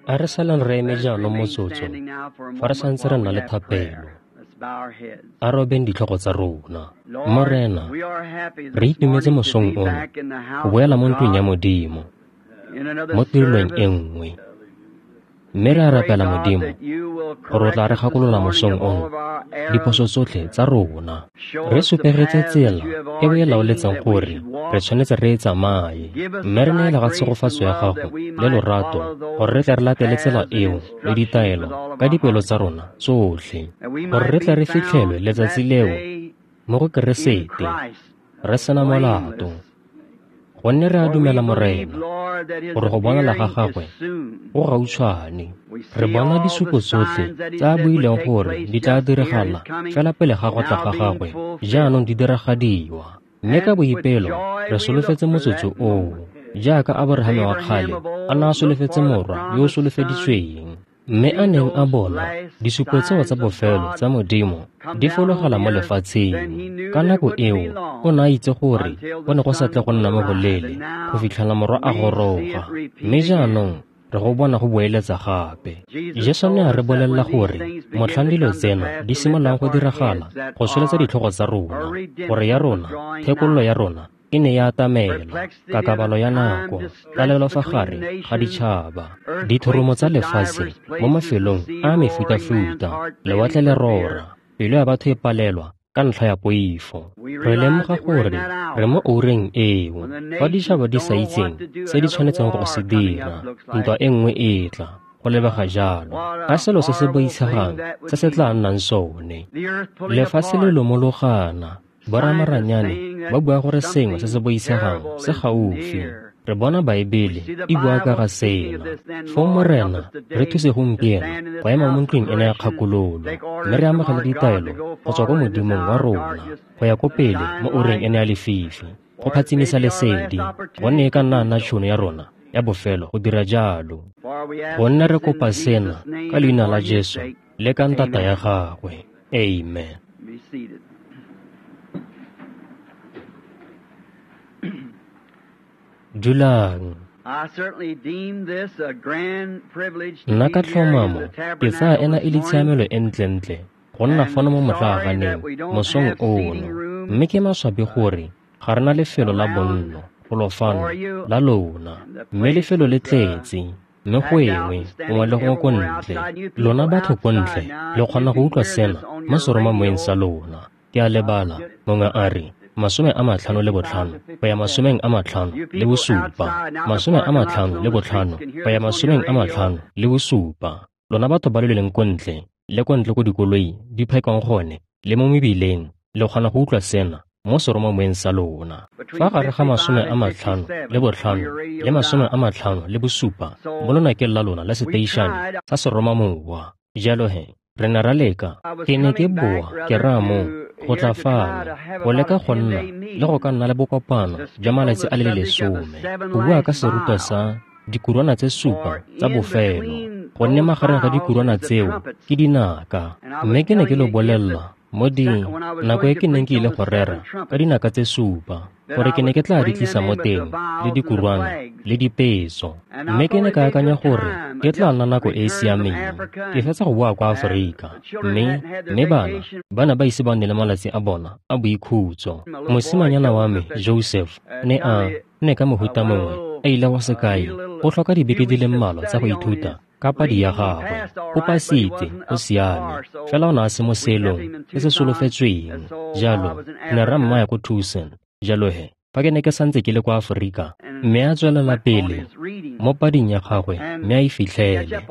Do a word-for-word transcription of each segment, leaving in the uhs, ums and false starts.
A re saleng re eme jaanong motsotso fa re santse re nna le thapelo. A robeng ditlhogo tsa rona. Morena, re itumetse mosong ono go boela mo ntlong ya Modimo mo tirelong e nngwe. Mme re a rapela Modimo gore o tla re gakolola mosong ono diphoso tsotlhe tsa rona. Re supegetse tsela e o e laoletseng gore re tshwanetse re e tsamaye, mme re neela ga tshegofatso ya gago le lorato gore re tle re latele tsela eo le ditaelo ka dipelo tsa rona tsotlhe, gore re tle re fitlhelwe letsatsi leo mo go Keresete re sena molato. Gonne re a dumela Morena gore go bonala ga gagwe go gautshwane. Re bona disupo tsotlhe tse a buileng gore di tla diragala fela pele ga go tla ga gagwe jaanong di diragadiwa. Mme ka boipelo re solofetse motsotso oo, jaaka Aborahame wa kgale a ne a solofetse morwa yo o solofeditsweng, mme a neng a bona disupo tseo tsa bofelo tsa Modimo di fologela mo lefatsheng. Ka nako eo o ne a itse gore go ne go sa tle go nna mo goleele go fitlhela morwa a goroga, mme jaanong re go bona go boeletsa gape. Jesu ne a re bolelela gore motlhang dilo tsena di simololang go diragala go tsholetsa ditlhogo tsa rona, gore ya rona thekololo ya rona e ne ya atamela, kakabalo ya nako, tlalelo fa gare ga ditšhaba, dithoromo tsa lefatshe mo mafelong a mefutafuta, lewatle le rora, pelo ya batho e palelwa ka ntlha ya poifo. Re lemoga gore re mo oureng eo fa ditšhaba di sa itseng se di tshwanetseng go se dira, ntwa e nngwe e tla go lebega jalo ka selo se se boitshegang se se tla nnang sone. Lefatshe le lomologana, boramaranyane ba bua gore sengwe se se boitshegang se gaufi. Re bona Baebele e bua ka ga sena. Foo Morena, re thuse gompieno go ema mo ntlong ena ya kgakololo, mme re amogele ditaelo go tswa ko Modimong wa rona go ya ko pele mo oureng ena ya lefifi, go phatsimisa lesedi, gonne e ka nna nna tšhono ya rona ya bofelo go dira jalo. Gonne re kopa sena ka leina la Jesu le ka ntata ya gagwe. Amen. Dulang. Nna ka tlhomamo ke tsaya ena e le tshiamelo e ntlentle go nna fano mo motlaaganeng mosong ono, mme ke maswabi gore ga re na lefelo la bonno golo fano la lona, mme lefelo le tletse, mme go engwe gongwe le gongwe ko ntle. Lona batho ko ntle le kgona go utlwa sena mo seromamoeng sa lona. Ke a lebala, mongwe a re masome a matlhano le botlhano go ya masomeng a matlhano le bosupa, masome a matlhano le botlhano go ya masomeng a matlhano le bosupa. Lona batho ba le leng ko ntle le ko ntle ko dikoloi di phakwang gone le mo mebileng, le kgona go utlwa sena mo seromamoeng sa lona. Fa gare ga masome a matlhano le botlhano le masome a matlhano le bosupa mo lonakeng la lona la seteišane sa seromamowa. Jalo he re ne ra leka, ke ne ke boa ke raya moo go tla fano go leka go nna le go ka nna le bokopano jwa malatsi a le lesome go bua ka serutwa sa dikurwana tse supa tsa bofelo, gonne magareng ga dikurwana tseo ke dinaka. Mme ke ne ke lo bolelela mo di nako e ke neng ke ile go rera ka dinaka tse supa gore ke ne ke tla di tlisa mo teng le dikurwana le dipeso, mme ke ne ka akanya gore ke tla nna nako e e siameng. Ke fetsa go boa kwa Aforika, mme mme bana ba ne ba ise ba nne le malatsi a bona a boikhutso. Mosimanyana wa me Joseph ne a ne ka mohuta mongwe a ile go sekai go tlhoka dibeke di le mmalwa tsa go ithuta ka padi ya gagwe. O pasitse, o siame, fela o ne a se mo seelong se se solofetsweng. Jalo ne ra mmaya ko Tucson. Jalo he fa ke ne ke santse ke le kwa Aforika, mme a tswelela pele mo pading ya gagwe mme a e fitlhele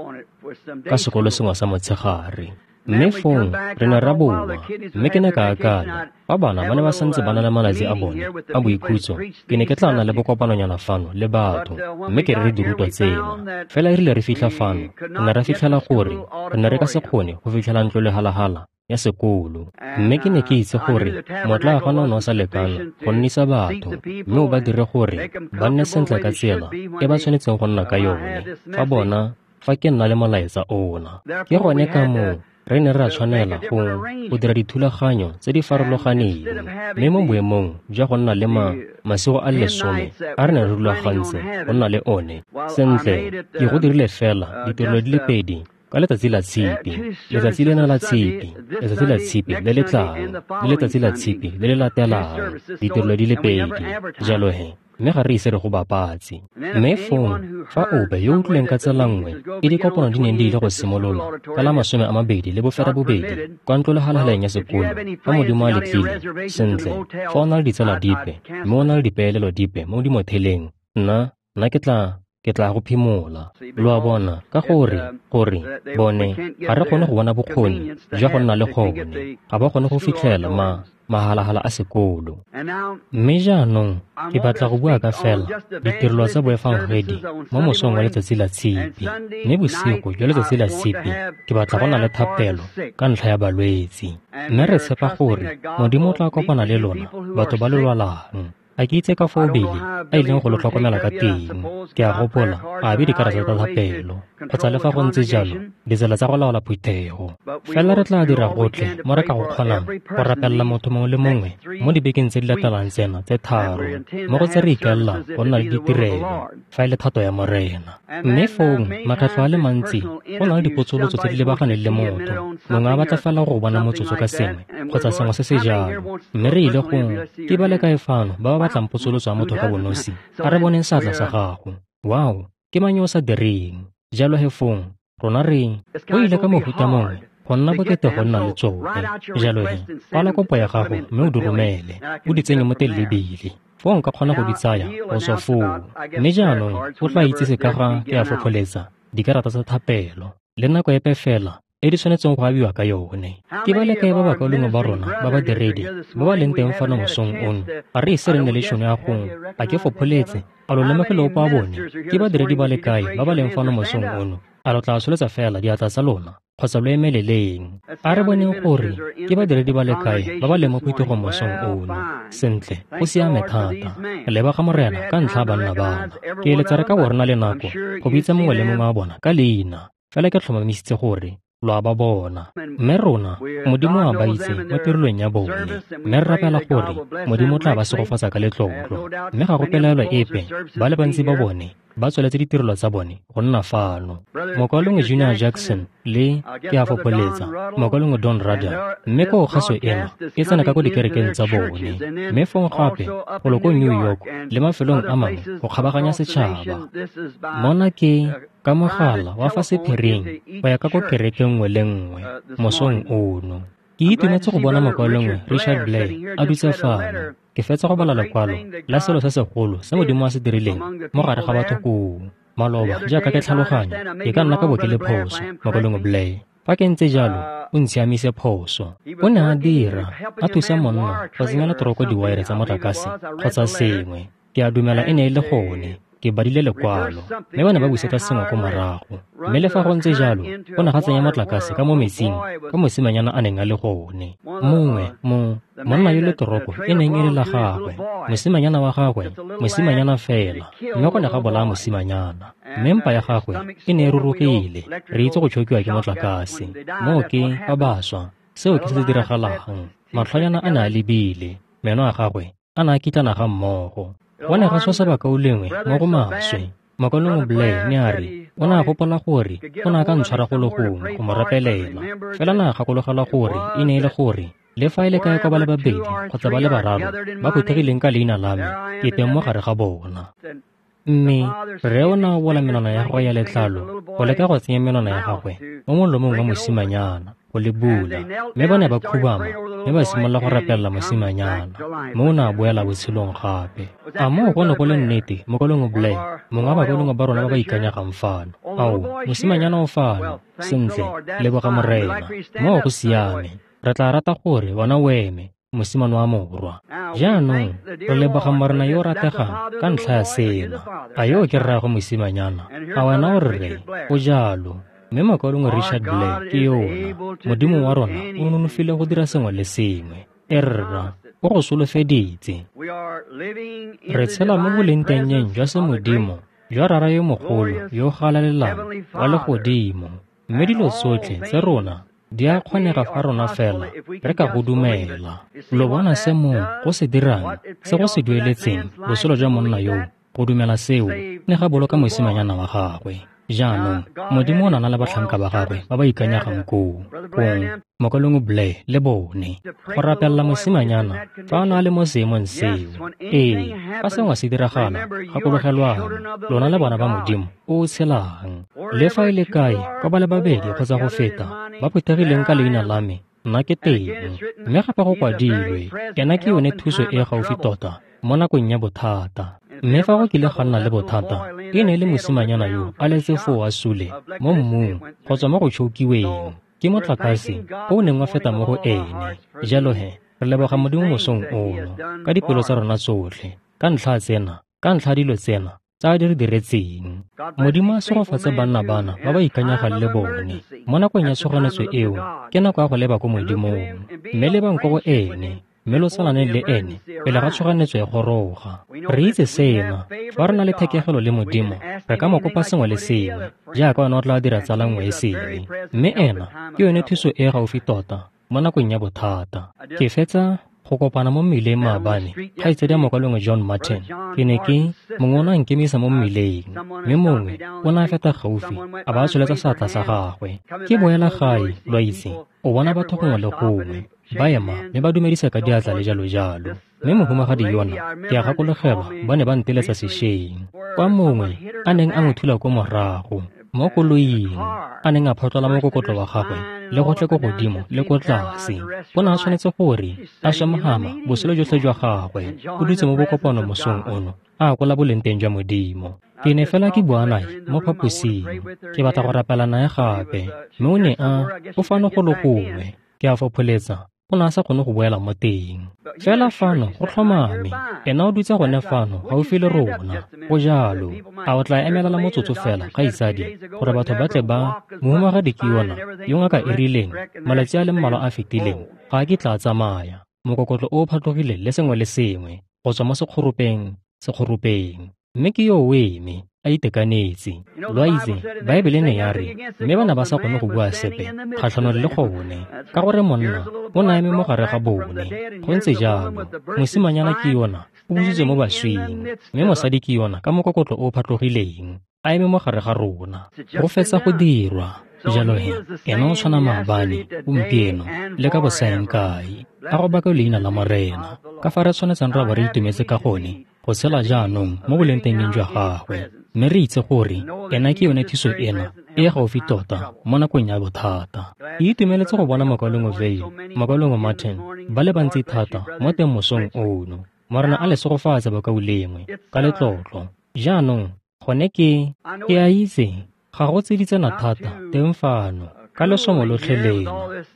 ka sekolo sengwe sa motshegare. Mme fong re ne ra boa, mme ke ne ka akanya fa bana ba ne ba santse ba na le malatsi a bone a boikhutso, ke ne ke tla nna le bokopanonyana fano le batho mme ke re re dirutwa tsena. Fela e rile re fitlha fano, re ne ra fitlhela gore re ne re ka se kgone go fitlhela ntlo lehalahala ya sekolo, mme ke ne ke itse gore motlaagana o ne o sa lekana go nnisa batho mme o ba dire gore ba nne sentle ka tsela e ba tshwanetseng go nna ka yone fa bona fa ke nna le molaetsa ona. Ke gone ka moo Re ne ra tshwanela go go dira dithulaganyo tse di farologaneng, mme mo boemong jwa go nna le ma masigo a le lesome a re ne re rulagantse go nna le one, sentle ke go dirile fela ditirelo di le pedi ka letsatsi la Tshipi, letsatsi lena la Tshipi, letsatsi la Tshipi le le tlang, le letsatsi la Tshipi le le latelang, ditirelo di le pedi. Jalo he, mme ga re ise re go bapatse. Mme fong, fa ope yo o utlwileng ka tsela nngwe e dikopano di neng di ile go simolola ka la masome a mabedi le boferabobedi kwa ntlolehalahaleng ya sekolo, fa Modimo a letlile, sentle, fa o na le ditsala dipe mme o na le dipeelelo dipe mo dimotheleng, nna nna ke tla ke tla go phimola. Lo a bona, ka gore gore bone ga re kgone go bona bokgoni jwa go nna le gone, ga ba kgone go fitlhela ma mahalahala a sekolo. Mme jaanong ke batla go bua ka fela ditirelo tsa boefangedi mo mosong wa letsatsi la Tshipi, mme bosigo jwa letsatsi la Tshipi ke batla go nna le thapelo ka ntlha ya balwetsi. Mme re tshepa gore Modimo o tla kopana le lona batho ba le lwalang. A ke itse ka foo Bili a ileng go lo tlhokomela ka teng. Ke a gopola a abe dikarata tsa thapelo, kgotsa le fa go ntse jalo ditsela tsa go laola phuthego. Fela re tla dira gotlhe mo re ka go kgonang go rapelela motho mongwe le mongwe mo dibekeng tse di latelang tsena tse tharo, mo go tse re ikaelelang go nna le ditirelo fa e le thato ya Morena. Mme fong makgetlho a le mantsi go na le dipotsolotso tse di lebaganeng le motho, mongwe a batla fela go bona motsotso ka sengwe kgotsa sengwe se se jalo, mme re ile go ke ba le kae fano ba ba batlang potsolotso ya motho ka bonosi? A re boneng seatla sa gago. Wow, ke mang yo o sa direng? Jalo he fong, rona re go ile ka mohuta mongwe go nna bokete go nna le tsone. Jalo he, kwala kopo ya gago mme o di romele, o di tsenye mo teng le Bili. Foo nka kgona go di tsaya go tswa foo. Mme jaanong o tla itsise ka ga ke a fopholetsa dikarata tsa thapelo le nako epe fela e di tshwanetseng go abiwa ka yone. Ke ba le kae ba bakaulengwe ba rona ba badiredi ba ba leng teng fano mosong ono? Ga re ise re nne le tšhono ya go a ke fopholetse, a lo lemogile ope wa bone? Ke badiredi ba le kae ba ba leng fano mosong ono? A lo tla tsholetsa fela diatla tsa lona kgotsa lo emeleleng? A re boneng gore ke badiredi ba le kae ba ba leng mo phuthegong mosong ono. Sentle, go siame thata. Leboga Morena ka ntlha ya banna bana. Ke eletsa re ka bo re na le nako go bitsa mongwe le mongwe wa bona ka leina, fela ke tlhomamisitse gore lo a ba bona. Mme rona, Modimo a ba itse mo tirelong ya bone, mme re rapela gore Modimo o tla ba segofatsa ka letlotlo. Mme ga go pelaelo epe, ba le bantsi ba bone ba tsweletse ditirelo tsa bone go nna fano. Mokaulengwe Junior Jackson le ke a fopholetsa mokaulengwe Don Rudder, mme ko kgaso ena e tsena ka ko dikerekeng tsa bone, mme fong gape golo ko New York le mafelong a mangwe go kgabaganya setšhaba. Mona ke ka mogala wa fa sephiring go ya ka ko kerekeng nngwe le nngwe mosong ono. Ke itumetse go bona mokaulengwe Richard Blair a dutse fano. Ke fetsa go bala lekwalo la selo se segolo se Modimo a se dirileng mo gare ga batho koo maloba. Jaaka ke tlhaloganya, ke ka nna ka bo ke le phoso, mokaulengwe Blair. Fa ke ntse jalo, o ntshiamise phoso. O ne a dira a thusa monna go tsenya letoroko diwaere tsa motlakase kgotsa sengwe. Ke a dumela e ne e le gone. Ke badile lekwalo, mme ba ne ba busetsa sengwe ko morago. Mme le fa go ntse jalo, go ne ga tsenya motlakase ka mo metsing ka mosimanyana a neng a le gone. Mongwe mo monna yo letoroko e neng e le la gagwe, mosimanyana wa gagwe, mosimanyana fela, mme go ne ga bolaya mosimanyana. Mme mpa ya gagwe e ne e rurugile, re itse go tšhokiwa ke motlakase. Moo ke ba baswa, seo ke se se diragalang. Matlhonyana a ne a lebile, meno a gagwe a ne a kitlana ga mmogo. Go ne ga tshosa bakaulengwe mo go maswe. Mokaulengwe Blair ne a re o ne a gopola gore o ne a ka ntshwara go le gongwe go mo rapelela, fela ne a gakologelwa gore e ne e le gore le fa e le kae kwa ba le babedi kgotsa ba le bararo ba phuthegileng ka leina la me, ke teng mo gare ga bona. Mme rre o ne a bola menwana ya gagwe ya letlalo go leka go tsenya menwana ya gagwe mo molomong wa mosimanyana go le bula, mme ba ne ba khubama mme ba simolola go rapelela mosimanyana, mme o ne a boela botshelong gape. A moo go ne go le nnete, mokaulengwe Blair, mongwe wa bakaulengwe ba rona ba ba ikanyegang fano? Ao, mosimanyana o fano. Sentle, leboga Morena. Moo go siame. Re tla rata gore wena o eme, mosimane wa morwa. Jaanong re leboga Morena yo o rategang ka ntlha ya sena. A yo ke rraagwe mosimanyana? A wena o rre? O jalo. Mme mokaulengwe Richard Blair ke yona. Modimo wa rona o nonofile go dira sengwe le sengwe. E rra, o go solofeditse. Re tshela mo bolengtengeng jwa semodimo jwa Rara yo mogolo yo o galalelang wa legodimo, mme dilo tsotlhe tse rona Di a kgonega fa rona fela re ka go dumela. Lo bona se moo go se dirang, se go se dueletseng botshelo jwa monna yoo go dumela seo, ne ga boloka mosimanyana wa gagwe. Jaanong, Modimo o na le batlhanka ba gagwe ba ba ikanyegang koo, kong mokaulengwe Blair le bone, go rapelela mosimanyana fa a ne a le mo seemong seo. Ee, fa sengwe se diragala, gakologelwang, lona le bana ba Modimo o o tshelang. Le fa e le kae kwa ba le babedi kgotsa go feta ba phuthegileng ka leina la me, nna ke teng. Mme gape go kwadilwe, ena ke yone thuso e e gaufi tota mo nakong ya bothata. Mme fa go kile ga nna le bothata, e ne e le mosimanyana yo a letse foo a sule mo mmung go tswa mo go tšhokiweng ke motlakase o o neng wa feta mo go ene. Jalo he, re leboga Modimo mosong ono ka dipelo tsa rona tsotlhe, ka ntlha tsena, ka ntlha dilo tsena tsa di re diretseng. Modimo a segofatse banna bana ba ba ikanyegang le bone mo nakong ya tshoganetso eo. Ke nako ya go leba ko Modimong, mme lebang ko go ene, mme lo tsalaneng le ene pele ga tshoganetso e goroga. Re itse sena, fa re na le thekegelo le Modimo, re ka mo kopa sengwe le sengwe, jaaka ona o tla dira tsala nngwe e sele. Mme ena ke yone thuso e e gaufi tota mo nakong ya bothata. Ke fetsa go kopana mo mmileng maabane, kgaitsedi ya mokaulengwe John Martin. Ke ne ke mongwe o ne a nkemisa mo mmileng, mme mongwe o ne a feta gaufi a ba a tsholetsa seatla sa gagwe. Ke boela gae, lo a itse, o bona batho gongwe le gongwe ba ema mme ba dumedisa ka diatla le jalo jalo. Mme mohumagadi yona, ke a gakologelwa, ba ne ba nteletsa sešweng, kwa mongwe a neng a mo thula ko morago mo koloing, a neng a photlola mokokotlo wa gagwe le gotlhe ko godimo le ko tlase. O ne a tshwanetse gore a swe mogama botshelo jotlhe jwa gagwe. O dutse mo bokopano mosong ono, a akola boleng teng jwa Modimo. Ke ne fela ke bua nae mo phaposing, ke batla go rapela nae gape, mme o ne a o fano go le gongwe, ke a fopholetsa o ne a sa kgone go boela mo teng. Fela fano go tlhomame, ena o dutse gone fano gaufi le rona. Go jalo. A o tla emelela motsotso fela, kgaitsadi, gore batho ba tle ba mohumagadi ke yona yo ngaka e rileng malatsi a le mmalwa a fetileng ga a kitla a tsamaya, mokokotlo o o phatlogile le sengwe le sengwe go tswa mo sekgoropeng sekgoropeng. Mme ke yo o eme a itekanetse. Lo a itse, Baebele ne ya re, mme ba ne ba sa kgone go bua sepe kgatlhanong le gone, ka gore monna o ne a eme mo gare ga bone. Go ntse jalo. Mosimanyana ke yona o busitswe mo baswing, mme mosadi ke yona ka mokokotlo o o phatlogileng a eme mo gare ga rona. Go fetsa go dirwa. Jalo he, ena o tshwana maabane, gompieno, le ka bosaeng kae. A go baka leina la Morena, ka fa re tshwanetseng ra bo re itumetse ka gone go tshela jaanong mo bolengtengeng jwa gagwe, mme re itse gore ena ke yone thuso ena e e gaufi tota mo nakong ya bothata. Ke itumeletse go bona mokaulengwe Vayle, mokaulengwe Martin, ba le bantsi thata mo teng mosong ono. Morena a le segofatse bakaulengwe ka letlotlo. Jaanong gone ke ke a itse ga go tsiditsana thata teng fano ka lesomo lotlhe lena.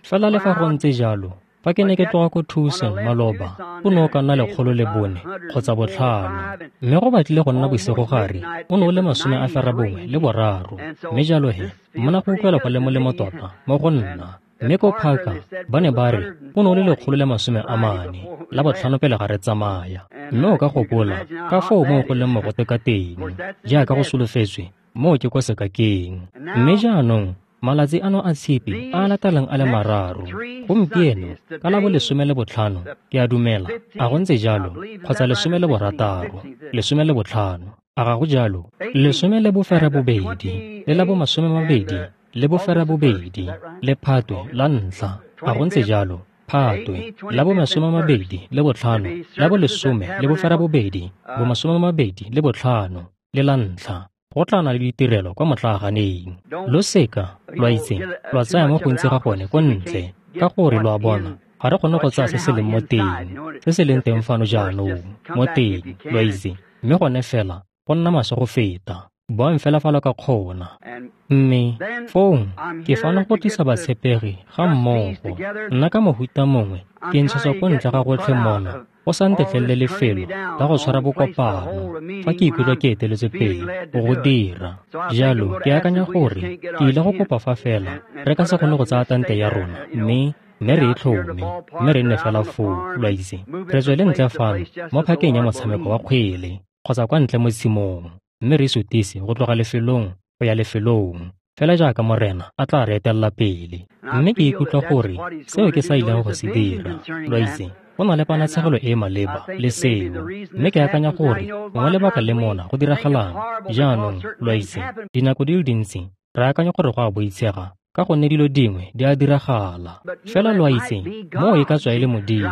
Fela le fa go ntse jalo, fa ke ne ke tloga ko Tucson maloba, o ne o ka nna lekgolo le bone kgotsa botlhano, mme go batlile go nna bosigogare o ne o le masome a ferabongwe le boraro. Mme jalo he, mona go utlwela go le molemo tota mo go nna. Mme ko Parker ba ne ba re o ne o le lekgolo le masome a mane la botlhano pele ga re tsamaya. Mme o ka gopola ka foo moo go leng mogote ka teng, jaaka go solofetswe moo ke kwa sekakeng. Mme jaanong malatsi ano a tshipi a a latelang a le mararo, gompieno ka la bo lesome le botlhano, ke a dumela, a go ntse jalo, kgotsa lesome le borataro, lesome le botlhano, a ga go jalo, lesome le boferabobedi, le la bo masome mabedi le boferabobedi, le Phatwe la ntlha, a go ntse jalo, Phatwe la bo masome mabedi le botlhano, la bo lesome le boferabobedi, bo masome mabedi le botlhano, le la ntlha. Go tla na le ditirelo kwa motlaaganeng. Lo seka, lo a itse, lwa tsaya mo gontsi ga gone ko ntle, ka gore lo a bona, ga re kgone go tsaya se se leng mo teng, se se leng teng fano jaanong, mo teng, lo a itse, mme gone fela go nna maswe go feta. Boang fela fa lo ka kgona. Mme fong ke fano go tlisa batshepegi ga mmogo. Nna ka mohuta mongwe ke ntshetswa ko ntle ga gotlhe mona, go sa ntetlelele lefelo la go tshwara bokopano fa ke ikutlwa ke eteletswe pele go go dira. Jalo ke akanya gore ke ile go kopa fa fela re ka se kgone go tsaya tante ya rona mme mme re e tlhome, mme re nne fela foo, lo a itse, re tswele ntle fano mo phakeng ya motshameko wa kgwele kgotsa kwa ntle mo tshimong, mme re sutise go tloga lefelong go ya lefelong. fela jaaka Morena a tla re etelela pele. Mme ke ikutlwa gore seo ke sa ileng go se dira, lo itse, go na le ponatshegelo e e maleba le seo. Mme ke akanya gore gongwe lebaka le mona go diragalang jaanong, lo itse, dinako di le dintsi re akanya gore go a boitshega ka gonne dilo dingwe di a diragala. Fela lo a itse, moo e ka tswa e le Modimo,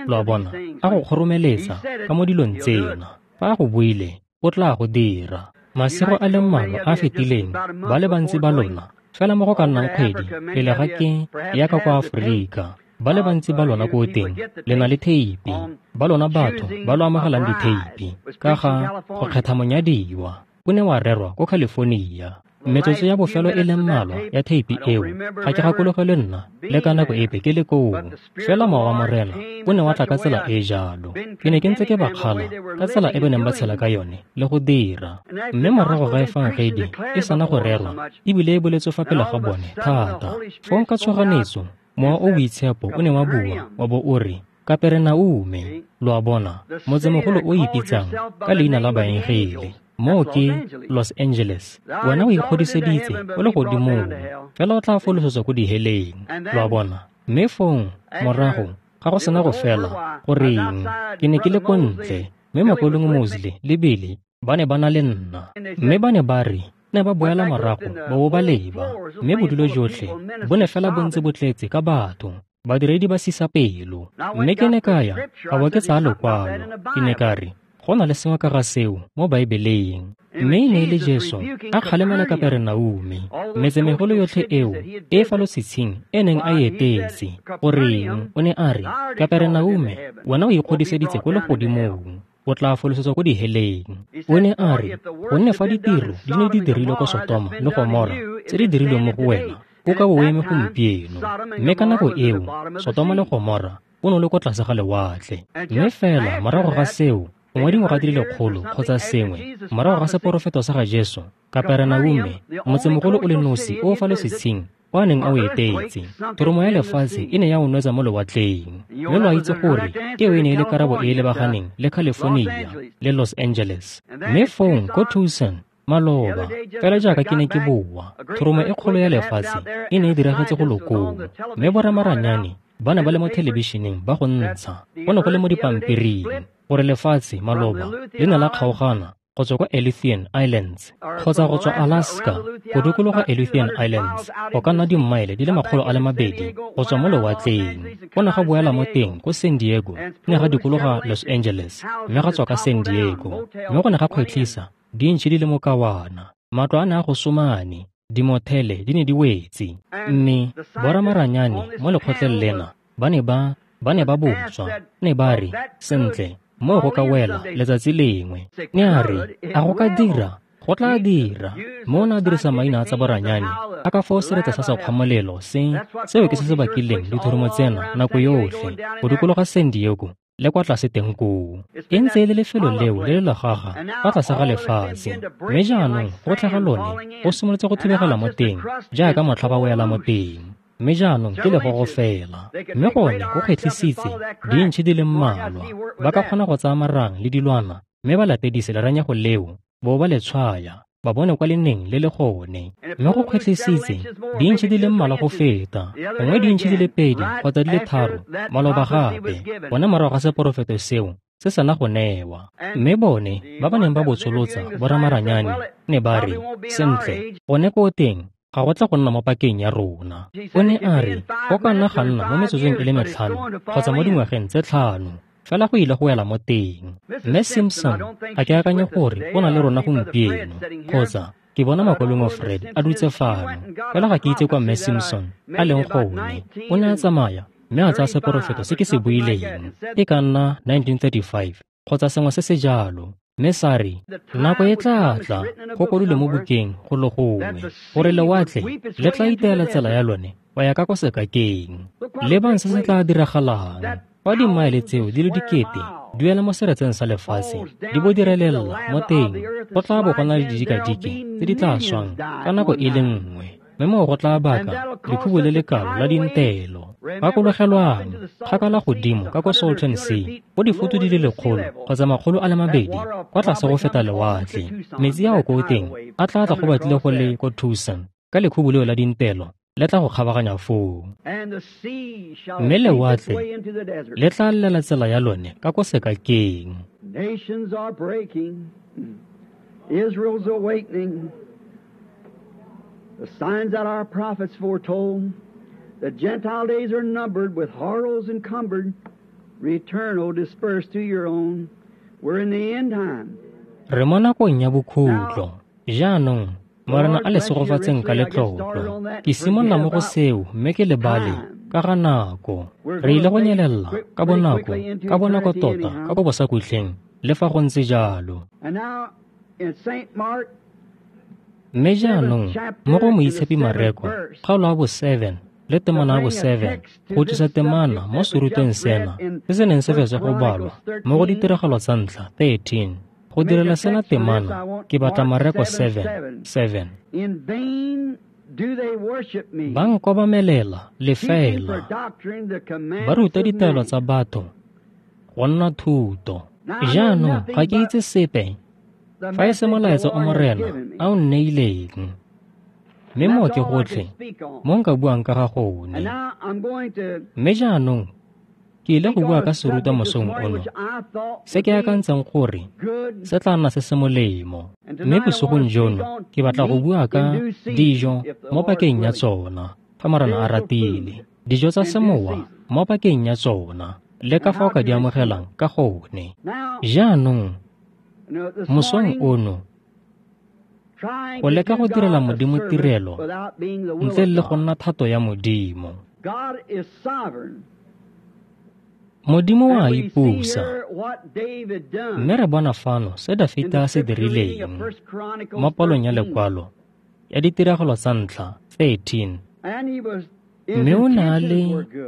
lo a bona, a go kgoromeletsa ka mo dilong tsena. Fa a go buile, o tla go dira. Masigo a le mmalwa a fetileng, ba le bantsi ba lona, fela mo go ka nnang kgwedi pele ga ke ya ka kwa Aforika, ba le bantsi ba lona ko teng le na le theipi, ba lona batho ba lo amogelang ditheipi ka ga go kgetha monyadiwa, o ne wa rerwa ko California. Metsotso ya bofelo e le mmalwa ya theipi eo ga ke gakologelwe nna le ka nako epe ke le koo. Fela Mowa wa Morena o ne wa tla ka tsela e jalo. Ke ne ke ntse ke ba kgala ka tsela e ba neng ba tshela ka yone le go dira. Mme morago ga efangedi e sana go rerwa ebile e boletswe fa pele ga bone thata, fong ka tshoganyetso Mowa o Boitshepo o ne wa bua wa bo o re, Kaperenaume, lo a bona, motsemogolo o ipitsang ka leina la baengele, moo ke Los Angeles. Wena o ikgodiseditse o le godimong, fela o tla folosetswa ko diheleng, lo a bona. Mme fong morago ga go sena go fela, goreng, ke ne ke le ko ntle, mme Mokaulengwe Mosley le Billy ba ne ba na le nna, mme ba ne ba re ne ba boela morago ba bo ba leba, mme bodulo jotlhe bo ne fela bo ntse bo tletse ka batho, badiredi ba sisa pelo. Mme ke ne ka ya ka bo ke tsaya lokwalo, ke ne ka re, go na le sengwe ka ga seo mo Baebeleng. Mme e ne e le Jesu a kgalemela Kaperenaume, metsemegolo yotlhe eo e fa lotshitshing e neng a e etetse. Goreng, o ne a re, Kaperenaume, wena o ikgodiseditse ko legodimong, o tla folosetswa ko diheleng. O ne a re, gonne fa ditiro di ne di dirilwe ko Sotoma le Gomora tse di dirilweng mo go wena, o ka bo o eme gompieno. Mme ka nako eo, Sotoma le Gomora o ne o le ko tlase ga lewatle. Mme fela morago ga seo, gongwe dingwaga di le lekgolo kgotsa sengwe morago ga seporofeto sa ga Jesu, Kaperenaume, motsemogolo o le nosi o fa lotshitshing o a neng a o etetse, thoromo ya lefatshe e ne ya o nwetsa mo lewatleng. Mme lo a itse gore eo e ne e le karabo e e lebaganeng le California le Los Angeles. Mme fong ko Tucson maloba, fela jaaka ke ne ke boa, thoromo e kgolo ya lefatshe e ne e diragetse go lokong, mme boramaranyane ba ne ba le mo thelebišeneng ba go ntsha, go ne go le mo dipampiring gore lefatshe maloba le ne la kgaogana go tswa kwa Aleutian Islands kgotsa go tswa Alaska go dikologa Aleutian Islands go ka nna dimmaele di le makgolo a le mabedi go tswa mo lewatleng. Go ne ga boela mo teng ko San Diego, ne ga dikologa Los Angeles, mme ga tswa ka San Diego, mme go ne ga kgwetlhisa dintšhi di le mokawana, matlo a ne a go somane, dimothele di ne di wetse. Mme boramaranyane mo lekgotleng lena ba ne ba ba ne ba botswa, ne ba re, sentle, moo go ka wela letsatsi lengwe. Ne a re, a go ka dira? Go tla dira. Mo o ne a dirisa maina a tsa boranyane a ka fao seretse sa sekgwamolelo se, seo ke se se bakileng dithoromo tsena nako yotlhe go dikologa San Diego le kwa tlase teng koo. E ntse e le lefelo leo le le legaga fa tlase ga lefatshe, mme jaanong go tlhaga lone go simolotse go thubegela mo teng jaaka motlha ba wela mo teng. Mme jaanong ke legogo fela, mme gone go kgwetlhisitse dintšhi di le mmalwa. Ba ka kgona go tsaya marang le dilwana mme ba latedise leranyego leo bo ba le tshwaya, ba bone kwa le neng le le gone. Mme go kgwetlhisitse dintšhi di le mmalwa go feta, gongwe dintšhi di le pedi kgotsa di le tharo maloba gape, bone morago ga seporofeto seo se sena go newa. Mme bone ba ba neng ba botsolotsa boramaranyane ne ba re, sentle, gone ko teng ga go tla go nna mo pakeng ya rona. O ne a re, go ka nna ga nna mo metsotsong e le metlhano kgotsa mo dingwageng tse tlhano, fela go ile go wela mo teng. Mme Simpson, ga ke akanye gore o na le rona gompieno, kgotsa ke bona Mokaulengwe Fred a dutse fano, fela ga ke itse kwa Mme Simpson a leng gone. O ne a tsamaya mme a tsaya seporofeto se ke se buileng, e ka nna nineteen thirty-five kgotsa sengwe se se jalo, mme sa re, nako e tla tla go kwadilwe mo bukeng go le gongwe gore lewatle le tla iteela tsela ya lone go ya ka kwa sekakeng. Lebang se se tla diragalang fa dimmaele tseo di le dikete di wela mo seretseng sa lefatshe di bo di relela mo teng, go tla bo go na le didikadike tse di tla swang ka nako e le nngwe, mme moo go tla baka lekhubu le lekalo la dintelo. Gakologelwang, kgakala godimo ka ko Salton Sea, go difutu di le lekgolo kgotsa makgolo a le mabedi kwa tlase go feta lewatle, metsi ao ko teng a tla tla go batlile go le ko Tucson ka lekhubu leo la dintelo le tla go kgabaganya foo. Mme lewatle le tla llela tsela ya lone ka ko sekakeng. Nations are breaking. Israel's awakening. The signs that our prophets foretold. The Gentile days are numbered, with horrors encumbered. Return, O dispersed to your own. We're in the end time. Re mo nakong ya bokhutlo. Jaanong Morena a le segofatseng ka letlotlo. Ke simolola mo go seo mme ke lebale ka ga nako. Re ile go nyelela ka bonako, ka bonako tota, ka ko bosakhutleng, le fa go ntse jalo. Mme jaanong mo go Moitshepi Mareko, kgaolo ya bo seven le temana ya bo seven, go tlisa temana mo serutweng sena se se neng se fetswa go balwa mo go ditiragalo tsa ntlha thirteen. Go direla sena temana ke batla Mareko seven seven. Ba nkobamelela lefela, ba ruta ditaelo tsa batho go nna thuto. Jaanong ga ke itse sepe fa e se molaetsa o Morena a o nneileng, mme moo ke gotlhe mo nka buang ka ga gone. Mme jaanong ke ile go bua ka serutwa mosong ono se ke akantseng gore se tla nna se se molemo. Mme bosigong jono ke batla go bua ka dijo mo pakeng ya tsona, fa Morena a ratile, dijo tsa semowa mo pakeng ya tsona, le ka fa o ka di amogelang ka gone. Jaanong mosong ono go leka go direla Modimo tirelo ntle le go nna thato ya Modimo. Modimo wa ipusa, mme re bona fano se Dafita a se dirileng mo palong ya lekwalo ya ditiragalo tsa ntlha thirteen. Mme o ne a le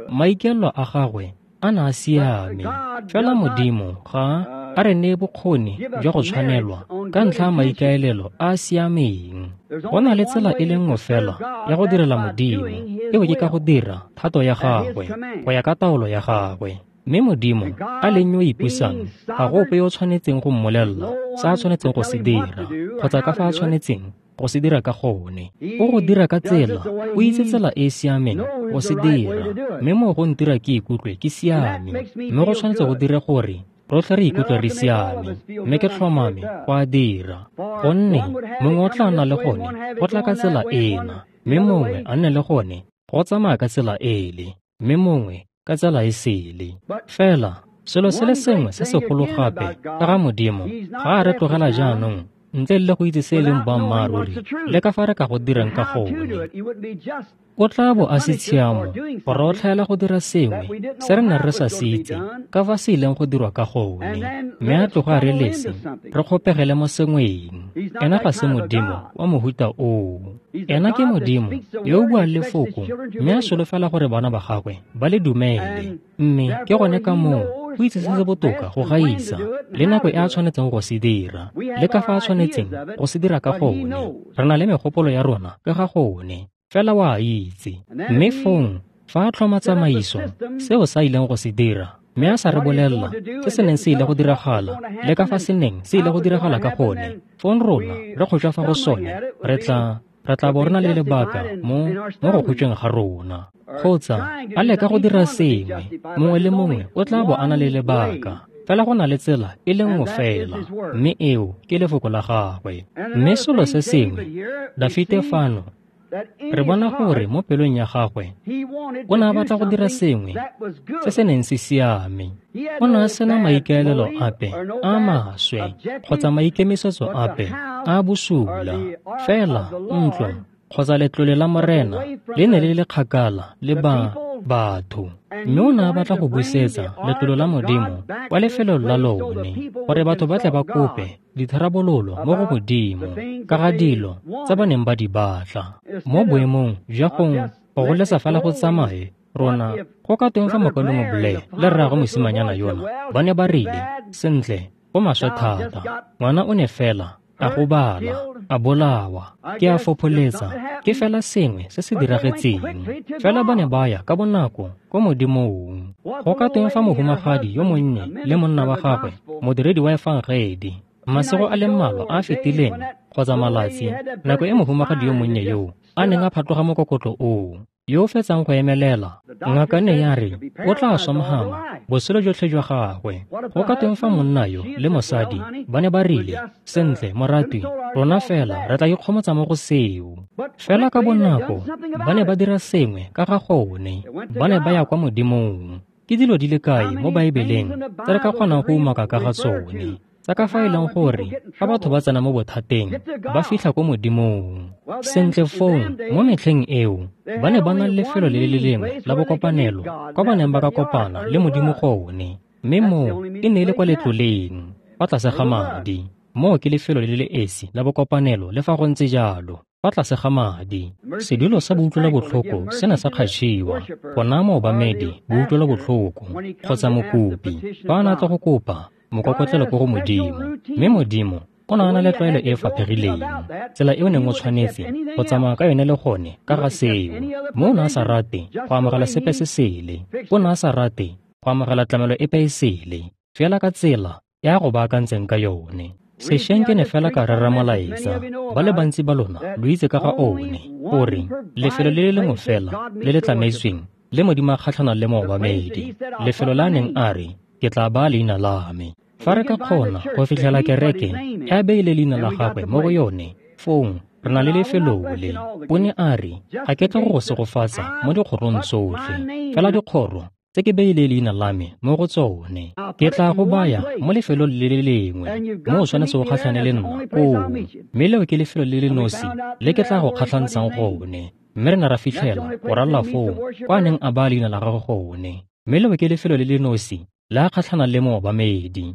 maikaelelo a gagwe a ne a siame, fela Modimo ga a re neye bokgoni jwa go tshwanelwa ka ntlha ya maikaelelo a a siameng. Go na le tsela e le nngwe fela ya go direla Modimo, eo ke ka go dira thato ya gagwe go ya ka taolo ya gagwe. Mme Modimo a leng yo o ipusang, ga go ope yo o tshwanetseng go mmolelela se a tshwanetseng go se dira kgotsa ka fa a tshwanetseng go se dira ka gone. O go dira ka tsela, o itse tsela e e siameng go se dira, mme moo go ntira ke ikutlwe ke siame, mme go tshwanetse go dire gore rotlhe re ikutlwe re siame, mme ke tlhomame go a dira. Gonne mongwe o tla nna le gone go tla ka tsela ena, mme mongwe a nne le gone go tsamaya ka tsela ele, mme mongwe ka tsela e sele. Fela selo se le sengwe se segolo gape ka ga Modimo, ga a re tlogela jaanong ntle le go itse se e leng boammaaruri le ka fa re ka go dirang ka gone. O tla bo a se tshiamo gore o tlhaela go dira sengwe se re neng re sa se itse ka fa se ileng go dirwa ka gone, mme a tloga a re lese re kgopegele mo sengweng. Ena ga se Modimo wa mohuta oo. Ena ke Modimo yo o buang lefoko mme a solofela gore bana ba gagwe ba le dumele, mme ke gone ka moo o itse se se botoka go gaisa le nako e a tshwanetseng go se dira le ka fa a tshwanetseng go se dira ka gone. Re na le megopolo ya rona ka ga gone, fela wa itse. Mme fong fa a tlhoma tsamaiso seo sa ileng go se dira, mme a sa re bolelela se se neng se ile go diragala le ka fa se neng se ile go diragala ka gone, fong rona re kgotšwa fa go sone, re tla re tla bo re na le lebaka mo mo go kgotšweng ga rona. Kgotsa a leka go dira sengwe, mongwe le mongwe o tla bo a na le lebaka, fela go na le tsela e le nngwe fela, mme eo ke lefoko la gagwe. Mme selo se sengwe, Dafite fano re bona gore mo pelong ya gagwe o ne a batla go dira sengwe se se neng se siame. O ne a sena maikaelelo ape a maswe kgotsa maikemisetso ape a bosula, fela ntlo kgotsa letlole la Morena le ne le le kgakala le ba batho, mme o ne a batla go busetsa letlole la Modimo kwa lefelong la lone gore batho ba tle ba kope ditharabololo mo go Modimo ka ga dilo tse ba neng ba di batla. Mo boemong jwa go go goletsa fela go tsamaye rona, go ka tweng fa mokaulengwe Blair le rraagwe mosimanyana yona ba ne ba rile, sentle, go maswe thata, ngwana o ne fela a gobala, a bolawa, ke a fopholetsa, ke fela sengwe se se diragetseng. Fela ba ne ba ya ka bonako ko Modimong. Go ka tweng fa mohumagadi yo monnye le monna wa gagwe, modiredi wa efangedi, masigo a le mmalwa a a fetileng kgotsa malatsi, nako e mohumagadi yo monnye yoo a neng a phatloga mokokotlo oo, yo o fetsang go emelela. Ngaka ne ya re o tla swa mohama botshelo jotlhe jwa gagwe. Go ka tweng fa monna yo le mosadi ba ne ba rile, sentle moratwi, rona fela re tla ikgomotsa mo go seo. Fela ka bonako ba ne ba dira sengwe ka ga gone, ba ne ba ya kwa Modimong. Ke dilo di le kae mo Baebeleng tse re ka kgonang go umaka ka ga tsone, tsa ka fa e leng gore fa batho ba tsena mo bothateng ba fitlha ko Modimong. Sentle fong, mo metlheng eo ba ne ba na le lefelo le le lengwe la bokopanelo kwa ba neng ba ka kopana le Modimo gone, mme moo e ne e le kwa letloleng fa tlase ga madi. Moo ke lefelo le le esi la bokopanelo le fa go ntse jalo, fa tlase ga madi. Sedulo sa boutlwelobotlhoko se ne sa kgatšhiwa go naya moobamedi boutlwelobotlhoko kgotsa mokopi fa a ne a tla go kopa mokokotlelo ko go Modimo. Mme Modimo o ne a na le tlwaelo e e faphegileng, tsela e o neng o tshwanetse go tsamaya ka yone le gone ka ga seo. Mme o ne a sa rate go amogela sepe se sele, o ne a sa rate go amogela tlamelo epe e sele, fela ka tsela ya go baakantseng ka yone. Sešweng ke ne fela ka rera molaetsa, ba le bantsi ba lona lo itse ka ga one, gore lefelo le le lengwe fela le le tlametsweng le Modimo a kgatlhanang le moobamedi, lefelo la a neng a re, ke tla baya leina la me. Fa re ka kgona go fitlhela kereke e beile leina la gagwe mo go yone, fong re na le lefelo le. O ne a re, ga ke tle go go segofatsa mo dikgorong tsotlhe, fela dikgoro tse ke beile leina la me mo go tsone. Ke tla go baya mo lefelong le le lengwe mo o tshwanetse go kgatlhane le nna koo, mme leo ke lefelo le le nosi le ke tla go kgatlhantshang gone. Mme re ne ra fitlhela go ralla foo kwa a neng a baya leina la gagwe gone, mme leo ke lefelo le le nosi le a kgatlhanang le moobamedi.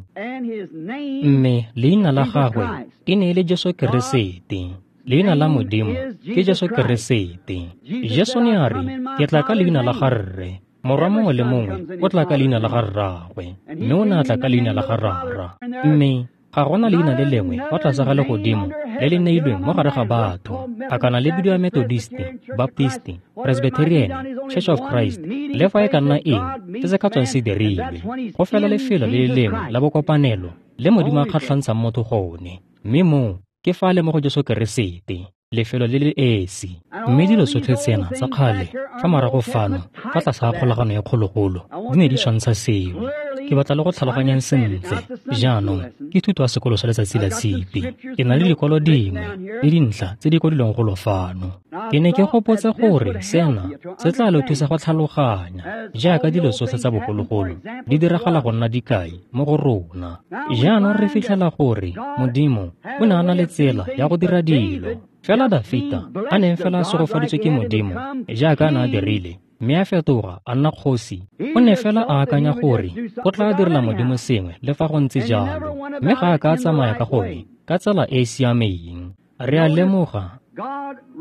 Mme leina la gagwe e ne e le Jesu Keresete. Leina la Modimo ke Jesu Keresete. Jesu ne a re, ke tla ka leina la ga Rre. Morwa mongwe le mongwe o tla ka leina la ga rraagwe, mme o ne a tla ka leina la ga Rara. Mme ga gona leina le lengwe fa tlase ga legodimo le le neilweng mo gare ga batho, a kana le bidiwa Methodist, Baptist, Presbyterian, Church of Christ, le fa e ka nna eng se se ka tswang se dirilwe. Go fela lefelo le le lengwe la bokopanelo le Modimo a kgatlhantshang motho gone, mme moo ke fa le mo go Jesu Keresete, lefelo le le esi. Mme dilo tsotlhe tsena tsa kgale fa morago fano fa tlase ga kgolagano ya kgologolo di ne di tshwantsha seo. Ke batla le go tlhaloganyang sentle. Jaanong ke thuto ya sekolo sa letsatsi la Tshipi. Ke na le dikwalo dingwe le dintlha tse di kwadilweng golo fano. Ke ne ke gopotse gore sena se tla lo thusa go tlhaloganya jaaka dilo tsotlhe tsa bogologolo di diragala go nna dikai mo go rona. Jaanong re fitlhela gore Modimo o ne a na le tsela ya go dira dilo. Fela Dafita a neng fela a segofaditswe ke Modimo jaaka a ne a dirile, mme a fetoga a nna kgosi, o ne fela a akanya gore o tla direla Modimo sengwe le fa go ntse jalo, mme ga a ka a tsamaya ka gone ka tsela e e siameng. Re a lemoga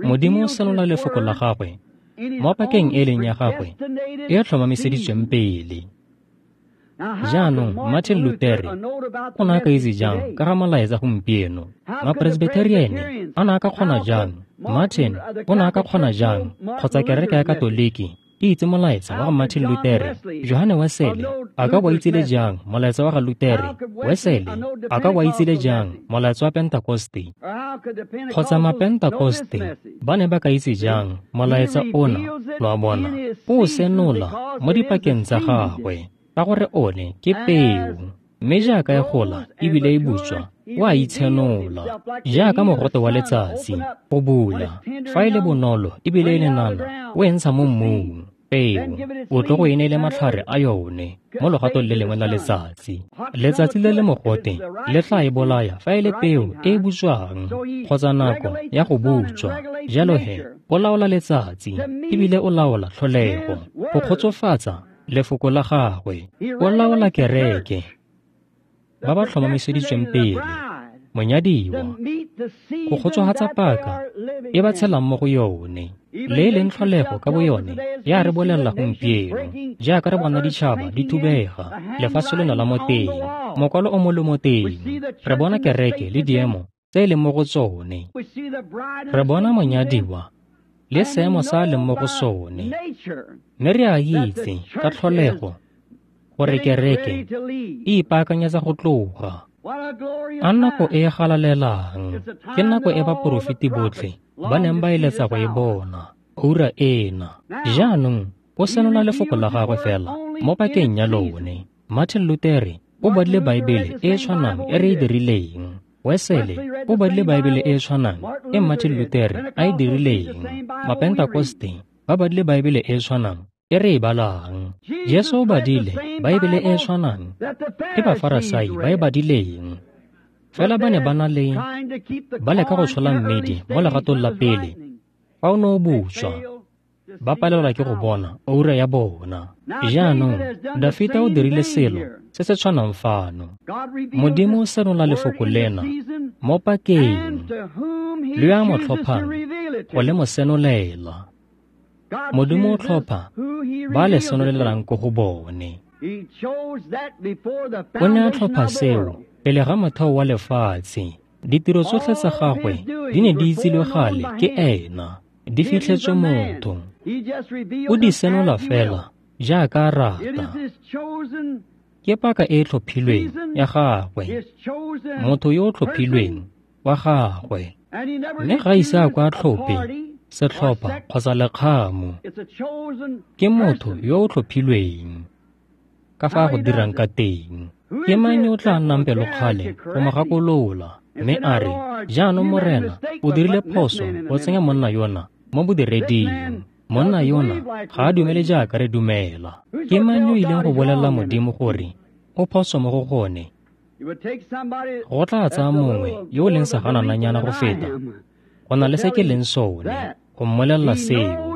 Modimo o senola lefoko la gagwe mo pakeng e leng ya gagwe e tlhomamiseditsweng pele. Jaanong Martin Luther o ne a ka itse jang ka ga molaetsa gompieno? Mapresbyteriane a ne a ka kgona jang? Martin o ne a ka kgona jang? Kgotsa kereke ya Katoliki e itse molaetsa wa ga Martin Luther? Johane Wesley a ka bo a itsile jang molaetsa wa ga Luther? Wesley a ka bo a itsile jang molaetsa wa Pentekoste? Kgotsa Mapentakoste ba ne ba ka itse jang molaetsa ona? Lo a bona, o senola mo dipakeng tsa gagwe, ka gore one ke peo, mme jaaka e gola ebile e butswa, o a itshenola jaaka mogote wa letsatsi go bula. Fa e le bonolo ebile e le nana, o e ntsha mo mmung peo, o tlo go e neele matlhare a yone mo logatong le lengwe la letsatsi. Letsatsi le le mogote le tla e bolaya fa e le peo e e butswang kgotsa nako ya go butswa. Jalo he o laola letsatsi ebile o laola tlholego go kgotsofatsa lefoko la gagwe. O laola kereke, ba ba tlhomamiseditsweng pele, monyadiwa, go kgotsofatsa paka e ba tshelang mo go yone. Le e leng tlholego ka boyone ya re bolelela gompieno, jaaka re bona ditšhaba di thubega, lefatshe leno la mo teng, mokwalo o mo le mo teng. Re bona kereke le diemo tse e leng mo go tsone. Re bona monyadiwa le seemo sa a leng mo go sone. Mme re a itse ka tlholego gore kereke e ipaakanyetsa go tloga. A nako e e galalelang, ke nako e baporofeti botlhe ba neng ba eletsa go e bona, oura ena. Jaanong o senola lefoko la gagwe fela mo pakeng ya lone. Martin Luther o badile Baebele e e tshwanang e re e dirileng. Wesele o badile Baebele e e tshwanang e Martin Luther a e dirileng. Mapentakoste ba badile Baebele e e tshwanang e re e balang. Jesu o badile Baebele e e tshwanang e Bafarasai ba e badileng. Fela ba ne ba na le ba leka go tshola mmidi mo legatong la pele fa o ne o butswa, ba palelwa ke go bona oura ya bona. Jaanong Dafita o dirile selo se se tshwanang fano. Modimo o senola lefoko lena mo pakeng le yo a mo tlhophang go le mo senolela. Modimo o tlhopha ba le senolelang ko go bone. O ne a tlhopha seo pele ga motheo wa lefatshe. Ditiro tsotlhe tsa gagwe di ne di itsilwe gale ke ena, di fitlhetswe motho. O di senola fela jaaka a rata. Ke paka e e tlhophilweng ya gagwe, motho yo o tlhophilweng wa gagwe. Mme ga ise a kwa tlhophe setlhopha kgotsa lekgamo. Ke motho yo o tlhophilweng ka fa a go dirang ka teng. Ke mang yo o tla nnang pelokgale go mo gakolola mme a re, jaanong Morena o dirile phoso go tsenya monna yona mo bodireding. Monna yona ga a dumele jaaka re dumela. Ke mang yo ileng go bolelela Modimo gore o phoso mo go gone? Go tla tsaya mongwe yo o leng seganananyana go feta go na le se ke leng sone go mmolelela seo.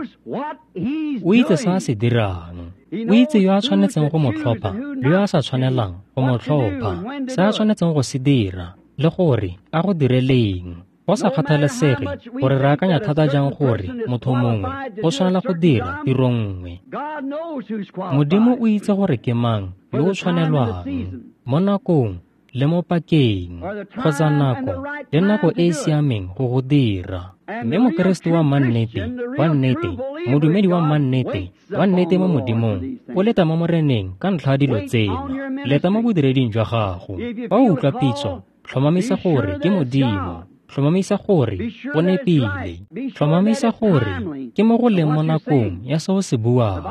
O itse se a se dirang. O itse yo a tshwanetseng go mo tlhopha le yo a sa tshwanelang go mo tlhopha, se a tshwanetseng go se dira le gore a go direleng. Go sa kgathalesege gore re akanya thata jang gore motho mongwe o tshwanela go dira tiro nngwe, Modimo o itse gore ke mang yo o tshwanelwang mo nakong le mo pakeng kgotsa nako le nako e e siameng go go dira. Mme Mokeresete wa mannete, wa nnete, modumedi wa mannete, wa nnete mo Modimong, o leta mo Moreneng ka ntlha ya dilo tsena. Leta mo bodireding jwa gago. Fa o utlwa pitso, tlhomamisa gore ke Modimo. Tlhomamisa gore o nepile. Tlhomamisa gore ke mo go leng mo nakong ya se o se buang.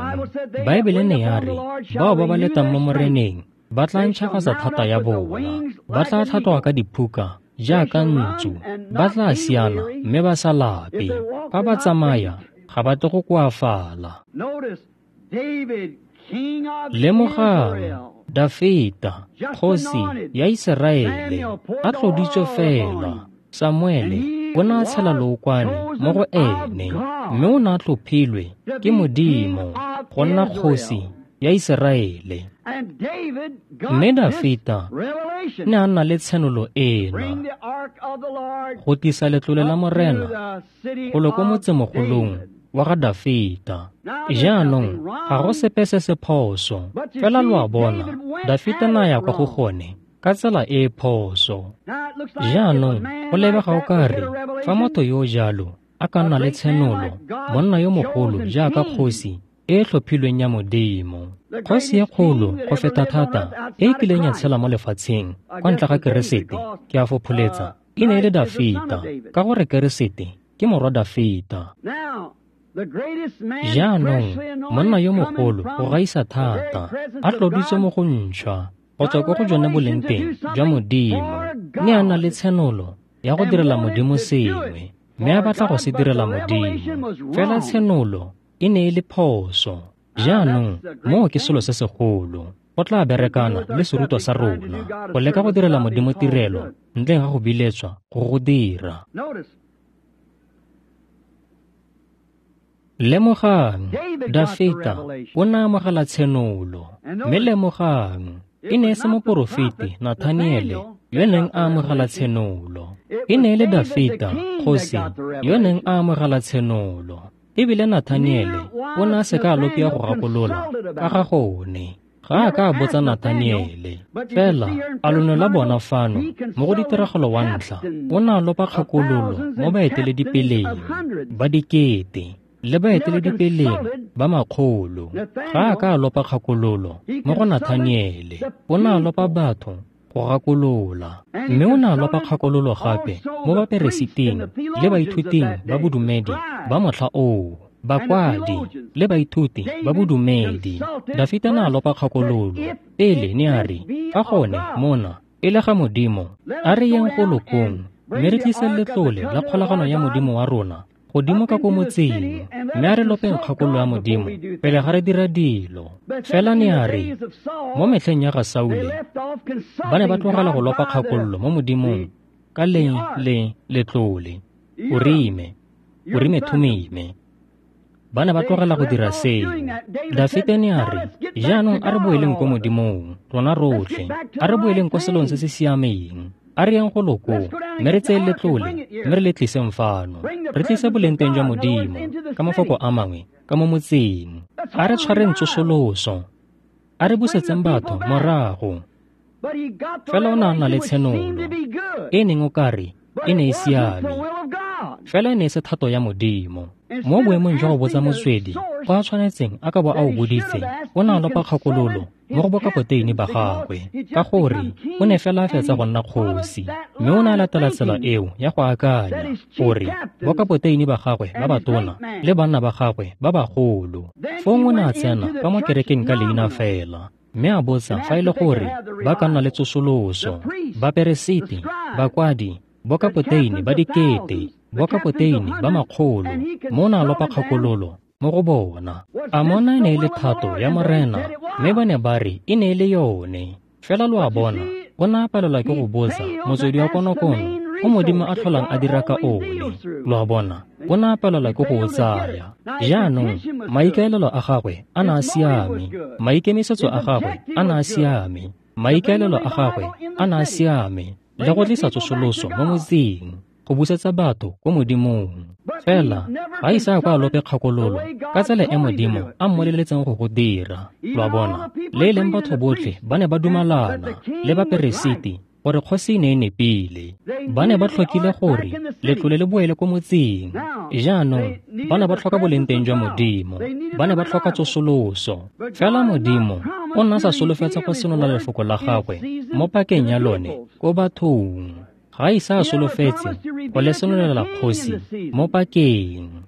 Baebele ne ya re, bao ba ba letang mo Moreneng ba tla ntšhafatsa thata ya bona, ba tla tlhatloga ka diphuka jaaka ntsu, ba tla siana mme ba sa lape. Fa ba tsamaya ga ba tle go koafala. Lemogang Dafita, kgosi ya Iseraele, a tloditswe fela. Samuele o ne a tshela lookwane mo go ene, mme o ne a tlhophilwe ke Modimo go nna kgosi ya Iseraele. Mme Dafita ne a nna le tshenolo ena go tlisa letlole la Morena golo ko motsemogolong wa ga Dafita. Jaanong ga go sepe se se phoso, fela lo a bona Dafita na ya kwa go gone ka tsela e e phoso. Jaanong go lebega o ka re fa motho yo jalo a ka nna le tshenolo, monna yo mogolo jaaka kgosi e e tlhophilweng ya Modimo, kgosi e kgolo go feta thata e e kileng ya tshela mo lefatsheng kwa ntle ga Keresete, ke a fopholetsa, e ne e le Dafita, ka gore Keresete ke morwa Dafita. Jaanong monna yo mogolo go gaisa thata a tloditswe mo go ntšhwa go tswa ko go jone boleng teng jwa Modimo, ne a na le tshenolo ya go direla Modimo sengwe, mme a batla go se direla Modimo. Fela tshenolo e ne e le phoso. Jaanong moo ke selo se segolo. Go tla berekana le serutwa sa rona go leka go direla Modimo tirelo ntleng ga go biletswa go go dira. Lemogang, Dafita o ne a amogela tshenolo, mme lemogang, e ne e se moporofeti Nathaniele yo neng a amogela tshenolo. E ne e le Dafita, kgosi, yo neng a amogela tshenolo. Ebile Nathaniele o ne a se ka a lopia go gakolola ka ga gone. Ga a ka a botsa Nathaniele. Fela a lo ne la bona fano mo go ditiragalo wa ntlha, o ne a lopa kgakololo mo baeteledipeleng ba dikete le baeteledipeleng ba makgolo. Ga a ka a lopa kgakololo mo go Nathaniele, o ne a lopa batho go gakolola. Mme o ne a lopa kgakololo gape mo baperesiting le baithuting ba bodumedi ba motlha oo, bakwadi le baithuti ba bodumedi. Dafita ne a lopa kgakololo pele, ne a re, fa gone mona e le ga Modimo, a re yeng go lokong mme re tlise letlole la kgolagano ya Modimo wa rona godimo ka ko motseng, mme a re lopeng kgakololo ya Modimo pele ga re dira dilo. Fela ne a re, mo metlheng ya ga Saule, ba ne ba tlogela go lopa kgakololo mo Modimong ka le le letlole, Urime, Urime Thumime. Ba ne ba tlogela go dira seo. Dafite ne a re, jaanong a re boeleng ko Modimong, rona rotlhe, a re boeleng ko selong se se siameng. A re yeng go loko, mme re tseye letlole, mme re le tliseng fano. Re tlise bolengteng jwa Modimo, ka mafoko a mangwe, ka mo motseng. A re tshwareng tsosoloso. A re busetseng batho morago. Fela o ne a nna le tshenolo, e neng o kare e ne e siame, fela e ne e se thato ya Modimo. Mo boemong jwa go botsa motswedi kwa a tshwanetseng a ka bo a o boditse, o ne a lopa kgakololo mo go bokapoteini ba gagwe, ka gore o ne fela a fetsa go nna kgosi, mme o ne a latela tsela eo ya go akanya gore bokapoteini ba gagwe ba batona le banna ba gagwe ba bagolo. Fong o ne a tsena ka mo kerekeng ka leina fela, mme a botsa fa e le gore ba ka nna le tsosoloso. Baperesiti, bakwadi, bokapoteini ba dikete, bokapoteini ba makgolo, mo na lopa kgakololo mo go bona. A mona e ne e le thato ya Morena, mme ba ne ba re e ne e le yone. Fela lo a bona, o ne a palelwa ke go botsa motswedi wa konokono o Modimo a tlholang a dira ka one. Lo a bona, o ne a palelwa ke go o tsaya. Jaanong maikaelelo a gagwe a ne a siame, maikemisetso a gagwe a ne a siame, maikaelelo a gagwe a ne a siame, le go tlisa tsosoloso mo motseng, go busetsa batho ko Modimong. Fela ga ise a kwa a lope kgakololo ka tsela e Modimo a mmoleletseng go go dira. Lo a bona, le e leng batho botlhe ba ne ba dumalana le baperesiti gore kgosi e ne e nepile. Ba ne ba tlhokile gore letlole le boele ko motseng. Jaanong ba ne ba tlhoka bolengteng jwa Modimo, ba ne ba tlhoka tsosoloso. Fela Modimo o ne a sa solofetsa go senola lefoko la gagwe mo pakeng ya lone ko bathong. Ga ise a solofetse go le senolela kgosi mo pakeng.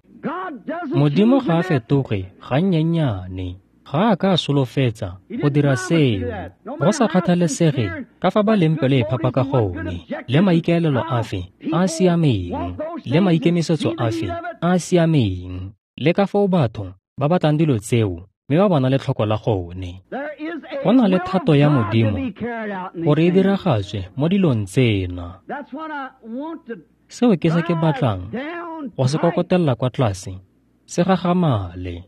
Modimo ga a fetoge gannyennyane. Ga a ka a solofetsa go dira seo, go sa kgathalesege ka fa ba leng pelo e phapa ka gone, le maikaelelo afe a a siameng, le maikemisetso afe a a siameng, le ka foo batho ba batlang dilo tseo mme ba bona letlhoko la gone. Go na le thato ya Modimo gore e diragatswe mo dilong tsena. Seo ke se ke batlang go se kokotella kwa tlase, se gagamale.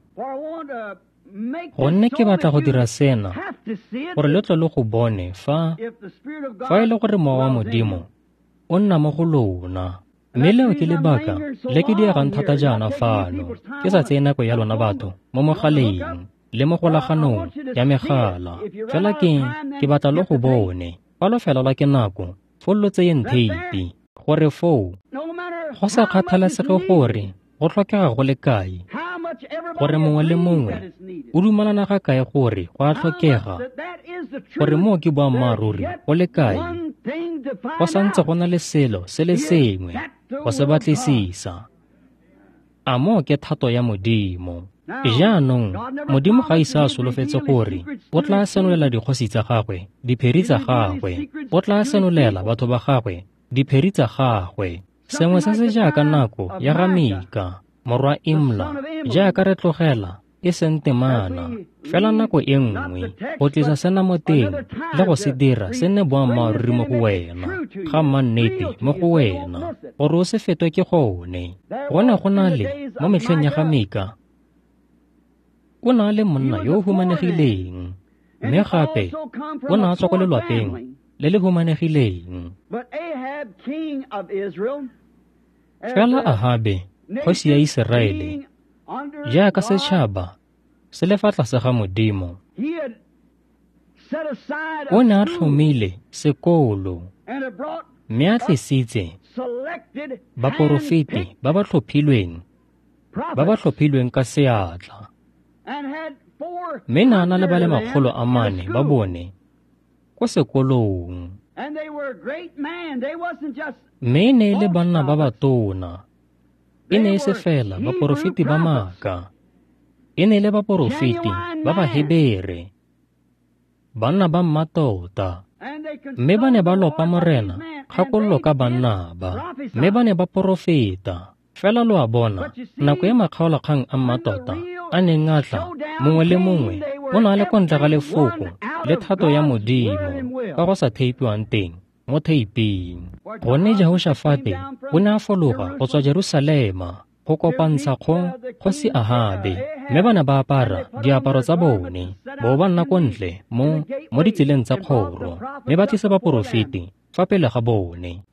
Gonne ke batla go dira sena gore le tle le go bone fa fa e le gore Mowa wa Modimo o nna mo go lona. Mme leo ke lebaka le ke diegang thata jaana fano, ke sa tseye nako ya lona batho mo mogaleng le mo golaganong ya megala. Fela ke ke batla le go bone fa lo felelwa ke nako, foo lo tseyeng theipi, gore foo go sa kgathalesege gore go tlhokega go le kae, gore mongwe le mongwe o dumalana ga kae gore go a tlhokega, gore moo ke boammaaruri go le kae, go santse go na le selo se le sengwe go se batlisisa. A moo ke thato ya Modimo? Jaanong Modimo ga ise a solofetse gore o tla senolela dikgosi tsa gagwe diphiri tsa gagwe, o tla senolela batho ba gagwe diphiri tsa gagwe. Sengwe se se jaaka nako ya ga Mika morwa Imla, jaaka re tlogela e seng temana, fela nako e nngwe go tlisa sena mo teng le go se dira se nne boammaaruri mo go wena, ga mannete mo go wena, gore o se fetwe ke gone. Go ne go na le mo metlheng ya ga Mika, o ne a le monna yo o humanegileng, mme gape o ne a tswa ko lelwapeng le le humanegileng. Fela Ahabe, kgosi ya Iseraele, jaaka setšhaba se le fa tlase ga Modimo, o ne a tlhomile sekolo mme a tlisitse baporofeti ba ba tlhophilweng, ba ba tlhophilweng ka seatla, mme ne a na le ba le makgolo a mane ba bone ko sekolong. Mme e ne e le banna ba batona. E ne e se fela baporofeti ba maaka. E ne e le baporofeti ba Bahebere, banna ba mmatota. Mme ba ne ba lopa Morena kgakololo ka banna ba, mme ba ne ba porofeta. Fela lo a bona, nako e makgaolakgang a mmatota a neng a tla, mongwe le mongwe o ne a le kwa ntle ga lefoko le thato ya Modimo ka go sa theipiwang teng mo theiping. Gonne Jehoshafate o ne a fologa go tswa Jerusalema go kopantsha kgo kgosi Ahabe, mme ba ne ba apara diaparo tsa bone, bo ba nna ko ntle mo mo ditseleng tsa kgoro, mme ba tlisa baporofeti fa pele ga bone.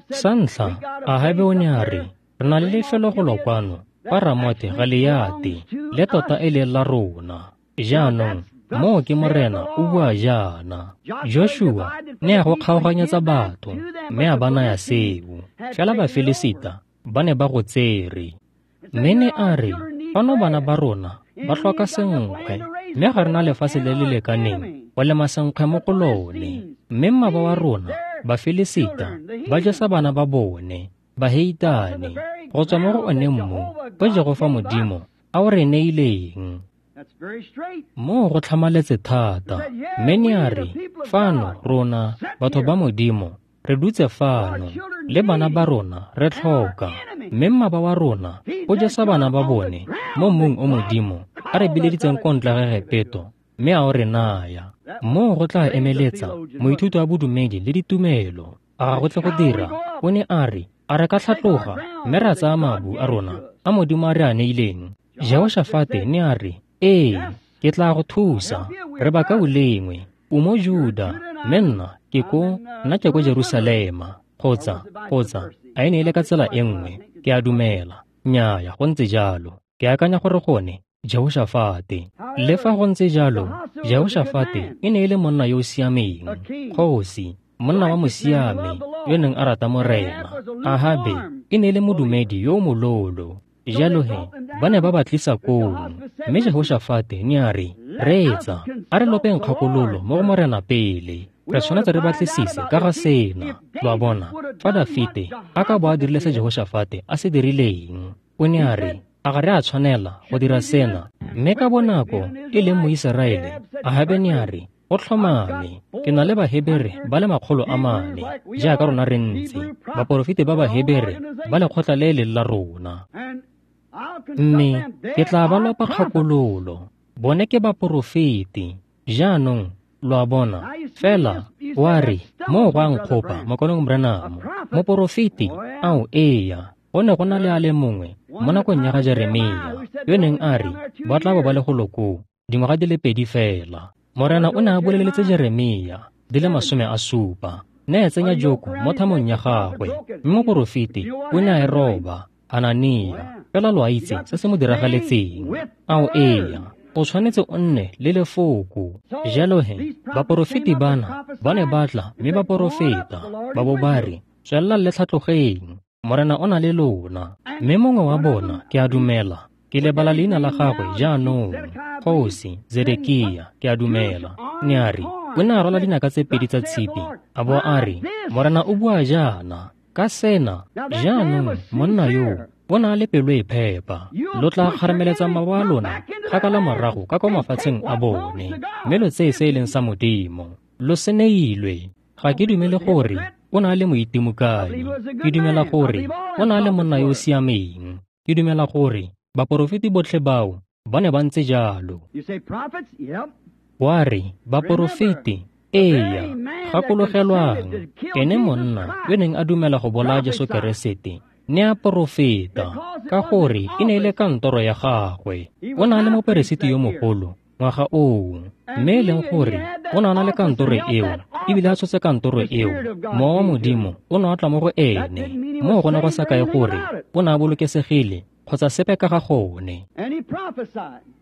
Sa ntlha, Ahabe o ne a re, re na le lefelo go lo kwano kwa Ramote Galeate, le tota e leng la rona. Jaanong moo ke Morena o bua jaana. Joshua ne a go kgaoganyetsa batho, mme a ba naya seo. Fela Bafilisita ba ne ba go tsere. Mme ne a re, fano bana ba rona ba tlhoka senkgwe, mme ga re na lefatshe le le lekaneng go lema senkgwe mo go lone. Mme mmaba wa rona, Bafilisita, ba jesa bana ba bone, baheitane, go tswa mo go one mmu o Jehofa Modimo a o re neileng. Moo go tlhamaletse thata. Mme ne a re, fano rona batho ba Modimo re dutse fano le bana ba rona re tlhoka, mme mmaba wa rona o jesa bana ba bone mo mmung o Modimo a re bileditseng ko ntle ga Egepeto, mme a o re naya. Moo go tla emeletsa moithuti wa bodumedi le ditumelo. A ga go tle go dira? O ne a re, a re ka tlhatloga mme ra tsaya mabu a rona a Modimo a re a neileng? Jehoshafate ne a re, ee, ke tla go thusa, re bakaulengwe, o mo Juda, mme nna ke ko, nna ke ko Jerusalema. Kgotsa, kgotsa, a e ne e le ka tsela e nngwe, ke a dumela. Nnyaya, go ntse jalo. Ke akanya gore gone Jehoshafate. Le fa go ntse jalo, Jehoshafate e ne e le monna yo o siameng, kgosi, monna wa mosiami yo neng a rata Morena. Ahabe e ne e le modumedi yo o mololo. Jalo he, ba ne ba ba tlisa koo, mme Jehoshafate ne a re, reetsa, a re lopeng kgakololo mo go Morena pele. Re tshwanetse re batlisise ka ga sena. Lo a bona, fa Dafite a ka bo a dirile se Jehoshafate a se dirileng, o ne a re, a ga re a tshwanela go dira sena? Mme ka bonako e leng Moiseraele, Ahabe ne a re, go tlhomame, ke na le Bahebere ba le makgolo a mane, jaaka rona re ntse, baporofeti ba Bahebere ba lekgotla le leng la rona. Mme ke tla ba lopa kgakololo, bone ke baporofeti. Jaanong lo a bona, fela wa re, moo go a nkgopa, Mokaulengwe Branham, moporofeti, ao eya, go ne go na le a le mongwe mo nakong ya ga Jeremia yo neng a re ba tla bo ba le golo koo dingwaga di le pedi fela. Morena o ne a boleletse Jeremia di le masome a supa, ne a tsenya joko mo thamong ya gagwe, mme moporofeti o ne a e roba, Hanania. Fela lo a itse se se mo diragaletseng. Ao eya, o tshwanetse o nne le lefoko. Jalo he, baporofeti bana ba ne ba tla mme ba porofeta, ba bo ba re, tswelelang le tlhatlogeng, Morena o na le lona. Mme mongwe wa bona, ke a dumela, ke lebala leina la gagwe jaanong, kgosi Zedekia, ke a dumela, ne a re, o ne a rwala dinaka tse pedi tsa tshipi, a bo a re, Morena o bua jaana ka sena. Jaanong monna yo o na le pelo e phepa, lo tla kgarameletsa mabo a lona kgakala morago ka kwa mafatsheng a bone, mme lo tseye se e leng sa Modimo. Lo se neilwe. Ga ke dumele gore o na le moitimokanyi. Ke dumela gore o na le monna yo o siameng. Ke dumela gore baporofeti botlhe bao ba ne ba ntse jalo. Wa re, baporofeti, eya, gakologelwang, ene monna yo neng a dumela go bolaya Jesu Keresete ne a porofeta, ka gore e ne e le kantoro ya gagwe. O na le moperesiti yo mogolo ngwaga oo, mme e leng gore o ne a na le kantoro eo, ebile a tshotse kantoro eo, Mowa wa Modimo o ne a tla mo go ene. Moo go ne go sa kae gore o ne a bolokesegile kgotsa sepe ka ga gone.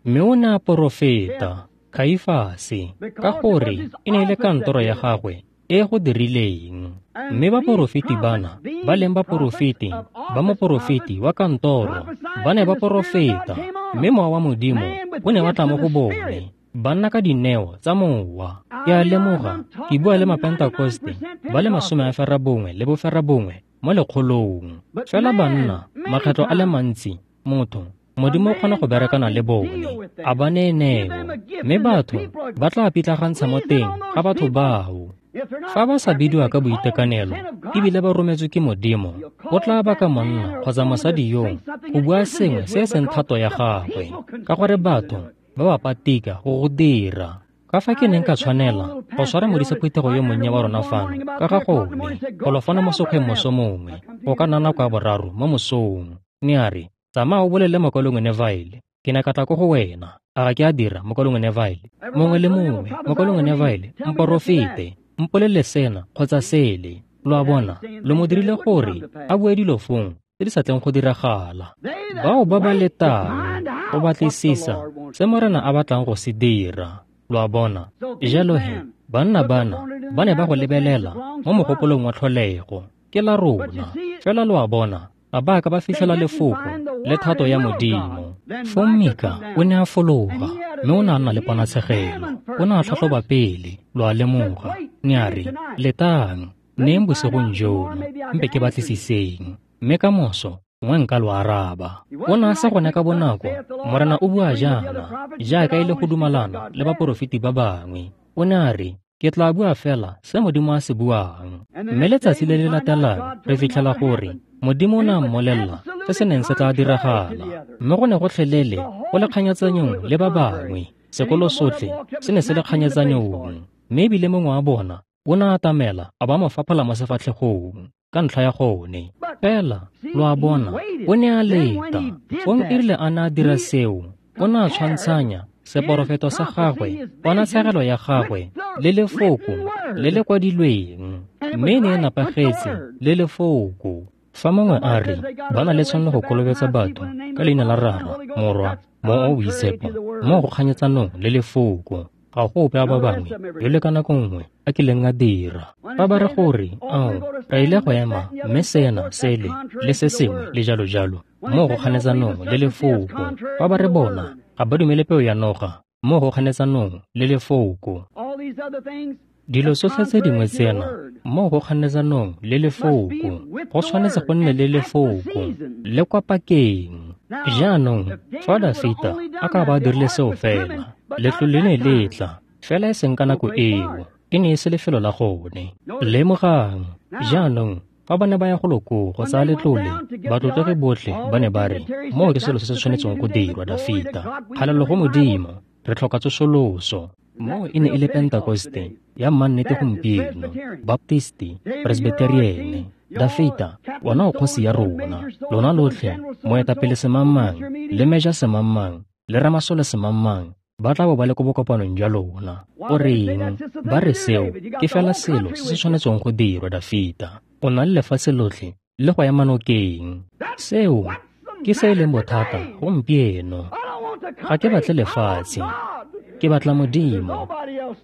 Mme o ne a porofeta, Kaifase, ka gore e ne e le kantoro ya gagwe e go dirileng. Mme baporofeti bana, ba leng baporofeti ba moporofeti wa kantoro, ba ne ba porofeta, mme Mowa wa Modimo o ne wa tla mo go bone. Ba nna ka dineo tsa mowa. Ke a lemoga ke bua le Mapentekoste ba le masome a ferabongwe le boferabongwe mo lekgolong. Fela banna, makgetlo a le mantsi, motho, Modimo o kgona go berekana le bone, a ba neye neo, mme batho ba tla pitlagantsha mo teng ga batho bao. Fa ba sa bidiwa ka boitekanelo ebile ba rometswe ke Modimo, o tla baka monna kgotsa mosadi yoo go bua sengwe se e seng thato ya gagwe, ka gore batho ba ba patika go go dira. Ka fa ke neng ka tshwanela go tshwara modisa phuthego yo monnye wa rona fano ka ga gone, golo fano mo sekgweng moso mongwe, go ka nna nako ya boraro mo mosong. Ne a re, tsamaya o bolelele mokaulengwe Neville, ke ne ka tla ko go wena. A ga ke a dira, mokaulengwe Neville? Mongwe le mongwe, mokaulengwe Neville, mporofete, mpolelele sena kgotsa sele. Lo a bona, lo mo dirile gore a bue dilo fong tse di sa tleng go diragala. Bao ba ba letang go batlisisa se Morena a batlang go se dira. Lo a bona, jalo he, banna bana ba ne ba go lebelela mo mogopolong wa tlholego, ke la rona. Fela lo a bona, ga ba ka ba fitlhela lefoko le thato ya Modimo. Fong Mika o ne a fologa, mme o ne a nna le ponatshegelo. O ne a tlhatlhoba pele, lo a lemoga. Ne a re, letang, neng bosigong jono, mpe ke batlisiseng, mme ka moso gongwe nka lo araba. O ne a sa gone ka bonako, Morena o bua jaana, jaaka e le go dumalana le baporofeti ba bangwe. O ne a re, ke tla bua fela se Modimo a se buang. Mme letsatsi le le latelang re fitlhela gore Modimo o ne a mmolelela se se neng se tla diragala, mme go ne gotlhelele go le kganyetsanyong le ba bangwe. Sekolo sotlhe se ne se le kganyetsanyong, mme ebile mongwe wa bona o ne a atamela a ba mo faphola mo sefatlhegong ka ntlha ya gone. Fela lo a bona, o ne a leta. Fong e rile a ne a dira seo, o ne a tshwantshanya seporofeto sa gagwe, ponatshegelo ya gagwe le lefoko le le kwadilweng, mme e ne e nepagetse le lefoko. Fa mongwe a re ba na le tshwanelo go kolobetsa batho ka leina la Rara, Morwa, Mowa o o Boitshepo, mo go kganyetsanong le lefoko, ga go ope a ba bangwe yo le ka nako nngwe a kileng a dira. Fa ba re gore, ao, re ile go ema mme sena, sele, le se sengwe le jalo jalo, mo go kganetsanong le lefoko. Fa ba re bona ga ba dumele peo ya noga, mo go kganetsanong le lefoko. Dilo tsotlhe tse dingwe tsena, mo go kganetsanong le lefoko, go tshwanetse go nne le lefoko le kwa pakeng. Jaanong, fa Dafita a ka ba a dirile seo fela, letlole le ne le tla, fela e seng ka nako eo, e ne e se lefelo la gone. Lemogang, jaanong, fa ba ne ba ya go loko go tsaya letlole, batlotlegi botlhe ba ne ba re, moo ke selo se se tshwanetseng go dirwa, Dafita. Kgalelo go Modimo, re tlhoka tsosoloso. Moo e ne e le Pentekoste ya mannete gompieno, Baptisti, Presbyteriene. Dafita, wena o kgosi ya rona, lona lotlhe, moetapele semangmang, le meja semangmang, le ramasole semangmang, ba tla bo ba le ko bokopanong jwa lona. O reng? Ba re seo ke fela selo se se tshwanetseng go dirwa, Dafita. O na le lefatshe lotlhe le go ema nokeng. Seo ke se e leng bothata gompieno. Ga ke batle lefatshe, ke batla Modimo.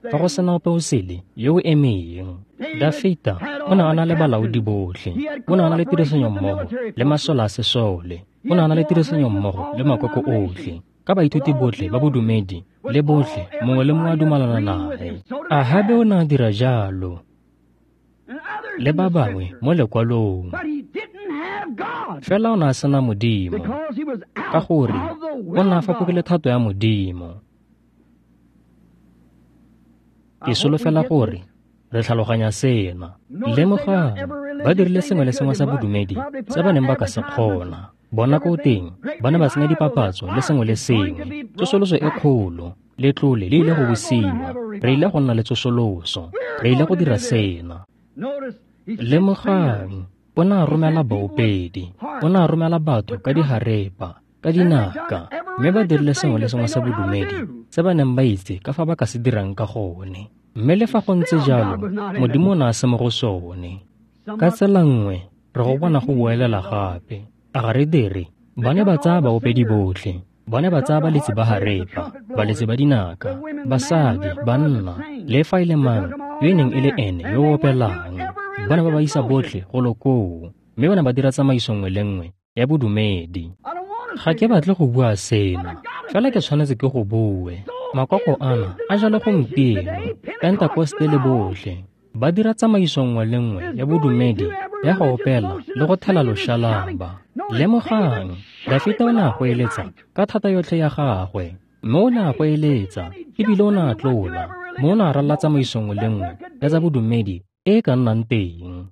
Fa go sena ope o sele yo o emeng. Dafita o ne a na le balaodi botlhe, o ne a na le tirisanommogo le masole a sesole, o ne a na le tirisanommogo le makoko otlhe, ka baithuti botlhe ba bodumedi le botlhe, mongwe le mongwe a dumalana nae. Ahabe o ne a dira jalo le ba bangwe mo lekwalong. Fela o ne a sena Modimo, ka gore o ne a fapogile thato ya Modimo. Ke solofela gore re tlhaloganya sena. Lemogang, ba dirile sengwe le sengwe sa bodumedi se ba neng ba ka se kgona. Bona ko teng, ba ne ba senya dipapatso le sengwe le sengwe. Tsosoloso e kgolo, letlole le ile go busiwa. Re ile go nna le tsosoloso, re ile go dira sena. Lemogang, o ne a romela baopedi, o ne a romela batho ka diharepa, ka dinaka, mme ba dirile sengwe le sengwe sa bodumedi se ba neng ba itse ka fa ba ka se dirang ka gone. Mme le fa go ntse jalo, Modimo o ne a se mo go sone. Ka tsela nngwe, re go bona go boelela gape. A ga re dire? Ba ne ba tsaya baopedi botlhe, ba ne ba tsaya baletsi ba harepa, baletsi ba dinaka, basadi, banna, le fa e le mang yo e neng e le ene yo o opelang. Ba ne ba ba isa botlhe golo koo, mme ba ne ba dira tsamaiso nngwe le nngwe ya bodumedi. Ga ke batle go bua sena, fela ke tshwanetse ke go bue. Makoko ana a jalo gompieno, Pentekoste le botlhe, ba dira tsamaiso nngwe le nngwe ya bodumedi ya go opela le go thela loshalaba. Lemogang, Dafita o ne a goeletsa ka thata yotlhe ya gagwe, mme o ne a goeletsa ebile o ne a tlola, mme o ne a ralala tsamaiso nngwe le nngwe ya tsa bodumedi e e ka nnang teng.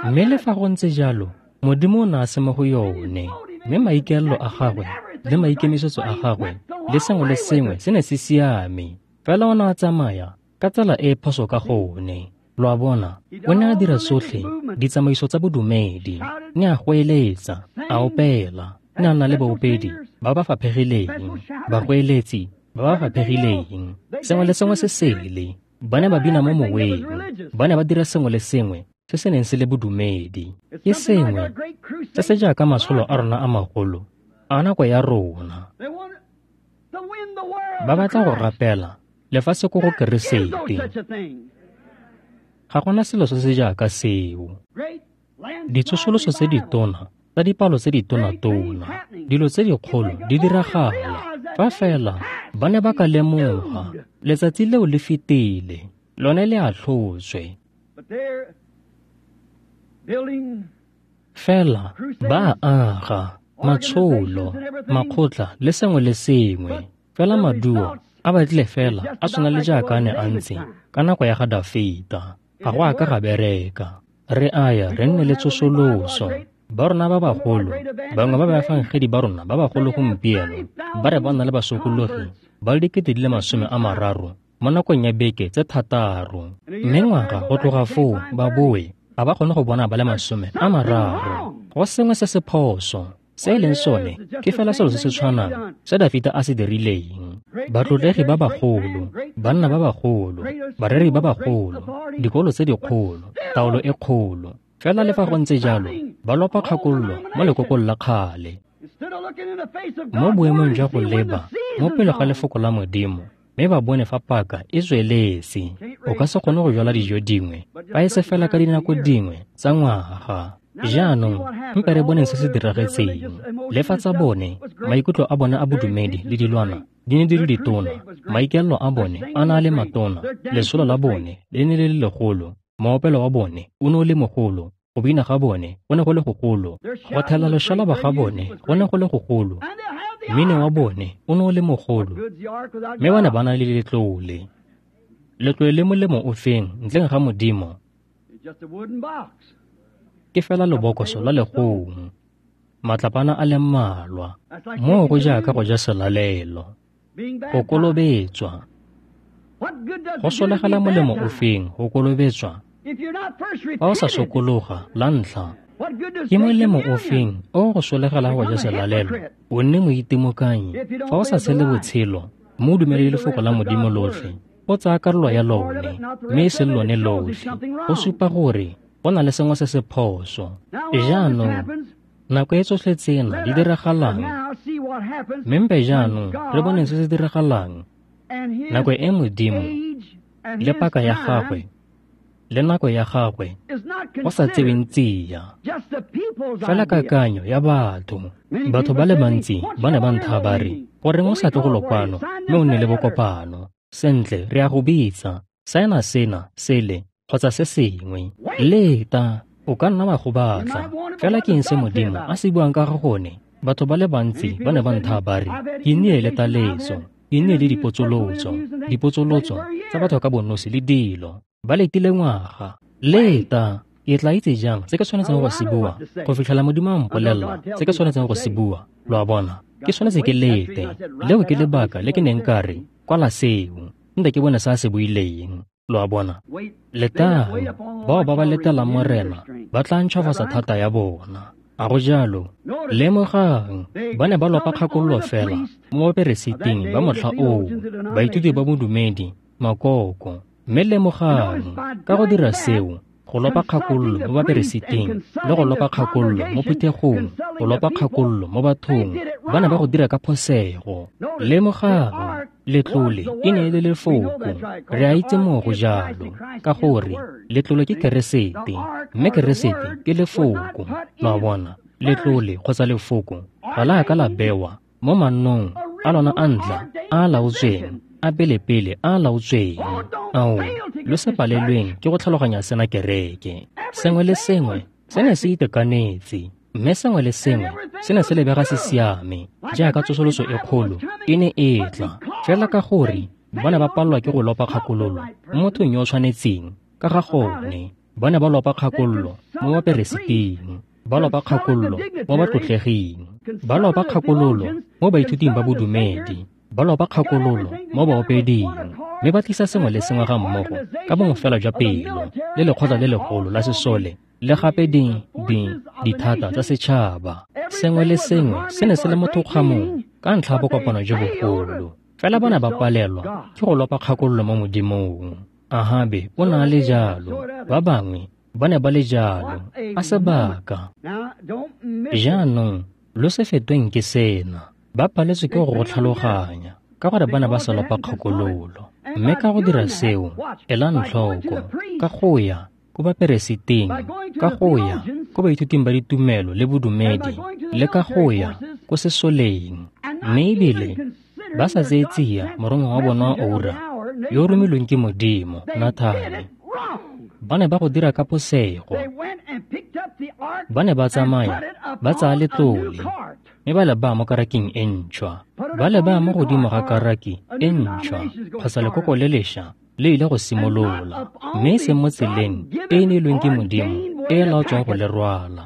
Mme le fa go ntse jalo, Modimo o ne a se mo go yone, mme maikaelelo a gagwe le maikemisetso a gagwe le sengwe le sengwe se ne se siame, fela o ne a tsamaya ka tsela e e phoso ka gone. Lo a bona, o ne a dira tsotlhe ditsamaiso tsa bodumedi, ne a goeletsa, a opela, ne a nna le baopedi ba ba faphegileng, bagoeletsi ba ba faphegileng, sengwe le sengwe se sele. Ba ne ba bina mo moweng, ba ne ba dira sengwe le sengwe se se neng se le bodumedi. Ke sengwe se se jaaka matsholo a rona a magolo a nako ya rona. Ba batla go rapela lefatshe ko go Keresete. Ga gona selo se se jaaka seo. Ditsosoloso tse ditona tsa dipalo tse ditona-tona, dilo tse dikgolo di diragala. Fa fela ba ne ba ka lemoga, letsatsi leo le fetile, lone le atlhotswe. Fela ba aga matsholo, makgotla le sengwe le sengwe, fela maduo a batlile fela a tshwana le jaaka a ne a ntse ka nako ya ga Dafita. Ga go a ka ga bereka. Re aya re nne le tsosoloso. Ba rona ba bagolo, bangwe ba baefangedi ba rona ba bagolo gompieno, ba re ba na le basokologi ba le dikete di le masome a mararo mo nakong ya beke tse thataro. Mme ngwaga go tloga foo ba boe, ga ba kgone go bona ba le masome a mararo. Go sengwe se se phoso. Se e leng sone ke fela selo se se tshwanang se Dafita a se dirileng. Batlotlegi ba bagolo, banna ba bagolo, bareri ba bagolo, dikolo tse dikgolo, taolo e kgolo. Fela le fa go ntse jalo, ba lopa kgakololo mo lekokong la kgale. Mo boemong jwa go leba mo pele ga lefoko la Modimo, mme ba bone fa paka e tsweletse. O ka se kgone go jwala dijo dingwe fa e se fela ka dinako dingwe tsa ngwaga. Jaanong mpe re boneng se se diragetseng. Le fa tsa bone, maikutlo a bone a bodumedi le dilwana di ne di le ditona, maikaelelo a bone a na a le matona, lesolo la bone le ne le le legolo, moopelo wa bone o ne o le mogolo, go bina ga bone go ne go le gogolo, go thela loshalaba ga bone go ne go le gogolo, mmino wa bone o ne o le mogolo, mme ba ne ba na le letlole. Letlole le molemo o feng ntleng ga Modimo? Ke fela lebokoso la legong, matlapana a le mmalwa. Moo go jaaka go ja selalelo, go kolobetswa. Go solegela molemo o feng go kolobetswa fa o sa sokologa la ntlha? Ke molemo o feng o go solegela go ja selalelo o nne moitimokanyi fa o sa tshele botshelo mme o dumele lefoko la Modimo lotlhe, o tsaya karolo ya lone mme e seng lone lotlhe? Go supa gore go na le sengwe se se phoso. Jaanong nako e tsotlhe tsena di diragalang, mme mpe jaanong re boneng se se diragalang nako e Modimo le paka ya gagwe le nako ya gagwe go sa tseweng tsia, fela kakanyo ya batho. Batho ba le bantsi ba ne ba ntha ba re, goreng o sa tle go lokwano mme o nne le bokopano? Sentle, re a go bitsa, saena sena, sele, kgotsa se sengwe. Leta, o ka nna wa go batla. Fela ke eng se Modimo a se buang ka ga gone? Batho ba le bantsi ba ne ba ntha ba re, ke nnile le taletso, ke nnile le dipotsolotso, dipotsolotso tsa batho ka bonosi le dilo. Ba letile ngwaga. Leta, ke tla itse jang se ke tshwanetseng go se bua go fitlhela Modimo a mpolelela se ke tshwanetseng go se bua? Lo a bona, ke tshwanetse ke lete. Leo ke lebaka le ke neng ka re kwala seo, nte ke bone se a se buileng. Lo a bona, letang. Bao ba ba letelang Morena ba tla ntšhwafatsa thata ya bona. A go jalo? Lemogang, ba ne ba lopa kgakololo fela mo baperesiting ba motlha oo, baithuti ba bodumedi, makoko. Mme lemogang, ka go dira seo, go lopa kgakololo mo baperesiting le go lopa kgakololo mo phuthegong, go lopa kgakololo mo bathong, ba ne ba go dira ka phosego. Lemogang, letlole e ne e le lefoko. Re a itse moo go jalo, ka gore letlole ke Keresete, mme Keresete ke lefoko. Lo a bona, letlole kgotsa lefoko ga la ka la bewa mo mannong a lona a ntla a a laotsweng, a pelepele a a laotsweng. Ao, lo se palelweng ke go tlhaloganya sena kereke. Sengwe le sengwe se ne se itekanetse, mme sengwe le sengwe se ne se lebega se siame, jaaka tsosoloso e kgolo e ne e tla. Fela ka gore ba ne ba palelwa ke go lopa kgakololo mo mothong yo o tshwanetseng ka ga gone, ba ne ba lopa kgakololo mo baperesiting, ba lopa kgakololo mo batlotleging, ba lopa kgakololo mo baithuting ba bodumedi, ba lopa kgakololo mo baopeding, mme ba tlisa sengwe le sengwe ga mmogo ka bongwe fela jwa pelo le lekgotla le legolo la sesole le gape di di dithata tsa setšhaba. Sengwe le sengwe se ne se le mo thokgamong ka ntlha ya bokopano jo bogolo. Fela ba ne ba palelwa ke go lopa kgakololo mo Modimong. Ahabe o ne a le jalo, ba bangwe ba ne ba le jalo, a sebaka. Jaanong lo se fetweng ke sena, ba paletswe ke go go tlhaloganya ka gore ba ne ba sa lopa kgakololo. Mme ka go dira seo, elang tlhoko, ka go ya ko baperesiting, ka go ya ko baithuting ba ditumelo le bodumedi, le ka go ya ko sesoleng, mme ebile ba sa tseye tsia morongwa wa bona wa oura yo o romilweng ke Modimo, Nathane. Ba ne ba go dira ka posego. Ba ne ba tsamaya ba tsaya letlole mme ba le baya mo karaking e ntšhwa, ba le baya mo godimo ga karaki e ntšhwa kgotsa lekoko le lešwa le ile go simolola, mme e seng mo tseleng e e neilweng ke Modimo e e laotsweng go le rwala.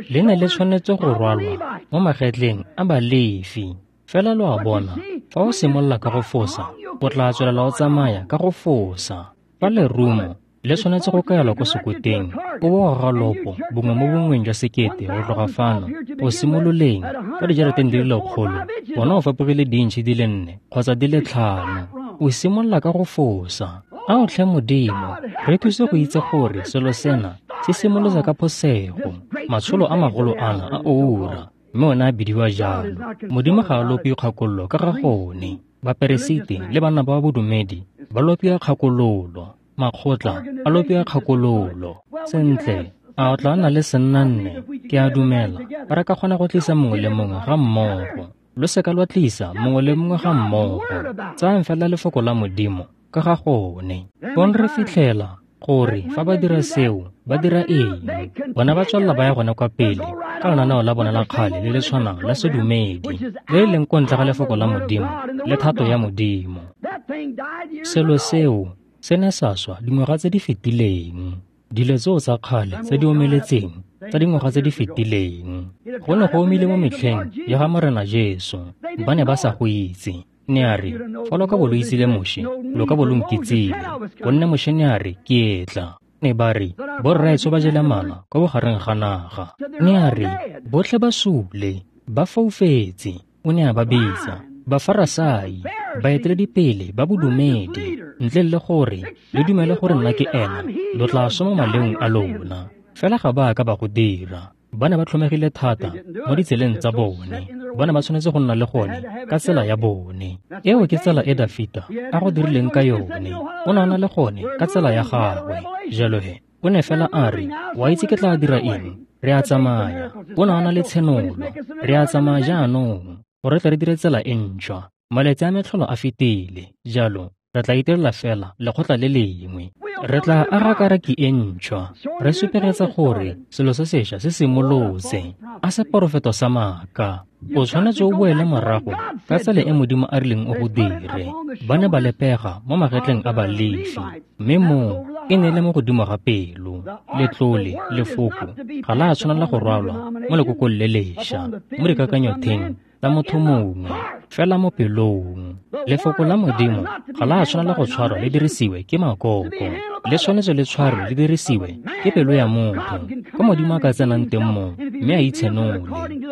Le ne le tshwanetse go rwalwa mo magetleng a Balefi. Fela lo a bona, fa o simolola ka go fosa, o tla tswelela o tsamaya ka go fosa. Fa lerumo le tshwanetse go kaelwa ko sekoteng, o bo goga lopo bongwe mo bongweng jwa sekete go tloga fano go simololeng ka dijarateng di le lekgolo, bona o fapogile diintšhi di le nne kgotsa di le tlhano. O simolola ka go fosa. Ao tlhe Modimo, re thuse go itse gore selo sena se simolotse ka phosego. Matsholo a magolo ana a oura, mme one a bidiwa jalo. Modimo ga a lope kgakololo ka ga gone. Baperesiti le banna ba bodumedi ba lopiwa kgakololo, makgotla a lopiwa kgakololo. Sentle, a o tla nna le sennanne? Ke a dumela re ka kgona go tlisa mongwe le mongwe ga mmogo. Lo seka lwa tlisa mongwe le mongwe ga mmogo. Tsayang fela lefoko la Modimo ka ga gone. Fong re fitlhela gore fa ba dira seo, ba dira eng? Bona ba tswelela ba ya gone kwa pele ka lenaneo la bona la kgale le le tshwanang la sedumedi, le le leng ko ntle ga lefoko la Modimo le thato ya Modimo. Selo seo se ne sa swa dingwaga tse di fetileng. Dilo tseo tsa kgale tse di omeletseng tsa dingwaga tse di fetileng. Go ne go omile mo metlheng ya ga Morena Jesu. Ba ne ba sa go itse. Ne a re, fa lo ka bo lo itsile Moshe, lo ka bo lo nkitsile, gonne Moshe ne a re, ke etla. Ne ba re, borraetsho ba jele mana kwa bogareng ga naga. Ne a re, botlhe ba sule, ba foufetse. O ne a ba bitsa Bafarasai, baeteledipele ba bodumedi, ntle le gore le dumele gore nna ke ena, lo tla swa mo maleong a lona. Fela ga ba ka ba go dira. Ba ne ba tlhomegile thata mo ditseleng tsa bone. Ba ne ba tshwanetse go nna le gone ka tsela ya bone. Eo ke tsela e Dafita a go dirileng ka yone. O ne a na le gone ka tsela ya gagwe. Jalo he, o ne fela a re, wa itse ke tla dira eng? Re a tsamaya. O ne a na le tshenolo. Re a tsamaya jaanong gore tle re dire tsela e ntšhwa. Malatsi a metlholo a fetile. Jalo re tla itirela fela lekgotla le lengwe. Re tla aga karaki e ntšhwa, re supegetsa gore selo se sešwa se simolotse. A seporofeto sa maaka. O tshwanetse o boele morago ka tsela e Modimo a rileng o go dire. Ba ne ba lepega mo magetleng a Balefi, mme moo e ne e le mo godimo ga pelo. Letlole, lefoko, ga la tshwanela go rwalwa mo lekokong le lešwa, mo dikakanyotheng tsa motho mongwe, fela mo pelong. Lefoko la Modimo ga la tshwanela go tshwarwa le dirisiwe ke makoko, le tshwanetse le tshwarwe le dirisiwe ke pelo ya motho, ko Modimo a ka tsenang teng moo mme a itshenole.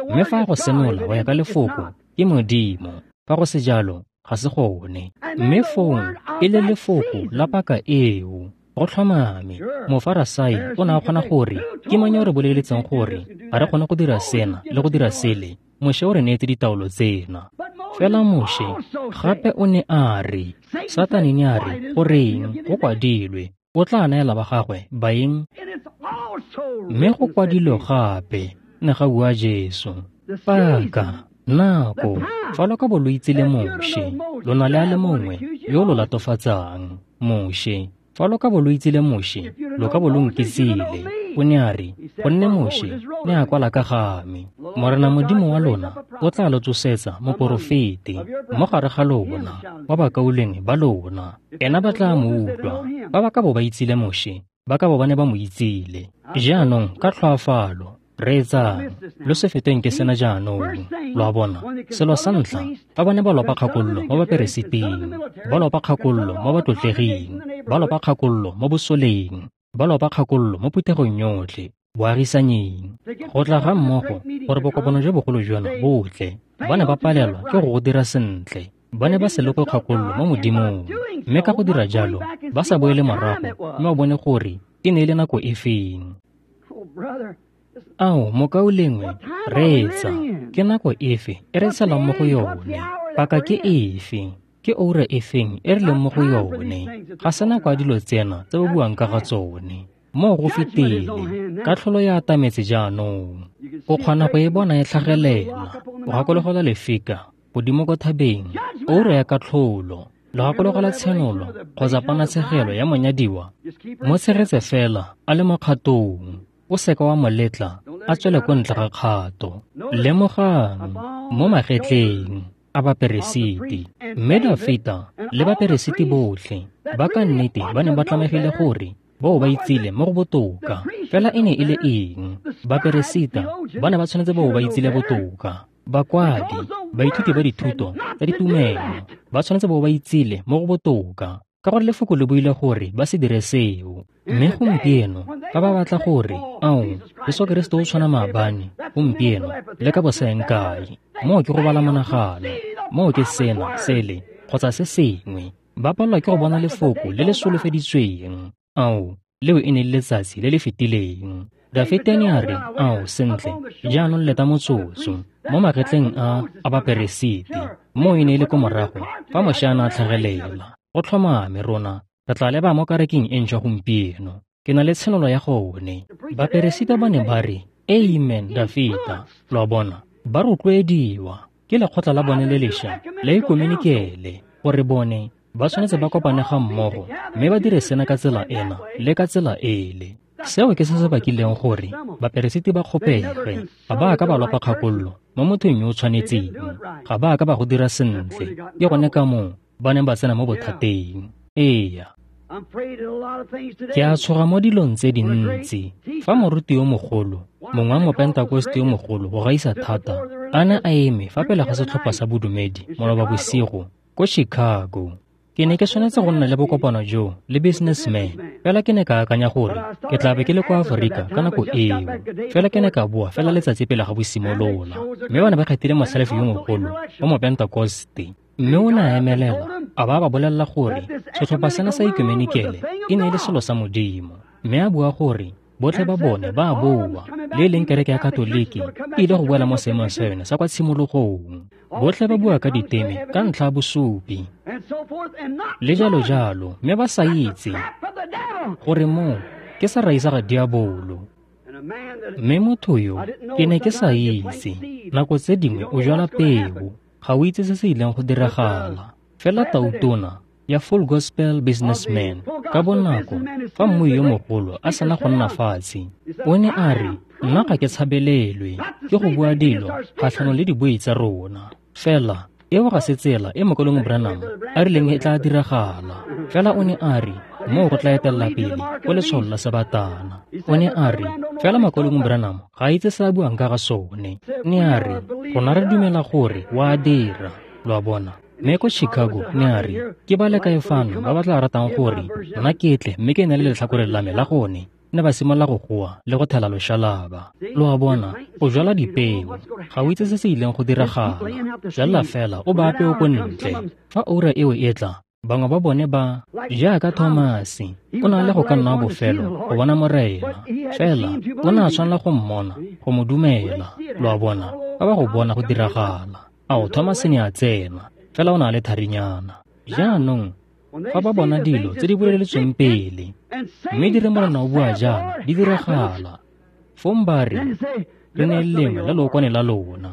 Mme fa go senola go ya ka lefoko ke Modimo, fa go se jalo ga se gone. Mme fong e le lefoko la paka eo. Go tlhomame, Mofarasai o ne a kgona gore ke mang yo re boleletseng gore ga re kgone go dira sena le go dira sele. Moshe o re neetse ditaolo tsena. Fela Moshe gape o ne a re, Satane ne a re, goreng go kwadilwe, o tla neela ba gagwe baeng? Mme go kwadilwe gape, ne ga bua Jesu. Paka Nako, fa lo ka bo lo itse le Moshe, lo na le a le mongwe yo lo latofatsang, Moshe. Fa lo ka bo lo itse le Moshe, lo ka bo lo nkitsile. O ne a re, gonne Moshe ne a kwala ka ga me. Morena Modimo wa lona o tla lo tsosetsa moporofeti mo gare ga lona, wa bakaulengwe ba lona. Ena ba tla mo utlwa. Ba ba ka bo ba itsile Moshe, ba ka bo ba ne ba mo itsile. Jaanong ka tlhoafalo, reetsang, lo se feteng ke sena jaanong. Lo a bona, selo sa ntlha, fa ba ne ba lopa kgakololo mo baperesiting, ba lopa kgakololo mo batlotlleging, ba lopa kgakololo mo bosoleng, ba lopa kgakololo mo phuthegong yotlhe, boagisanyeng. Go tla ga mmogo gore bokopano jo bogolo jono bo tle, ba ne ba palelwa ke go go dira sentle. Ba ne ba se lope kgakololo mo Modimong, mme ka go dira jalo, ba sa boele morago mme ba bone gore e ne e le nako e feng. Ao, mokaulengwe, reetsa, ke nako efe e re tshelang mo go yone? Paka ke efe? Ke oura efeng e re leng mo go yone? Ga se nako ya dilo tsena tse ba buang ka ga tsone. Moo go fetile, katlholo ya atametse jaanong. O kgona go e bona e tlhagelela. O gakologelwa lefika godimo ko thabeng, oura ya katlholo. Lo gakologelwa tshenolo kgotsa ponatshegelo ya monyadiwa. Mo tshegetse fela a le mo kgatong. O seka wa mo letla a tswele ko ntle ga kgato. Lemogang mo magetleng a baperesiti, mme Dafita le baperesiti botlhe ba ka nnete ba ne ba tlamegile gore bao ba itsile mo go botoka. Fela e ne e le eng? Baperesita ba ne ba tshwanetse bao ba itsile botoka. Bakwadi, baithuti ba dithuto tsa ditumelo ba tshwanetse bao ba itsile mo go botoka, ka gore lefoko le buile gore ba se dire seo. Mme gompieno fa ba batla gore, ao, Jesu Keresete o tshwana maabane, gompieno le ka bosaeng kae, moo ke go bala monagano, moo ke sena, sele, kgotsa se sengwe. Ba palelwa ke go bona lefoko le le solofeditsweng. Ao, leo e ne le letsatsi le le fetileng. Dafita ne a re, ao, sentle, jaanong leta motsotso, mo magetleng a a baperesiti, moo e ne e le ko morago fa Moshe a ne a tlhagelela. Go tlhomame rona re tla leba mo kerekeng e ntšhwa gompieno. Ke na le tshenolo ya gone. Baperesita ba ne ba re, amen, Dafita. Lo a bona, ba rotloediwa ke lekgotla la bone le lešwa la ekumenikele gore bone ba tshwanetse ba kopane ga mmogo mme ba dire sena ka tsela ena le ka tsela ele. Seo ke se se bakileng gore baperesiti ba kgopege. Ga ba ka ba lopa kgakololo mo mothong yo o tshwanetseng. Ga ba ka ba go dira sentle. Ke gone ka moo ba neng ba tsena mo bothateng. Eya. Ke a tshoga mo dilong tse dintsi. Fa moruti yo mogolo, mongwe wa mopentakoste yo mogolo go gaisa thata, a ne a eme fa pele ga setlhopha sa bodumedi maloba bosigo ko Chicago. Ke ne ke tshwanetse go nna le bokopano jo le businessman, fela ke ne ka akanya gore ke tla be ke le kwa Aforika ka nako eo. Fela ke ne ka boa fela letsatsi pele ga bo simolola, mme ba ne ba kgethile motlhalefi yo mogolo wa mopentakoste. Mme o ne a emelela a ba ba bolelela gore setlhopha sena sa ekumenikele e ne e le selo sa Modimo, mme a bua gore botlhe ba bone ba a boa, le e leng kereke ya Katoliki e ile go boela mo seemong sa yone sa kwa tshimologong. Botlhe ba bua ka diteme ka ntlha ya bosupi le jalo jalo, mme ba sa itse gore moo ke serai sa ga diabolo. Mme motho yo ke ne ke sa itse, nako tse dingwe o jwala peo, ga o itse se se ileng go diragala. Fela tautona ya Full Gospel Businessman ka bonako fa mmui yo mogolo a sena go nna fatshe, o ne a re, nna ga ke tshabelelwe ke go bua dilo kgatlhanong le dibui tsa rona. Fela eo ga se tsela e Mokaulengwe Branham a rileng e tla diragala. Fela o ne a re moo go tla etelela pele ko letsholo la sebatana. O ne a re fela Mokaulengwe Branham ga a itse se a buang ka ga sone. Ne a re rona re dumela gore wa dira. Lo a bona. Mme ko Chicago ne a re ke ba le kae fano ba ba tla ratang gore nna ke tle mme ke ne le letlhakore la me la gone. Ne ba simolola go goa le go thela loshalaba. Lo a bona, o jwala dipeo, ga o itse se se ileng go diragala. Jwala fela o ba peo ko ntle. Fa oura eo e tla, bangwe ba bone ba jaaka Thomase, o na le go ka nna bofelo go bona Morena. Fela o ne a tshwanela go mmona, go mo dumela. Lo a bona, ba ba go bona go diragala. Ao, Thomase ne a tsena, fela o na le tharinyana. Jaanong fa ba bona dilo tse di boleletsweng pele, mme di re Morena o bua jaana, di diragala, fong ba re, re ne lengwe la lookwane la lona.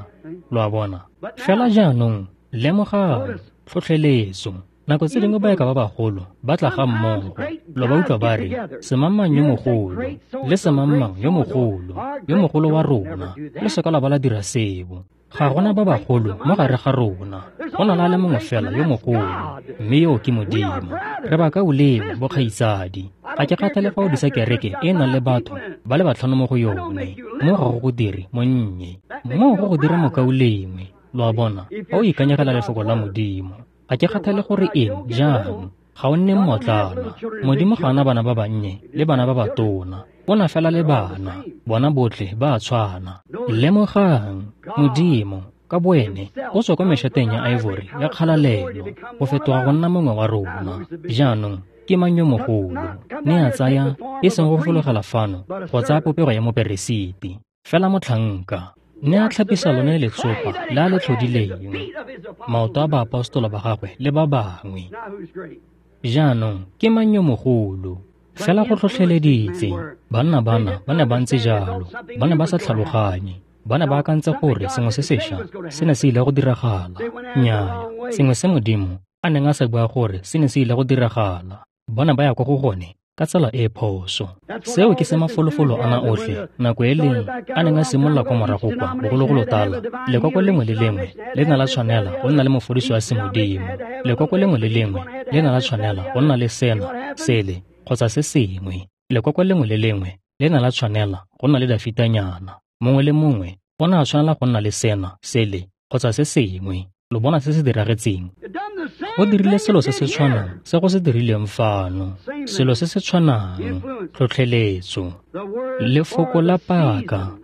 Lo a bona? Fela jaanong, lemogang, tlhotlheletso. Nako tse dingwe baeka ba bagolo ba tla ga mmogo, lo ba utlwa ba re, semangmang yo mogolo, le semangmang yo mogolo, yo mogolo wa rona, le seka la ba la dira seo. Ga gona ba bagolo mo gare ga rona, go na le a le mongwe fela yo mogolo, mme yo ke Modimo. Re bakaulengwe bokgaitsadi. Ga ke kgathale fa o disa kereke e e nang le batho ba le batlhano mo go yone, mo ga go go dire monnye, mo go go dire mokaulengwe. Lo a bona, fa o ikanyegela lefoko la Modimo. Ga ke kgathale gore eng jang, ga o nne mmotlana. Modimo ga ana bana ba bannye le bana ba batona, o na fela le bana, bona botlhe ba a tshwana. Lemogang, Modimo ka boene o tswa kwa mešateng ya ivory ya kgalalelo go fetoga go nna mongwe wa rona. Jaanong ke mang yo mogolo? Ne a tsaya e seng go fologela fano go tsaya popego ya moperesiti, fela motlhanka. Ne a tlhapisa lone letsopa le a le tlhodileng, maoto a baapostola ba gagwe le ba bangwe. Jaanong ke mang yo mogolo? Fela go tlhotlheleditse. Banna bana ba ne ba ntse jalo, ba ne ba sa tlhaloganye, ba ne ba akantse gore sengwe se sešwa se ne se ile go diragala. Nnyaya, sengwe se Modimo a neng a sa bua gore se ne se ile go diragala, ba ne ba ya kwa go gone ka tsela e phoso. Seo ke se mafolofolo ana otlhe nako e leng a neng a simolola kwa morago kwa bogologolo tala. Lekoko lengwe le lengwe le ne la tshwanela go nna le mofodiso wa semodimo. Lekoko lengwe le lengwe le ne la tshwanela go nna le sena, sele kgotsa se sengwe. Lekoko lengwe le lengwe le ne la tshwanela go nna le Dafitanyana. Mongwe le mongwe o ne a tshwanela go nna le sena, sele kgotsa se sengwe. Lo bona se se diragetseng? Go dirile selo se se tshwanang se go se dirileng fano, selo se se tshwanang, tlhotlheletso. Lefoko la paka,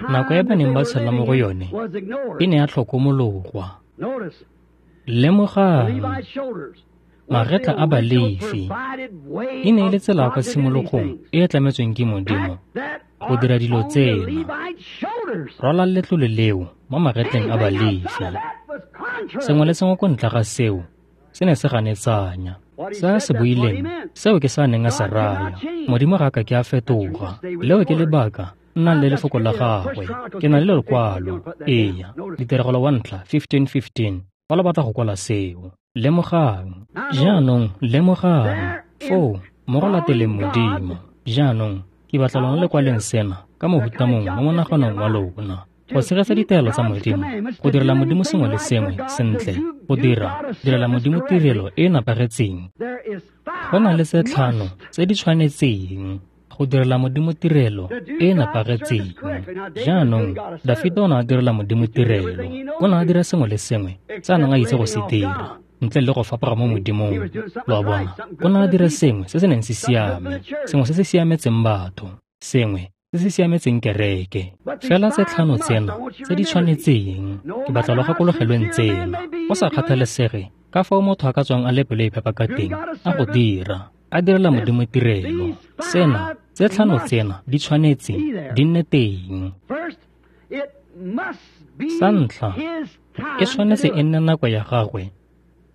nako e ba neng ba tshela mo go yone, e ne ya tlhokomologwa. Lemogang, magetla a Balefi e ne e le tsela ya kwa tshimologong e e tlametsweng ke Modimo go dira dilo tsena. Rwala letlole leo mo magetleng a Balefi. Sengwe le sengwe ko ntle ga seo se ne se ganetsanya. Se a se buileng, seo ke se a neng a se raya. Modimo ga a ka ke a fetoga. Leo ke lebaka nnang le lefoko la gagwe. Ke na le lekwalo. Eya, ditiragalo wa ntlha fifteen fifteen. Fa lo batla go kwala seo. Lemogang. Jaanong lemogang. Foo, mo go lateleng Modimo. Jaanong, ke batla lona le kwaleng sena ka mohuta mongwe mo monaganong wa lona. Go tshegetsa ditaelo tsa Modimo, go direla Modimo sengwe le sengwe sentle, go dira direla Modimo tirelo e e nepagetseng. Go na le tse tlhano tse di tshwanetseng go direla Modimo tirelo e e nepagetseng. Jaanong, Dafita o ne a direla Modimo tirelo. O ne a dira sengwe le sengwe se a neng a itse go se dira, ntle le go fapoga mo Modimong. Lo a bona? O ne a dira sengwe se se neng se siame, sengwe se se siametseng batho, sengwe se se siametseng kereke. Fela tse tlhano tsena tse di tshwanetseng, ke batla lo gakologelweng tsena. Go sa kgathalesege ka fao motho a ka tswang a le pelo e phepa ka teng, a go dira, a direla Modimo tirelo. Sena, tse tlhano tsena di tshwanetse di nne teng. Sa ntlha, e tshwanetse e nne nako ya gagwe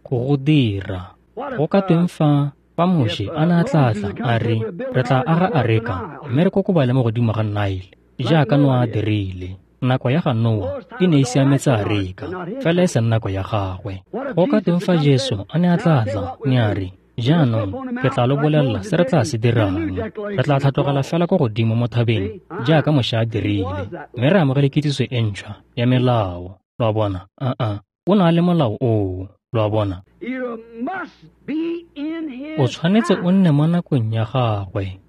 go go dira. Go ka tweng fa fa Moshe a ne a tla tla a re, re tla aga areka mme re kokobale mo godimo ga Nile, jaaka Noa a dirile. Nako ya ga Noa e ne e siametse areka, fela e seng nako ya gagwe. Go ka tweng fa Jesu a ne a tla tla, ne a re, jaanong ke tla lo bolelela se re tla se dirang. Re tla tlhatlogela fela ko godimo mo thabeng jaaka Moshe a dirile, mme re amogele kitsiso e ntšhwa ya melao. Lo a bona? Aa, o na le molao oo. Lo a bona? O tshwanetse o nne mo nakong ya gagwe.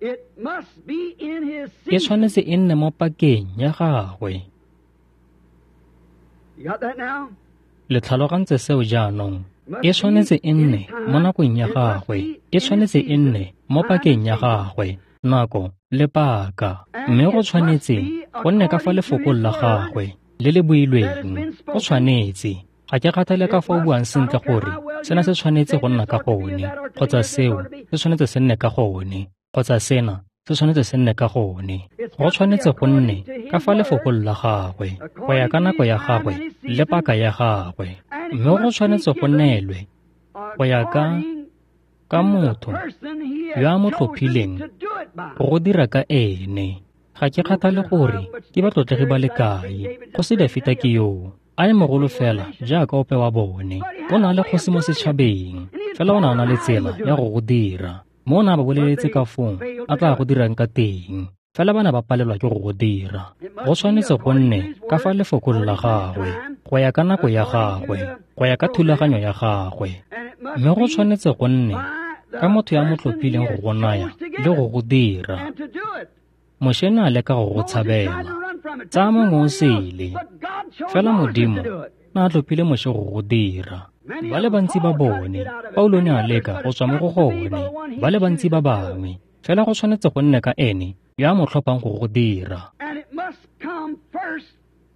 E tshwanetse e nne mo pakeng ya gagwe. Le tlhalogantse seo jaanong? E tshwanetse e nne mo nakong ya gagwe. E tshwanetse e nne mo pakeng ya gagwe. Nako le paka. Mme go tshwanetse go nne ka fa lefokong la gagwe le le builweng. Go tshwanetse. Ga ke kgathale ka fa o buang sentle gore sena se tshwanetse go nna ka gone, kgotsa seo se tshwanetse se nne ka gone, kgotsa sena se tshwanetse se nne ka gone. Go tshwanetse go nne ka fa lefokong la gagwe, go ya ka nako ya gagwe le paka ya gagwe. Mme go tshwanetse go neelwe go ya ka ka motho yo a mo tlhophileng go go dira ka ene. Ga ke kgathale gore ke batlotlegi ba le kae, Kgosi Dafita ke yoo, a le mogolo fela jaaka ope wa bone. O ne a le kgosi mo setšhabeng, fela o ne a na le tsela ya go go dira. Mo o ne a ba boleletse ka foo a tla go dirang ka teng, fela ba ne ba palelwa ke go go dira. Go tshwanetse go nne ka fa lefokong la gagwe, go ya ka nako ya gagwe, go ya ka thulaganyo ya gagwe. Mme go tshwanetse go nne ka motho ya mo tlhophileng go go naya le go go dira. Moshe ne a leka go go tshabela, tsaya mongwe o sele, fela Modimo ne a tlhophile Moshe go go dira. Ba le bantsi ba bone, Paulo ne a leka go tswa mo go gone, ba le bantsi ba bangwe, fela go tshwanetse go nne ka ene yo a mo tlhophang go go dira.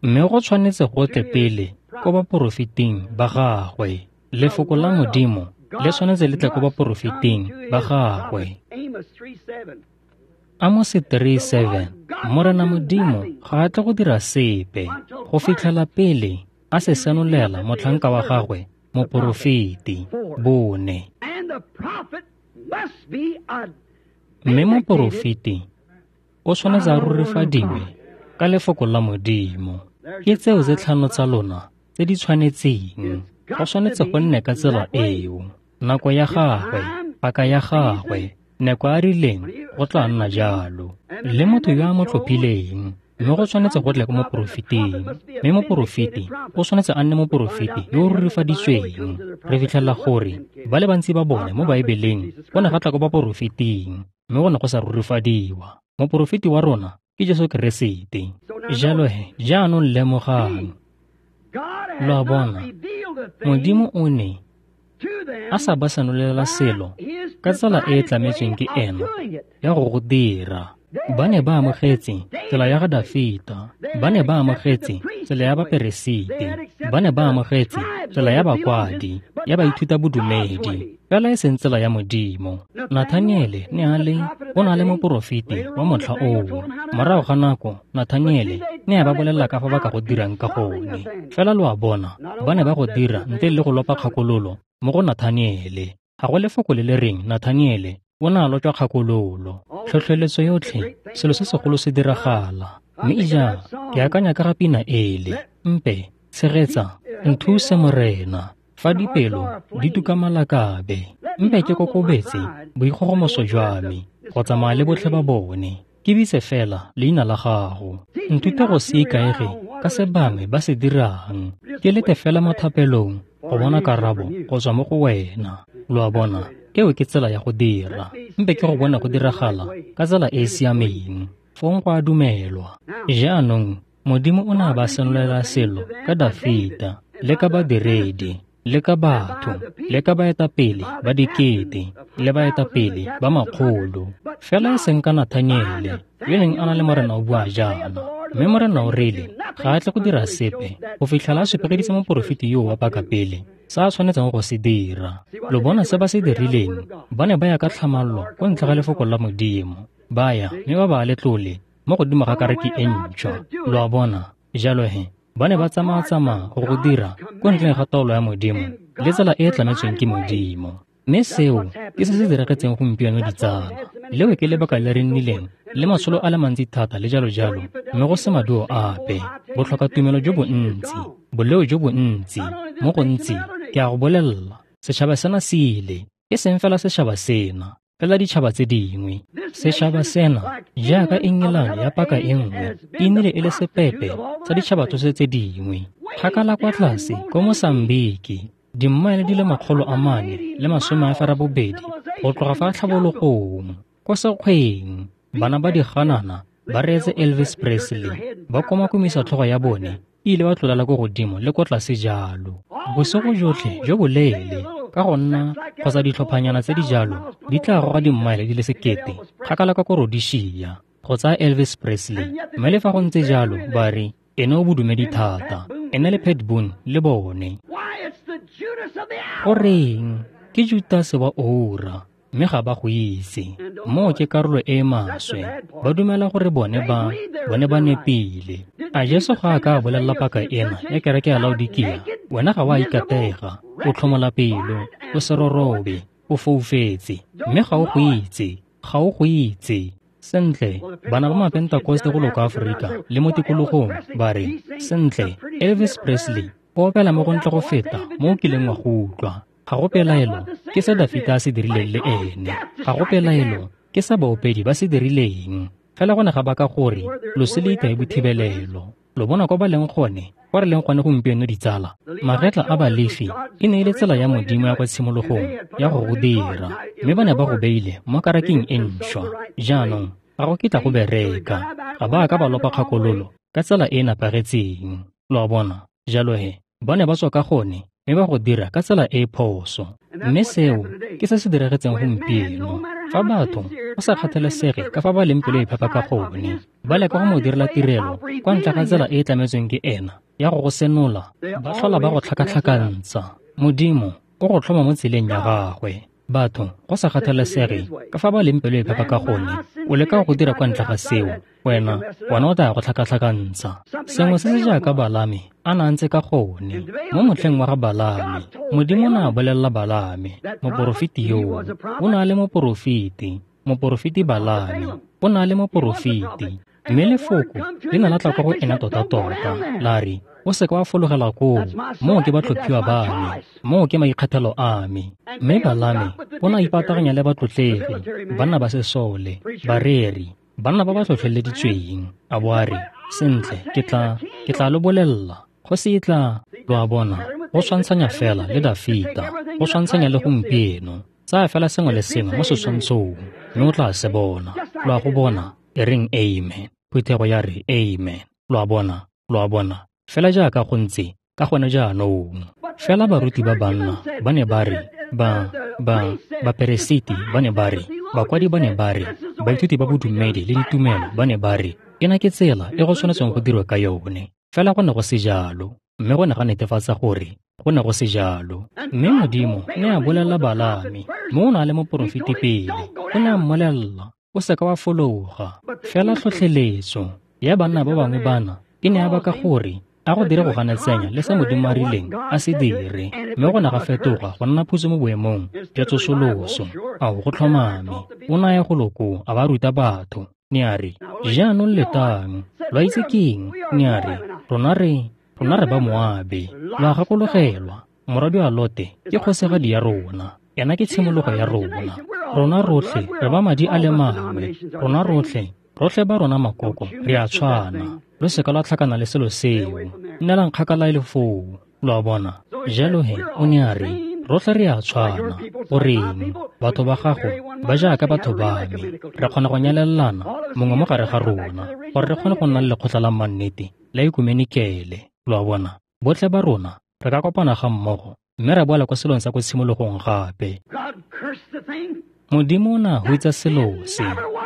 Mme go tshwanetse go tle pele ko baporofeting ba gagwe. Lefoko la Modimo le tshwanetse le tle ko baporofeting ba gagwe. Amos three seven, Morena Modimo ga a tle go dira sepe go fitlhela pele a se senolela motlhanka wa gagwe moporofeti. Bone. Mme moporofeti o tshwanetse a rurifadiwe ka lefoko la Modimo. Ke tseo tse tlhano tsa lona tse di tshwanetseng. Go tshwanetse go nne ka tsela eo. Nako ya gagwe, paka ya gagwe, nako a rileng go tla nna jalo. Le motho yo a mo tlhophileng, mme go tshwanetse go tle ko moporofeting. Mme moporofeti o tshwanetse a nne moporofeti yo o rurifaditsweng. Re fitlhela gore ba le bantsi ba bone mo Baebeleng go ne ga tla ko baporofeting, mme go ne go sa rurifadiwa. Moporofeti wa rona ke Jesu Keresete. Jalo he, jaanong lemogang. Lo a bona, Modimo o ne a sa ba senolela selo ka tsela e e tlametsweng ke ena ya go go dira. Ba ne ba amogetse tsela ya ga Dafita, ba ne ba amogetse tsela ya baperesiti, ba ne ba amogetse tsela ya bakwadi, ya baithuta bodumedi, fela e seng tsela ya Modimo. Nathaniele ne a le, o ne a le moporofeti wa motlha oo. Morago ga nako, Nathaniele ne a ba bolelela ka fa ba ka go dirang ka gone. Fela lo a bona, ba ne ba go dira ntle le go lopa kgakololo mo go Nathaniele. Ga go lefoko le le reng Nathaniele o ne a lotšwa kgakololo. Tlhotlheletso yotlhe, selo se segolo se diragala. Mme ija, ke akanya ka ga pina ele. Mpe, tshegetsa, nthuse Morena, fa dipelo di tuka malakabe. Mpe ke kokobetse boikgogomoso jwa me, go tsamaya le botlhe ba bone. Ke bitse fela leina la gago. Nthute go se ikaege ka se bangwe ba se dirang. Ke lete fela mo thapelong go bona karabo go tswa mo go wena. Lo a bona, eo ke tsela ya go dira. Mpe ke go bona go diragala ka tsela e e siameng. Fong go a dumelwa. Jaanong, Modimo o ne a ba senolela selo ka Dafita, le ka badiredi, le ka batho, le ka baetapele ba dikete, le baetapele ba makgolo. Fela e seng ka Nathaniele, yo neng a na le Morena o bua jaana. Mme Morena o rile ga a tle go dira sepe go fitlhela a supegeditse moporofeti yo wa pakapele sa a tshwanetseng go se dira. Lo bona se ba se dirileng, ba ne ba ya ka tlhamallo ko ntle ga lefoko la Modimo. Ba ya mme ba ba letlole mo godimo ga kariki e ntšhwa. Lo a bona, jalo he, ba ne ba tsamaya-tsamaya go go dira ko ntleng ga taolo ya Modimo le tsela e e tlametsweng ke Modimo. Mme seo ke se se diragetseng gompieno ditsala. Leo ke lebaka le re nnileng le matsholo a le mantsi thata le jalo-jalo, mme go se maduo ape. Botlhoka tumelo jo bontsi, boleo jo bontsi, mo gontsi, ke a go bolelela, setšhaba sena se ile, e seng fela setšhaba sena, fela ditšhaba tse dingwe. Setšhaba sena, jaaka Engelane ya paka e nngwe, e nnile e le sepepe sa ditšhaba tsotlhe tse dingwe. Kgakala kwa tlase ko Mosambiki, dimmaele di le makgolo a mane le masome a ferabobedi go tloga fa tlhabologong, ko sekgweng, bana ba diganana ba reetse Elvis Presley, ba komakomisa tlhogo ya bone e ile ba tlolela ko godimo le ko tlase jalo. Bosigo jotlhe jo boleele, ka go nna kgotsa ditlhophanyana tse di jalo di tla goga dimmaele di le sekete kgakala ka ko Rhodesia go tsaya Elvis Presley. Mme le fa go ntse jalo ba re ene o bodumedi thata, ene le Pat Boone le bone. Goreng, ke Judase wa oura, mme ga ba go itse. Moo ke karolo e e maswe. Ba dumela gore bone ba, bone ba nepile. A Jesu ga a ka a bolelela paka ena ya kereke ya Laodikia, wena ga wa ikatega, o tlhomola pelo, o serorobe, o foufetse, mme ga o go itse, ga o go itse. Sentle, bana ba Mapentakoste go loka Aforika le mo tikologong ba re, sentle, Elvis Presley o opela mo go ntle go feta mo o kileng wa go utlwa. Ga go pelaelo ke se Dafita a se dirileng le ene. Ga go pelaelo ke se baopedi ba se dirileng. Fela go ne ga baka gore loso le itae bothibelelo. Lo bona kwa ba leng gone, kwa re leng gone gompieno ditsala. Magetla a Balefi e ne e le tsela ya Modimo ya kwa tshimologong ya go go dira, mme ba ne ba go beile mo karakeng e ntšhwa. Jaanong ga go kitla go bereka. Ga ba ka ba lopa kgakololo ka tsela e e nepagetseng. Lo a bona? Jalo he, ba ne ba tswa ka gone mme ba go dira ka tsela e e phoso. Mme seo ke se se diragetseng gompieno. Fa batho go sa kgathalesege ka fa ba leng pelo e phepa ka gone, ba leka go mo direla tirelo kwa ntle ga tsela e e tlametsweng ke ena ya go go senola, ba tlhola ba go tlhakatlhakantsha. Modimo o go tlhoma mo tseleng ya gagwe. Batho go sa kgathalesege ka fa ba leng pelo e phepa ka gone, o leka go dira kwa ntle ga seo, wena wena o tla go tlhakatlhakantsha. Sengwe se se jaaka Balame a na ntse ka gone. Mo motlheng wa ga Balame, Modimo o ne a bolelela Balame, moporofeti yoo. O ne a le moporofeti, moporofeti Balame, o ne a le moporofeti. Mme lefoko le ne la tla kwa go ena tota-tota, la re, o seka wa fologela koo, moo ke batlhophiwa ba me, moo ke maikgethelo a me. Mme Balame o ne a ipataganya le batlotlegi, banna ba sesole, bareri, banna ba ba tlhotlheleditsweng. A bo a re, sentle, ke tla, ke tla lo bolelela, kgosi e tla. Lo a bona, go tshwantshanya fela le Dafita, go tshwantshanya le gompieno. Tsaya fela sengwe le sengwe mo setshwantshong, mme o tla se bona. Lo a go bona, e reng amen. Phuthego ya re amen. Lo a bona, lo a bona. Fela jaaka go ntse ka gone jaanong. Fela baruti ba banna ba ne ba re, ba, ba, baperesiti ba ne ba re, bakwadi ba ne ba re, baithuti ba bodumedi le ditumelo ba ne ba re, ena ke tsela e go tshwanetseng go dirwa ka yone. Fela go ne go se jalo, mme go ne ga netefatsa gore go ne go se jalo. Mme Modimo ne a bolelela Balame, mo o ne a le moporofeti pele, o ne a mmolelela, o seka wa fologa. Fela tlhotlheletso ya banna ba bangwe bana e ne ya baka gore a go dire go ganetsanya le se Modimo a rileng a se dire, mme go ne ga fetoga go nna phutso mo boemong jwa tsosoloso. Ao, go tlhomame. O ne a ya golo koo a ba ruta batho. Ne a re, jaanong letang, lo itse keng? Ne a re, rona re, rona re ba Moabe. Lo a gakologelwa, morwadi wa Lote ke kgosigadi ya rona. Ena ke tshimologo ya rona. Rona rotlhe re ba madi a le mangwe. Rona rotlhe, rotlhe ba rona makoko, re a tshwana. Lo seka lwa tlhakana le selo seo. Nnelang kgakala e le foo. Lo a bona? Jalo he, o ne a re, rotlhe re a tshwana. Goreng, batho ba gago ba jaaka batho ba me. Re kgona go nyalelana mongwe mo gare ga rona, gore re kgone go nna le lekgotla la mannete la ekumenikele. Lo a bona? Botlhe ba rona re ka kopana ga mmogo mme ra boela kwa selong sa ko tshimologong gape. Modimo o ne a hutsa selo se.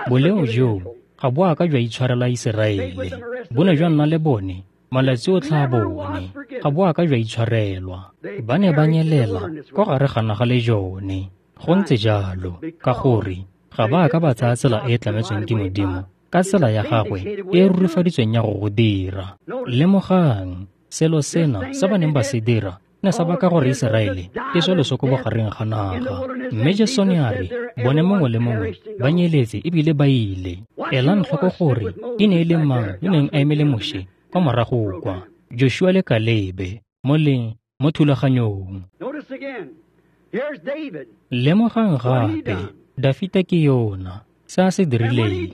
Boleo joo ga bo a ka jwa itshwarela Iseraele. Bo ne jwa nna le bone malatsi otlhe a bone. Ga bo a ka jwa itshwarelwa. Ba ne ba nyelela kwa gare ga naga le jone. Go ntse jalo, ka gore ga ba a ka ba tsaya tsela e e tlametsweng ke Modimo ka tsela ya gagwe e e rurifaditsweng ya go go dira. Lemogang, selo sena se ba neng ba se dira ne sa baka gore Iseraele e swe loso ko bogareng ga naga. Mme Jesu ne a re, bone mongwe le mongwe ba nyeletse ebile ba ile. Elang tlhoko gore e ne e le mang yo neng a emele Moshe kwa morago kwa, Joshua le Kalebe, mo leng mo thulaganyong. Lemogang gape, Dafita ke yona, se a se dirileng.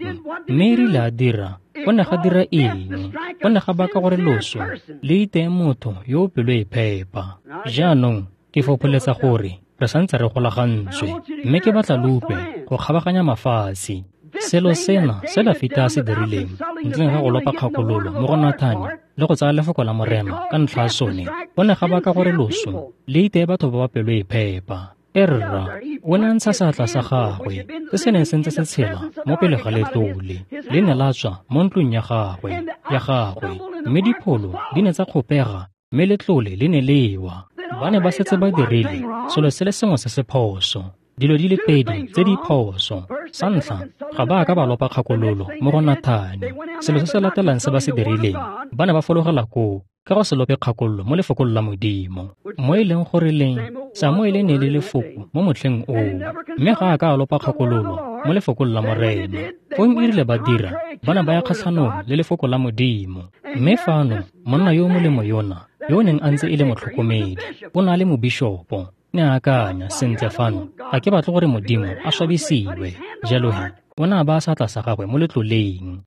Mme e rile a dira, go ne ga dira eng? Go ne ga baka gore loso le iteye motho yo o pelo e phepa. Jaanong ke fopholetsa gore re santse re golagantswe, mme ke batla lo utlwe go kgabaganya mafatshe. Selo sena se Dafita a se dirileng ntleng ga go lopa kgakololo mo go Nathane le go tsaya lefoko la Morena ka ntlha ya sone, go ne ga baka gore loso le iteye batho ba ba pelo e phepa. Erra, o ne a ntsha seatla sa gagwe se se neng se ntse se tshela mo pele ga letlole. Le ne la tswa mo ntlong ya gagwe, ya gagwe, mme dipholo di ne tsa kgopega, mme letlole le ne le wa. Ba ne ba setse ba dirile selo se le sengwe se se phoso. Dilo di le pedi tse di phoso. Sa ntlha, ga ba a ka ba lopa kgakololo mo go Nathane. Selo se se latelang se ba se dirileng, ba ne ba fologela koo ka go se lope kgakololo mo lefokong la Modimo. Mo e leng gore leng, Samuele ne le lefoko mo motlheng oo, mme ga a ka a lopa kgakololo mo lefokong la Morena. Fong e rile ba dira, ba ne ba ya kgatlhanong le lefoko la Modimo. Mme fano, monna yo o molemo yona, yo o neng a ntse e le motlhokomedi, o ne a le mobishopo, ne a akanya, sentle fano, ga ke batle gore Modimo a swabisiwe. Jalo he, o ne a baya seatla sa gagwe mo letloleng,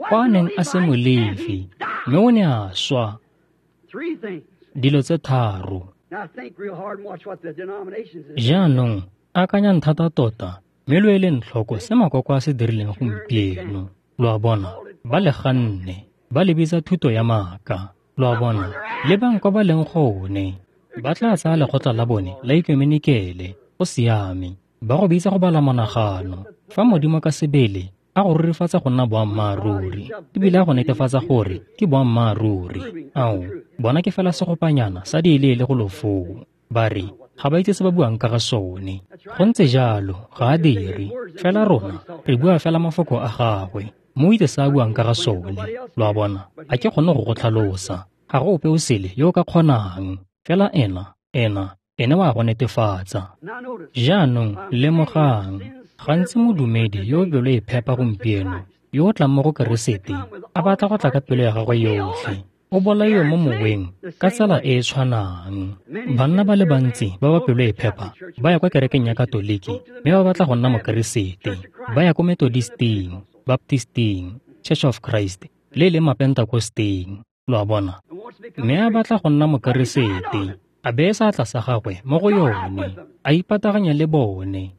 kwa a neng a se Molefi, mme o ne a swa. Dilo tse tharo. Jaanong, akanyang thata tota, mme lo eleng tlhoko se makoko a se dirileng gompieno. Lo a bona, ba le ganne, ba le bitsa thuto ya maaka. Lo a bona, lebang kwa ba leng gone. Ba tla tsaya lekgotla la bone la ekumenikele, go siame, ba go bitsa go bala monagano. Fa Modimo ka sebele a go rurifatsa go nna boammaaruri, ebile a go netefatsa gore ke boammaaruri. Ao, bona ke fela segopanyana sa dieleele go lo foo. Ba re, ga ba itse se ba buang ka ga sone. Go ntse jalo, ga a dire. Fela rona, re bua fela mafoko a gagwe. Mo itse se a buang ka ga sone. Lo a bona, ga ke kgone go go tlhalosa. Ga go ope o sele yo o ka kgonang. Fela ena, ena, ene wa go netefatsa. Jaanong, lemogang, gantsi modumedi yo o pelo e phepa gompieno, yo o tlang mo go Keresete, a batla go tla ka pelo ya gagwe yotlhe, o bolaiwe mo moweng ka tsela e e tshwanang. Banna ba le bantsi ba ba pelo e phepa ba ya kwa kerekeng ya Katoliki mme ba batla go nna Mokeresete. Ba ya ko Methodisting, Baptisting, Church of Christ, le e leng Mapentakosteng. Lo a bona? Mme a batla go nna Mokeresete, a beye seatla sa gagwe mo go yone, a ipataganya le bone.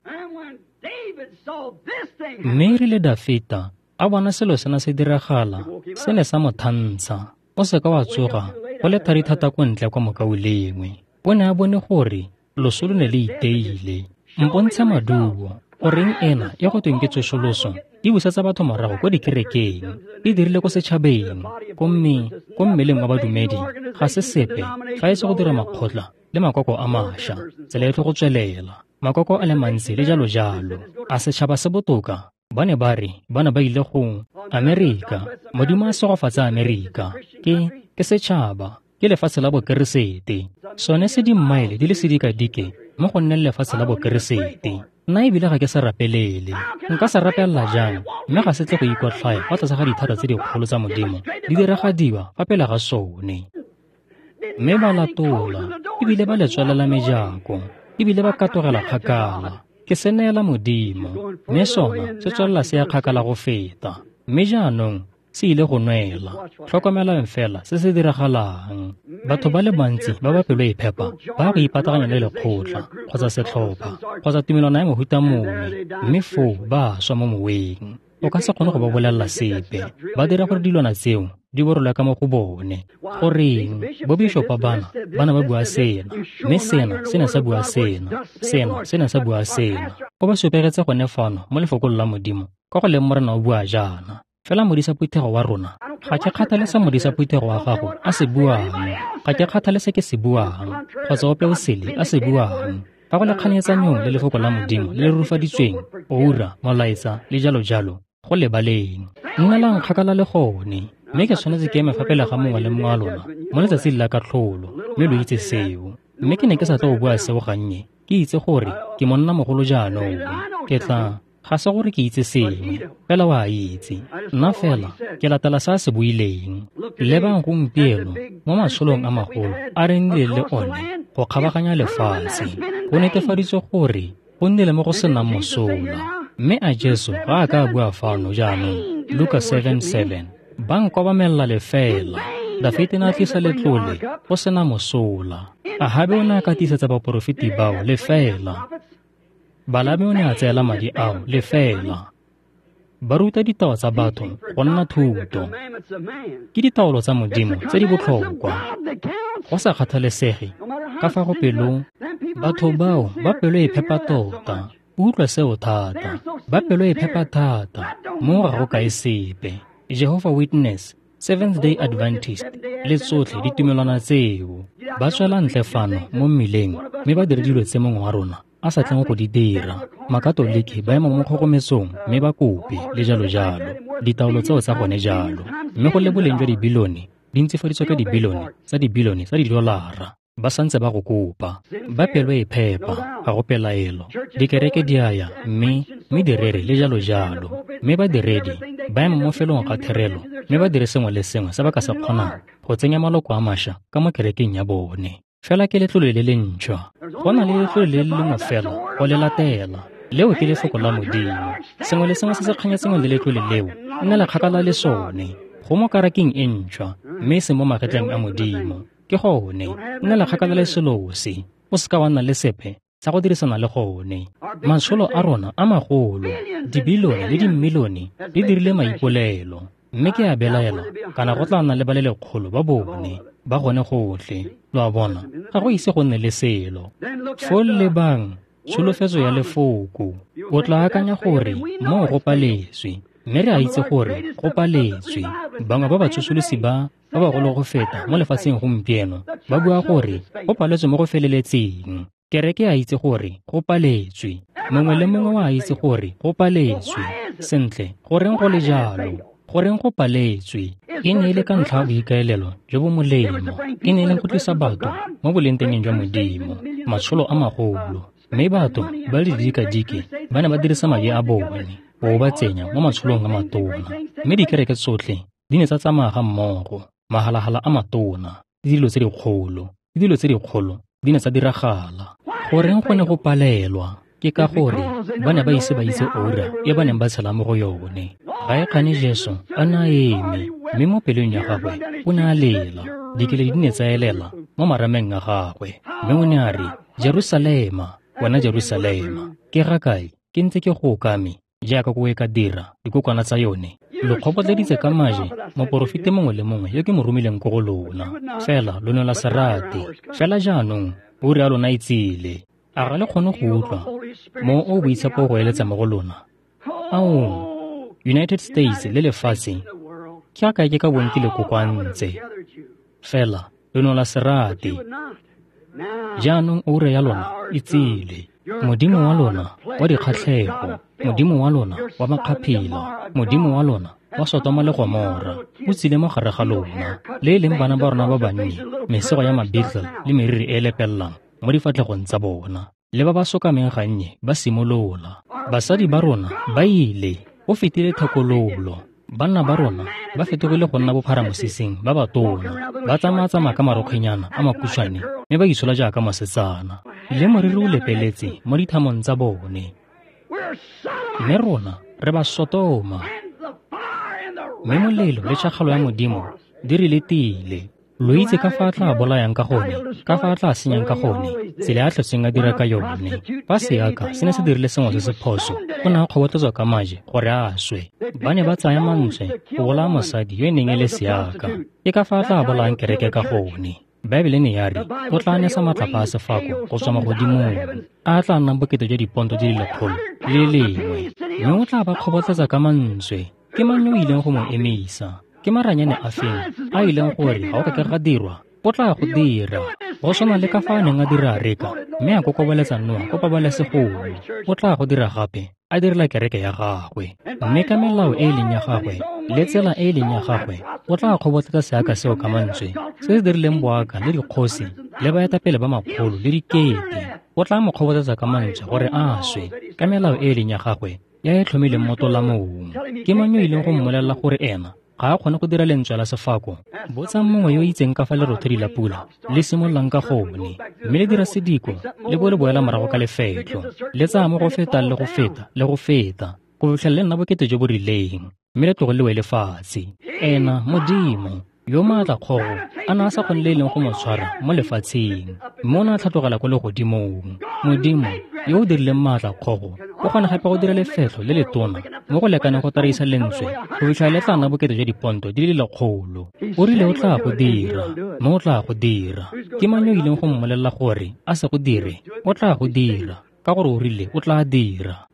Mme erile Dafita a bona selo sena se diragala, se ne sa mo thantsha. O seka wa tsoga go le thari thata ko ntle kwa mokaulengwe. O ne a bone gore loso lo ne le iteile. Mpontshe maduo, goreng ena e go tweng ke tsosoloso e busetsa batho morago ko dikerekeng, e dirile ko setšhabeng, ko mme, ko mmeleng wa badumedi, ga se sepe fa e se go dira makgotla le makoko a mašwa, tsela e tlo go tswelela, makoko a le mantsi le jalo jalo. A setšhaba se botoka? Ba ne ba re ba ne ba ile go Amerika. Modimo a segofatsa Amerika. Ke ke setšhaba, ke lefatshe la Bokeresete. Sone se dimmaele di le sedikadike mo go nneng lefatshe la Bokeresete. Nna ebile ga ke sa rapelele. Nka sa rapelela jang, mme ga se tle go ikotlhaya fa tlase ga dithata tse dikgolo tsa Modimo di diragadiwa fa pele ga sone. Mme ba latola, ebile ba le tswalela mejako, ebile ba katogela kgakala. Ke se neela Modimo, mme sona se tswelela se ya kgakala go feta. Mme jaanong se ile go nwela. Tlhokomelang fela se se diragalang. Batho ba le bantsi ba ba pelo e phepa ba go ipataganya le lekgotla kgotsa setlhopha kgotsa tumelwana ya mohuta mongwe, mme foo ba swa mo moweng. O ka se kgone go ba bolelela sepe. Ba dira gore dilwana tseo di borolwe ka mo go bone. Goreng, bobishopa bana ba ne ba bua sena, mme sena se ne sa bua sena, sena se ne sa bua sena. O ba supegetse gone fano mo lefokong la Modimo, ka go leng Morena o bua jaana. Fela modisa phuthego wa rona, ga ke kgathale se modisa phuthego wa gago a se buang, ga ke kgathale se ke se buang, kgotsa ope o sele a se buang. Fa go le kganetsanyong le lefoko la Modimo le le rurifaditsweng, oura, molaetsa le jalo jalo, go lebaleng. Nnelang kgakala le gone, mme ke tshwanetse ke eme fa pele ga mongwe le mongwe wa lona mo letsatsing la katlholo, mme lo itse seo. Mme ke ne ke sa tlo go bua seo gannye, ke itse gore ke monna mogolo jaanong. Ke tla, ga se gore ke itse sengwe, fela wa itse. Nna fela ke latela se a se buileng. Lebang gompieno mo matsholong a magolo a re nnileng le one go kgabaganya lefatshe, go netefaditswe gore go nnile mo go senang mosola. Mme a Jesu ga a ka a bua fano jaanong, Luka seven seven, ba nkobamella lefela. Dafite ne a tlisa letlole go sena mosola. Ahabe o ne a katisetsa baporofeti bao lefela. Balame o ne a tseela madi ao lefela. Ba ruta ditao tsa batho go nna thuto. Ke ditaolo tsa Modimo tse di botlhokwa. Go sa kgathalesege ka fa go pelong, batho bao ba pelo e phepa tota. Utlwa seo thata. Ba pelo e phepa thata, mo ga go kae sepe. Jehovah Witness, Seventh Day Adventist, le tsotlhe ditumelwana tseo ba tswela ntle fano mo mmileng mme ba dire dilo tse mongwe wa rona a sa tleng go di dira. Makatoliki ba ema mo kgogometsong mme ba kope le jalo jalo. Ditaolo tseo tsa gone jalo. Mme go le boleng jwa dibilione di ntsifaditswe ka dibilione tsa dibilione tsa didolara. Ba santse ba go kopa. Ba pelo e phepa, ga go pelaelo. Dikereke di a ya mme mme direre le jalo jalo. Mme badiredi ba ema mo felong ga therelo mme ba dire sengwe le sengwe se ba ka se kgonang go tsenya maloko a mašwa ka mo kerekeng ya bone. Fela ke letlole le le ntšhwa. Go na le letlole le le lengwe fela go le latela. Leo ke lefoko la Modimo. Sengwe le sengwe se se kganyetsengwe le letlole leo nna le kgakala le sone. Go mo karakeng e ntšhwa mme e se mo magetleng a Modimo. Ke gone nna le kgakala le selo se. O seka wa nna le sepe sa go dirisana le gone. Matsholo a rona a magolo, dibilione le dimilione di dirile maipolelo. Mme ke a belaela kana go tla nna le ba le lekgolo ba bone ba gone gotlhe. Lo a bona, ga go ise go nne le selo. Foo lebang tsholofetso ya lefoko. O tla akanya gore moo go paletswe, mme re a itse gore go paletswe. Bangwe ba batsosolosi ba ba bagolo go feta mo lefatsheng gompieno ba bua gore go paletswe mo go feleletseng. Kereke a itse gore go paletswe. Mongwe le mongwe wa itse gore go paletswe. Sentle, goreng go le jalo? Goreng go paletswe? E ne e le ka ntlha ya boikaelelo jo bo molemo. E ne e le go tlisa batho mo bolengtengeng jwa Modimo, matsholo a magolo. Mme batho ba le didikadike ba ne ba dirisa madi a bone go ba tsenya mo matsholong a matona. Mme dikereke tsotlhe di ne tsa tsamaya ga mmogo, mahalagala a matona, le dilo tse dikgolo, le dilo tse dikgolo di ne tsa diragala. Goreng go ne go palelwa? Ke ka gore ba ne ba ise ba itse ura e ba neng ba tshela mo go yone. Ga e kgane Jesu a ne a eme, mme mo pelong ya gagwe o ne a lela. Dikeledi di ne tsa elela mo marameng a gagwe, mme o ne a re, Jerusalema, wena Jerusalema, ke ga kae ke ntse ke go okame jaaka ko e ka dira dikokwana tsa yone? Lo kgobotleditse ka maje moporofeti mongwe le mongwe yo ke mo romileng ko go lona, fela lo ne la se rate. Fela jaanong ura ya lona e tsile. A ga le kgone go utlwa mo o boitshepo go eletsa mo go lona? Ao, United States le lefatshe ke a kae ke ka bong ke le kokoantse, fela lo ne la se rate. Jaanong ura ya lona e tsile. Modimo wa lona wa dikgatlhego, Modimo wa lona wa makgaphila, Modimo wa lona wa Sotoma le Gomora o tsile mo gare ga lona, le e leng bana ba rona ba bannye, mesego ya mabeetle le meriri e e lepelelang mo difatlhegong tsa bona, le ba ba sokameng gannye ba simolola. Basadi ba rona ba ile, go fetile thekololo. Banna ba rona ba fetogile go nna bopharamosising ba batona, ba tsamaya-tsamaya ka marokgwenyana a makhutshwane mme ba itshola jaaka mosetsana, le moriri o lepeletse mo dithamong tsa bone. Mme rona re ba Sotoma, mme molelo le tšhakgalo ya Modimo di re letile. Lo itse ka fa a tla bolayang ka gone, ka fa a tla senyang ka gone, tsela ya tlhotseng a dira ka yone. Fa seaka se ne se dirile sengwe se se phoso, o ne a kgobotletswa ka maje gore a swe. Ba ne ba tsaya mantswe go bolaya mosadi yo e neng e le seaka. Ke ka fa a tla bolayang kereke ka gone. Baebele ne ya re o tla nesa matlapa a sefako go tswa magodimong, a tla nnang bokete jwa diponto di le lekgolo le lengwe, mme o tla ba kgobotletsa ka mantswe. Ke mang yo o ileng go mo emisa? Ke maranyane a feng a ileng gore ga o ka ke ga dirwa? O tla go dira. Go tshwana le ka fa a neng a dira areka mme a kokobeletsa Noa ko pabalesegong. O tla go dira gape, a direla kereke ya gagwe. Mme ka melao e e leng ya gagwe le tsela e e leng ya gagwe, o tla kgobotletsa seaka seo ka mantswe se se dirileng boaka le dikgosi le baetapele ba makgolo le dikete. O tla mo kgobotletsa ka mantswe gore a swe ka melao e e leng ya gagwe ya e tlhomileng mo tolamong. Ke mang yo ileng go mmolelela gore ena ga a kgone go dira lentswe la sefako? Botsang mongwe yo o itseng ka fa lerothodi la pula le simololang ka gone, mme le dira sediko le bo le boela morago ka lefetlo, le tsaya mo go feta le go feta le go feta go fitlhela le nna bokete jo bo rileng, mme le tloge le wele fatshe. Ena Modimo yo maatla kgogo a ne a sa kgone le e leng go mo tshwara mo lefatsheng, mme o ne a tlhatlogela ko legodimong. Modimo yo o dirileng maatla kgogo o kgona gape go dira lefetlho le letona mo go lekaneng go taraisa lentswe go fitlhela le tla nna bokete jwa diponto di le lekgolo. O rile o tla go dira, mme o tla go dira. Ke mang yo o ileng go mmolelela gore a se go dire? O tla go dira, ka gore o rile o tla dira.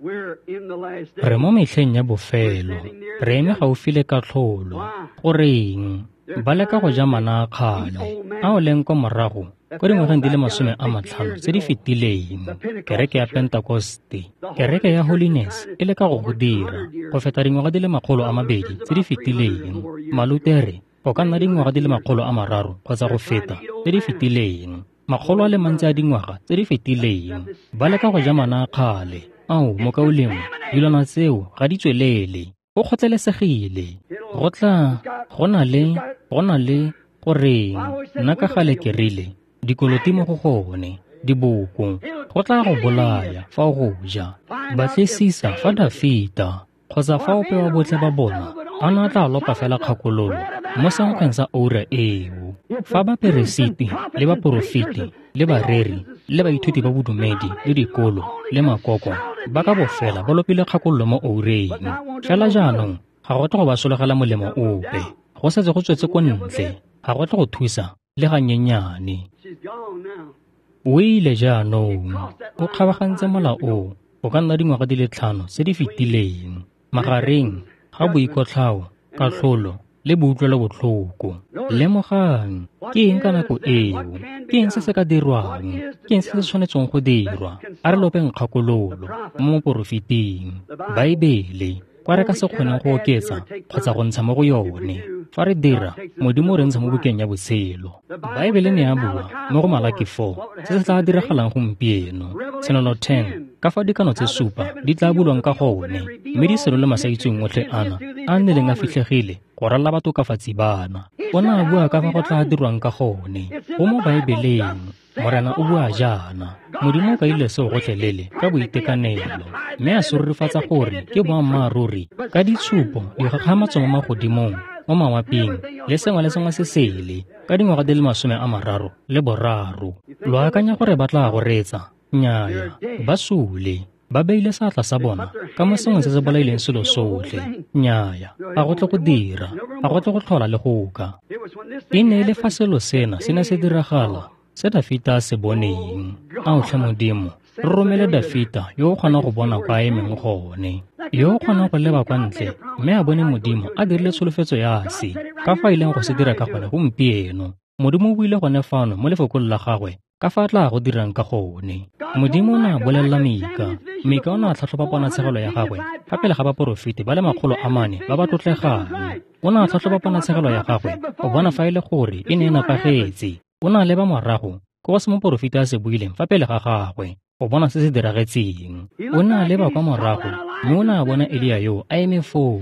Re mo metlheng ya bofelo, re eme gaufi le katlholo. Goreng ba leka go ja mana a kgale a o leng kwa morago ko dingwageng di le masome a matlhano tse di fetileng? Kereke ya Pentekoste, kereke ya Holiness e leka go go dira go feta dingwaga di le makgolo a mabedi tse di fetileng. Malutere go ka nna dingwaga di le makgolo a mararo kgotsa go feta tse di fetileng, makgolo a le mantsi a dingwaga tse di fetileng. Ba leka go ja mana a kgale. Ao, mokaulengwe, dilwana tseo ga di tswelele. Go kgotlelesegile. Go tla, go na le, go na le, goreng, nna ka gale ke rile, dikoloti mo go gone, diboko, go tla go bolaya fa o go ja. Batlisisa fa Dafita, kgotsa fa ope wa botlhe ba bona, a ne a tla lopa fela kgakololo mo senkgweng sa oura eo. Fa baperesiti le baporofeti le bareri le baithuti ba bodumedi le dikolo le makoko ba ka bofela ba lopile kgakololo mo oureng. Fela jaanong ga go tle go ba sologela molemo ope. Go setse go tswetse ko ntle, ga go tle go thusa le ganyenyane. O ile jaanong, o kgabagantse mola o, o ka nna dingwaga di le tlhano tse di fetileng, magareng ga boikotlhao, katlholo le boutlwelobotlhoko. Lemogang, ke eng ka nako eo? Ke eng se se ka dirwang? Ke eng se se tshwanetseng go dirwa? A re lopeng kgakololo mo moporofeting. Baebele, kwa re ka se kgoneng go oketsa kgotsa go ntsha mo go yone. Fa re dira, Modimo o re ntsha mo bukeng ya botshelo. Baebele ne ya bua mo go Malaki four se se tla diragalang gompieno. Tshenolo ten, ka fa dikano tse supa di tla bulwang ka gone, mme di senole masaitseweng otlhe ana a nnileng a fitlhegile go ralala batokafatsi bana. O ne a bua ka fa go tla dirwang ka gone. Go mo Baebeleng. Morena o bua jaana. Modimo o kaile seo gotlhelele ka boitekanelo, mme a se rurifatsa gore ke boammaaruri ka ditshupo, dikgakgamatso mo magodimong, mo mawaping, le sengwe le sengwe se sele, ka dingwaga di le masome a mararo le boraro. Lo akanya gore ba tla go reetsa? Nnyaya, ba sule. Ba beile seatla sa bona ka mo sengwe se se bolaileng selo sotlhe. Nnyaya, ga go tle go dira, ga go tle go tlhola le go ka. E ne e le fa selo sena se ne se diragala, se Dafita a se boneng. Ao tlhe Modimo, re romele Dafita yo o kgonang go bona kwa a emeng gone, yo o kgonang go leba kwa ntle mme a bone Modimo a dirile tsholofetso ya se, ka fa a ileng go se dira ka gone gompieno. Modimo o buile gone fano mo lefokong la gagwe ka fa a tla go dirang ka gone. Modimo o ne a bolelela Mika. Mika o ne a tlhatlhoba ponatshegelo ya gagwe fa pele ga baporofeti ba le makgolo a mane ba ba tlotlegang. O ne a tlhatlhoba ponatshegelo ya gagwe go bona fa e le gore e ne e nepagetse. O ne a leba morago ko go se moporofeti a se buileng fa pele ga gagwe go bona se se diragetseng. O ne a leba kwa morago mme o ne a bona Elia yo a eme foo.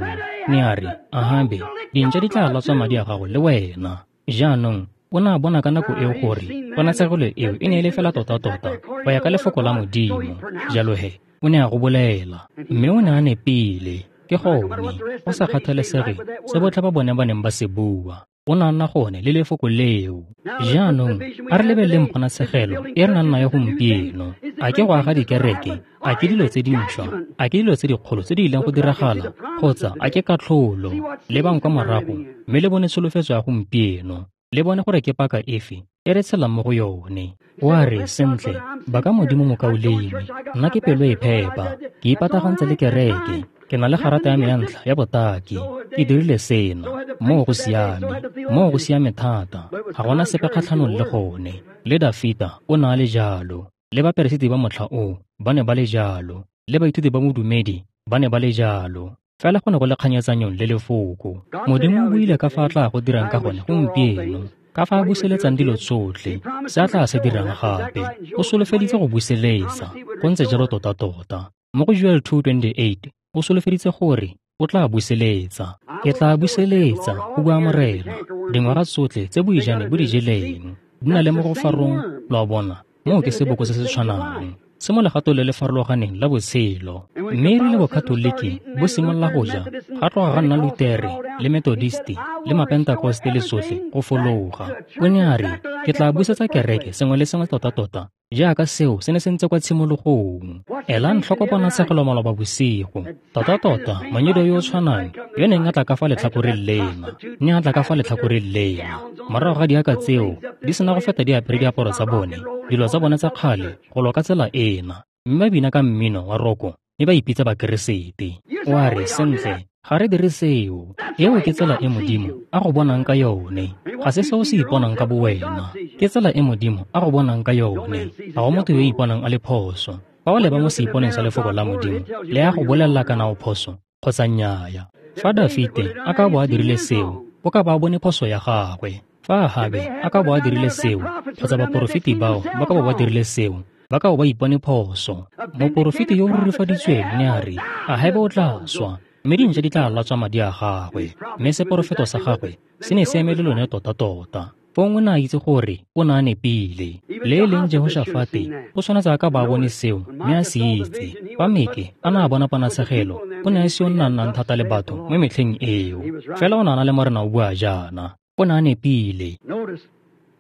Ne a re, Ahabe, dintša di tla latswa madi a gago le wena. Jaanong o ne a bona ka nako eo gore ponatshegelo eo e ne e le fela tota-tota go ya ka lefoko la Modimo. Jalo he, o ne a go bolela, mme o ne a nepile. Ke gone, go sa kgathalesege se botlhe ba bone ba neng ba se bua, o ne a nna gone le lefoko leo. Jaanong a re lebeleleng ponatshegelo e re nang nayo gompieno. A ke go aga dikereke? A ke dilo tse dintšhwa? A ke dilo tse dikgolo tse di ileng go diragala? Kgotsa a ke katlholo? Lebang kwa morago mme le bone tsholofetso ya gompieno. Le bone gore ke paka efe e re tshelang mo go yone. Wa re, sentle, ba ka Modimo mokaulengwe, nna ke pelo e phepa, ke ipatagantse le kereke, ke na le garata ya me ya ntlha ya botaki, ke dirile sena, moo go siame, moo go siame thata, ga gona sepe kgatlhanong le gone. Le Dafita o ne a le jalo, le baperesiti ba motlha oo ba ne ba le jalo, le baithuti ba modumedi ba ne ba le jalo. Fela go ne go le kganyetsanyong le lefoko. Modimo o buile ka fa a tla go dirang ka gone gompieno, ka fa a buseletsang dilo tsotlhe, se a tla se dirang gape. O solofeditse go buseletsa, go ntse jalo tota-tota. Mo go Joel two twenty-eight, o solofeditse gore o tla buseletsa. Ke tla buseletsa, go bua Morena, dingwaga tsotlhe tse boijane bo di jeleng, di na le mo go farong, lo a bona, moo ke seboko se se tshwanang, se mo legatong le le farologaneng la botshelo. Mme e rile bokatoliki bo simolola go ja, ga tloga ga nna Lutere le Methodisti le Mapentakoste le sotlhe go fologa. O ne a re, ke tla busetsa kereke sengwe le sengwe tota-tota jaaka seo se ne se ntse kwa tshimologong. Elang tlhoko ponatshegelo maloba bosigo. Tota-tota monyedo yo o tshwanang yo neng a tla ka fa letlhakoreng lena, ne a tla ka fa letlhakoreng lena. Morago ga diaka tseo di sena go feta di apere diaparo tsa bone, dilo tsa bone tsa kgale go lwa ka tsela ena, mme ba bina ka mmino wa roko mme ba ipitsa Bakeresete. O a re, sentle, ga re dire seo. Eo ke tsela e Modimo a go bonang ka yone. Ga se seo se iponang ka bowena. Ke tsela e Modimo a go bonang ka yone. Ga go motho yo o iponang a le phoso. Fa o leba mo seiponeng sa lefoko la Modimo, le ya go bolelela kana o phoso kgotsa nnyaya. Fa Dafite a ka bo a dirile seo, o ka ba a bone phoso ya gagwe. Fa Ahabe a ka bo a dirile seo, kgotsa baporofeti bao ba ka bo ba dirile seo, Ba ka bo ba ipone phoso. Moporofeti yo o rurifaditsweng ne a re, Ahebe o tla swa, mme dintša di tla latswa madi a gagwe. Mme seporofeto sa gagwe se ne se eme le lone tota-tota. Fong o ne a itse gore o ne a nepile. Le e leng Jehoshafate o tshwanetse a ka ba a bone seo mme a se itse. Fa Mike a ne a bona ponatshegelo, o ne a ise o nna nnang thata le batho mo metlheng eo. Fela o ne a na le Morena o bua jaana. O ne a nepile.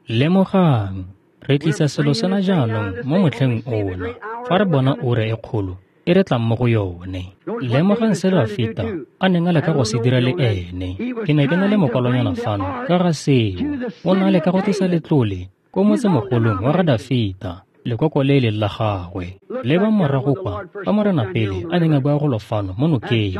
Lemogang, re tlisa selo sena jaanong mo motlheng ona, fa re bona ura e kgolo e re tlang mo go yone. Lemogang se Dafita a neng a leka go se dira le ene. Ke ne ke na le mokwalonyana fano ka ga seo. O ne a leka go tlisa letlole ko motsemogolong wa ga Dafita, lekoko le e leng la gagwe. Lebang morago kwa fa Morena pele a neng a bua golo fano mo nokeng,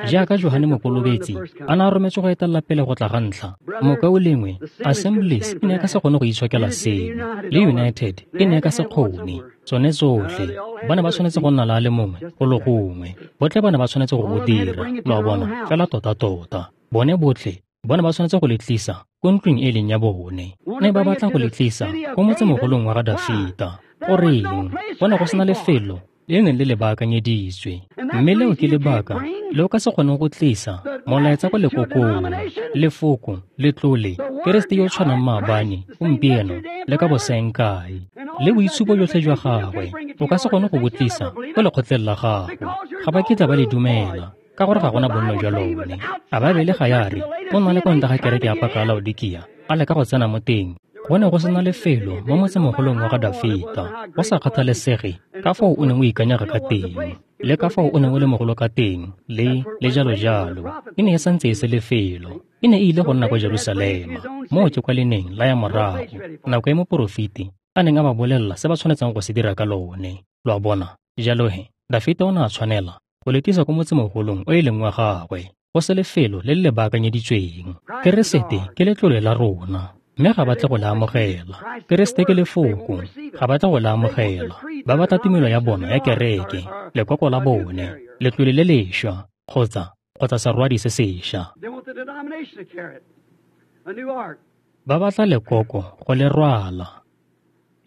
jaaka Johane Mokolobetsi a ne a rometswe go etelela pele go tla ga ntlha. Mokaulengwe, Assemblies e ne e ka se kgone go itshokela seo, le United e ne e ka se kgone. Tsone tsotlhe ba ne ba tshwanetse go nna le a le mongwe golo gongwe. Botlhe ba ne ba tshwanetse go go dira, lo a bona, fela tota-tota. Bone botlhe ba ne ba tshwanetse go le tlisa ko ntlong e leng ya bone. Ne ba batla go le tlisa ko motsemogolong wa ga Dafita. Goreng? Go ne go sena lefelo le neng le le baakanyeditswe. Mme leo ke lebaka le o ka se kgoneng go tlisa molaetsa ko lekokong, lefoko, letlole, Keresete yo o tshwanang maabane, gompieno, le ka bosaengkae, le boitshupo jotlhe jwa gagwe, o ka se kgone go bo tlisa ko lekgotleng la gago. Ga ba kitla ba le dumela, ka gore ga gona bonno jwa lone. A Baebele ga ya re o na le kwa ntle ga kereke ya paka ya Laodikia, a leka go tsena mo teng. Go ne go sena lefelo mo motsemogolong wa ga Dafita, go sa kgathalesege ka foo o neng o ikanyega ka teng, le ka foo o neng o le mogolo ka teng, le le jalo jalo. E ne e santse e se lefelo. E ne e ile go nna kwa Jerusalema, moo ke kwa le neng la ya morago, nako e moporofeti a neng a ba bolelela se ba tshwanetseng go se dira ka lone. Lo a bona? Jalo he, Dafita o ne a tshwanela go le tlisa ko motsemogolong o e leng wa gagwe, go se lefelo le le le baakanyeditsweng. Keresete ke letlole la rona, mme ga ba tle go le amogela. Keresete ke lefoko, ga ba tle go le amogela. Ba batla tumelo ya bona ya kereke, lekoko la bone, letlole le lešwa, kgotsa kgotsa serwadi se sešwa. Ba batla lekoko go le rwala,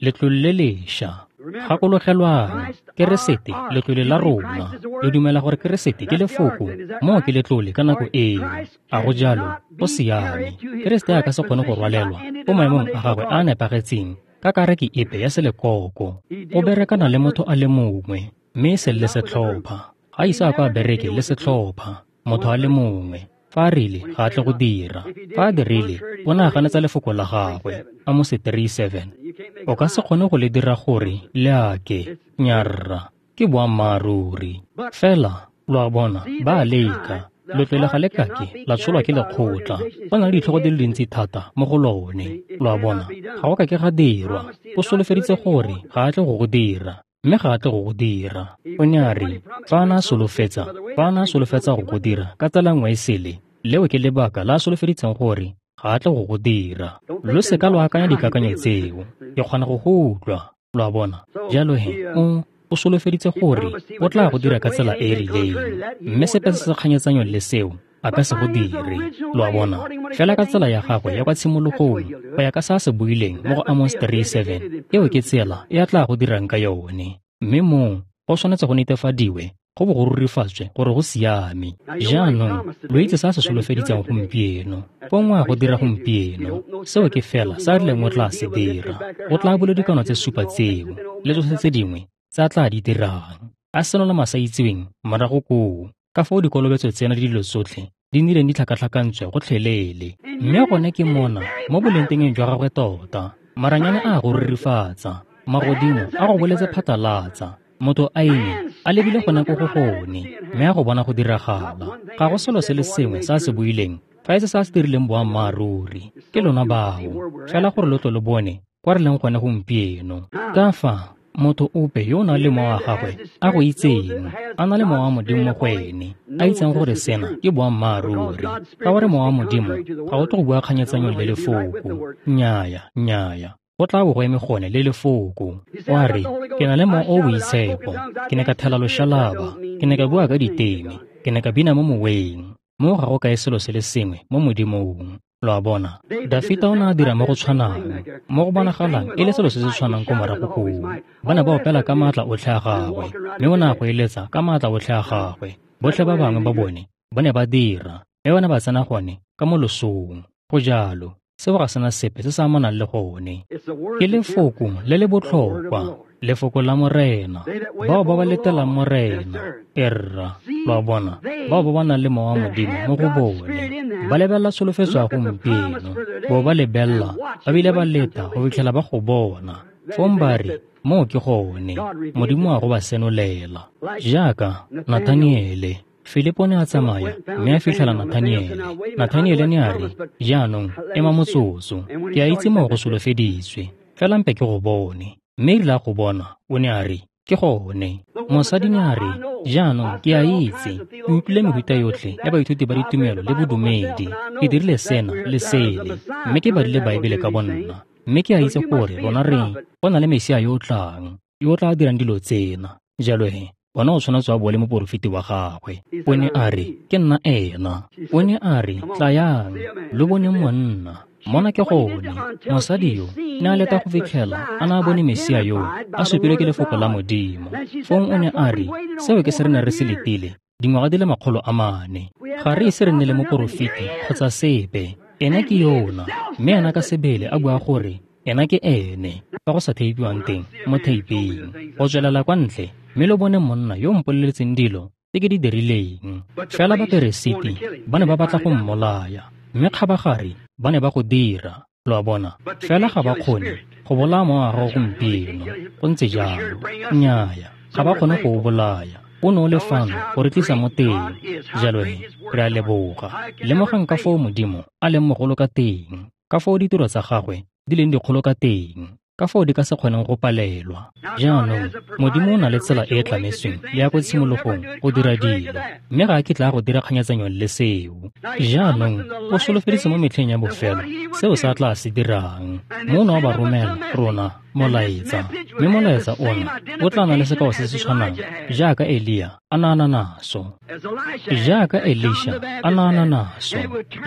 letlole le lešwa. Gakologelwang, Keresete letlole la rona. Le dumela gore Keresete ke lefoko, moo ke letlole ka nako eo. A go jalo? Go siame. Keresete a ka se kgone go rwalelwa ko maemong a gagwe a a nepagetseng ka kareke epe ya selekoko. O berekana le motho a le mongwe, mme e seng le setlhopha. Ga ise a ko a bereke le setlhopha, motho a le mongwe. Fa a rile, ga a tle go dira. Fa a dirile, o ne a ganetsa lefoko la gagwe. Amose three seven. O ka se kgone go le dira gore le ake. Nyarra, ke boammaaruri. Fela, lo a bona, ba a leka. Letlole ga le kake la tsholwa ke lekgotla. Go na le ditlhogo di le dintsi thata mo go lone. Lo a bona, ga go kake ga dirwa. O solofeditse gore ga a tle go go dira, mme ga a tle go go dira. O ne a re, fa a ne a solofetsa, fa a ne a solofetsa go go dira ka tsela nngwe e sele, leo ke lebaka la a solofeditseng gore ga a tle go go dira. Lo seka lo akanya dikakanyo tseo. Ke kgona go go utlwa. Lo a bona? Jalo he, o o solofeditse gore o tla go dira ka tsela e e rileng, mme sepe se se kganyetsanyong le seo a ka se go dire. Lo a bona? Fela ka tsela ya gagwe ya kwa tshimologong, go ya ka se a se buileng mo go Amos three seven, eo ke tsela e a tla go dirang ka yone. Mme moo go tshwanetse go netefadiwe, go bo go rurifatswe gore go siame. Jaanong lo itse se a se solofeditseng gompieno, fong o a go dira gompieno. Seo ke fela se a rileng o tla se dira. O tla bula dikano tse supa tseo le tsotlhe tse dingwe tse a tla di dirang, a senola masaitseweng morago koo, ka foo dikolobetso tsena le dilo tsotlhe di nnileng di tlhakatlhakantswe gotlhelele. Mme gone ke mona mo bolengtengeng jwa gagwe tota. Maranyane a go rurifatsa, magodimo a go boletse phatlalatsa, motho a eme a lebile gone ko go gone, mme a go bona go diragala. Ga go selo se le sengwe se a se buileng fa e se se a se dirileng boammaaruri. Ke lona bao, fela gore lo tlo lo bone kwa re leng gone gompieno. Ka fa motho ope yo o nang le mowa wa gagwe a go itseng, a na le mowa wa Modimo mo go ene, a itseng gore sena ke boammaaruri. Ka gore mowa wa Modimo ga o tle go bua kganyetsanyong le lefoko. Nnyaya, nnyaya. Go tla bo go eme gone le lefoko. O a re, ke na le mowa o o boitshepo, ke ne ka thela loshalaba, ke ne ka bua ka diteme, ke ne ka bina mo moweng. Moo ga go kae selo se le sengwe mo Modimong. Lo a bona, Dafita o ne a dira mo go tshwanang, mo go bonagalang e le selo se se tshwanang ko morago koo. Ba ne ba opela ka maatla otlhe a gagwe, mme o ne a go eletsa ka maatla otlhe a gagwe. Botlhe ba bangwe ba bone ba ne ba dira, mme ba ne ba tsena gone ka mo losong. Go jalo, seo ga sena sepe se se amanang le gone. Ke lefoko le le botlhokwa, lefoko la Morena. Bao ba ba letelang Morena, erra, lo a bona, bao ba ba nang le Mowa wa Modimo mo go bone, ba lebelela tsholofetso ya gompieno, bo ba lebelela, ba bile ba leta go fitlhela ba go bona. Fong ba re, moo ke gone, Modimo a go ba senolela. Jaaka Nathaniele, Filipo ne a tsamaya mme a fitlhela Nathaniele. Nathaniele ne a re, jaanong, ema motsotso, ke a itse moo go solofeditswe, fela mpe ke go bone. Mme erile a go bona, o ne a re, ke gone. Mosadi ne a re, jaanong ke a itse, ke utlwile mehuta yotlhe ya baithuti ba ditumelo le bodumedi, ke dirile sena le sele, mme ke badile Baebele ka bonna, mme ke a itse gore rona re go na le Mesia yo o tlang, yo o tla dirang dilo tsena. Jalo he, bona o tshwanetse wa bo le moporofeti wa gagwe. O ne a re, ke nna ena. O ne a re, tlayang, lo boneng monna. Mona ke gone, mosadi yo ne a leta go fitlhela a ne a bone Mesia yo a supilwe ke lefoko la Modimo. Fong o ne a re, seo ke se re ne re se letile dingwaga di le makgolo a mane. Ga re ise re nne le moporofeti kgotsa sepe. Ena ke yona, mme ena ka sebele a bua gore ena ke ene, fa go sa theipiwang teng mo theiping. Go tswelela kwa ntle, mme lo bone monna yo o mpoleletseng dilo tse ke di dirileng. Fela baperesiti ba ne ba batla go mmolaya, mme kgabagare ba ne ba go dira, lo a bona. Fela ga ba kgone go bolaya mowa wa gago gompieno, go ntse jalo. Nnyaya, ga ba kgone go o bolaya. O ne o le fano go re tlisa mo teng. Jalo he, re a leboga. Lemogang ka foo Modimo a leng mogolo ka teng, ka foo ditiro tsa gagwe di leng dikgolo ka teng, ka foo di ka se kgoneng go palelwa. Jaanong, Modimo o na le tsela e e tlametsweng le ya ko tshimologong go dira dilo, mme ga a kitla a go dira kganyetsanyong le seo. Jaanong, o solofeditse mo metlheng ya bofelo seo se a tla se dirang. Mo o ne wa ba romela rona molaetsa, mme molaetsa ona o tla na le sekao se se tshwanang jaaka Elia a ne a na naso, jaaka Elisha a ne a na naso,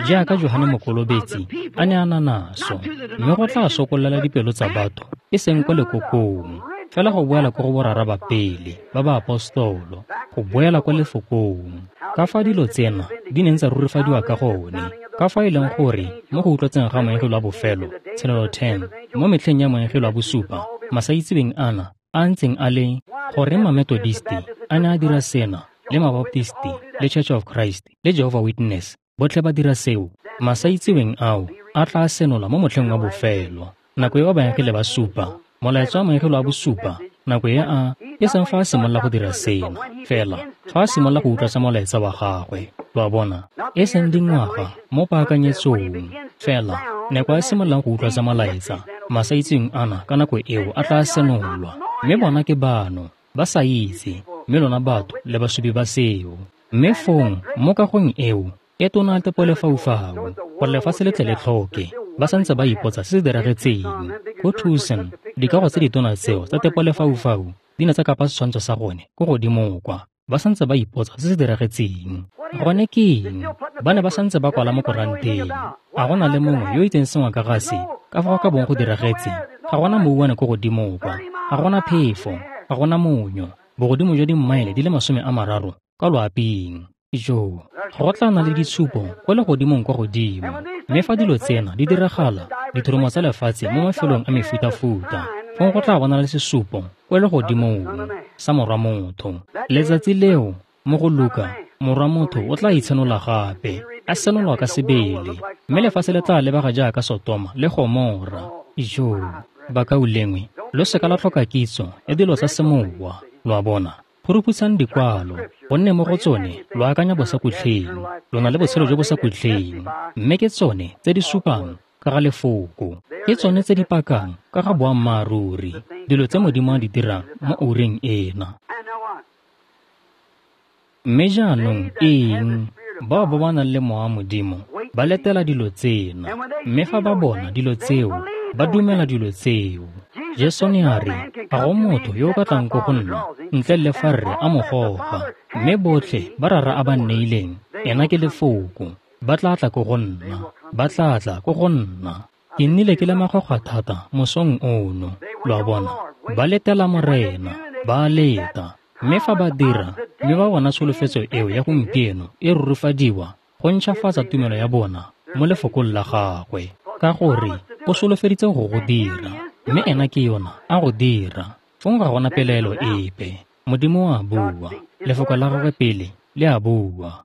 jaaka Johane Mokolobetsi a ne a na naso, mme go tla sokolela dipelo tsa batho e seng kwa lekokong, fela go boela ko go borara ba pele ba ba apostolo, go boela kwa lefokong. Ka fa dilo tsena di neng tsa rurifadiwa ka gone, ka fa e leng gore mo go utlwatseng ga moengele wa bofelo, tshenolo ten, mo metlheng ya moengele wa bosupa, masaitseweng ana a ntseng a le gore Mametodisti a ne a dira sena, le Mabaptisti, le Church of Christ, le Jehovah Witness, botlhe ba dira seo. Masaitseweng ao a tla senola mo motlheng wa bofelo, nako e baengele ba supa, molaetsa wa moengele wa bosupa, nako e a e seng fa a simolola go dira sena, fela fa a simolola go utlwatsa molaetsa wa gagwe, lo a bona, e seng dingwaga mo paakanyetsong, fela nako a simololang go utlwatsa molaetsa, masaitseweng ana ka nako eo a tla senolwa. Mme bona ke bano, ba sa itse, mme lona batho le basupi ba seo. Mme fong mo kagong eo e tona tepolefaufau, gore lefatshe le tle le tlhoke, ba santse ba ipotsa se se diragetseng. Ko Tucson, dikago tse ditona tseo tsa tepolefaufau di ne tsa kapa setshwantsho sa gone ko godimo kwa, ba santse ba ipotsa se se diragetseng. Gone ke eng? Ba ne ba santse ba kwala mo koranteng. A go na le mongwe yo o itseng sengwe ka ga se, ka fa go ka bong go diragetse? Ga gona mouwane ko godimo kwa, ga gona phefo, ga gona monyo, bogodimo jwa dimmaele di le masome a mararo kwa loaping. Jo, go tla na le ditshupo kwa legodimong kwa godimo. Mme fa dilo tsena di diragala, dithoromo tsa lefatshe mo mafelong a mefutafuta, fong go tla bona le sesupo kwa legodimong sa Morwa Motho. Letsatsi leo, mo go Luka, Morwa Motho o tla itshenola gape, a senolwa ka sebele, mme lefatshe le tla lebega jaaka Sotoma le Gomora. Jo, bakaulengwe, lo seka la tlhoka kitso ya dilo tsa semowa, lo a bona. Phuruphutsang dikwalo, gonne mo go tsone lo akanya bosakhutleng, lo na le botshelo jo bo sa khutleng, mme ke tsone tse di supang ka ga lefoko, ke tsone tse di pakang ka ga boammaaruri, dilo tse Modimo a di dirang mo oureng ena. Mme jaanong eng? Bao ba ba nang le Mowa wa Modimo ba letela dilo tsena, mme fa ba bona dilo tseo, ba dumela dilo tseo. Jesu ne a re, ga go motho yo o ka tlang ko go nna ntle le fa Rre a mo goga, mme botlhe ba Rara a ba nneileng, ena ke lefoko, Ba tla tla ko go nna. Ba tla tla ko go nna. Ke nnile ke le makgwakgwa thata mosong ono. Lo a bona? Ba letela Morena. Ba leta. Mme fa ba dira, mme ba bona tsholofetso eo ya gompieno e rurifadiwa go ntšhafatsa tumelo ya bona mo lefokong la gagwe. Ka gore o solofeditse go go dira, mme ena ke yona a go dira. Fong ga gona pelaelo epe. Modimo o a bua, lefoko la gagwe pele le a bua.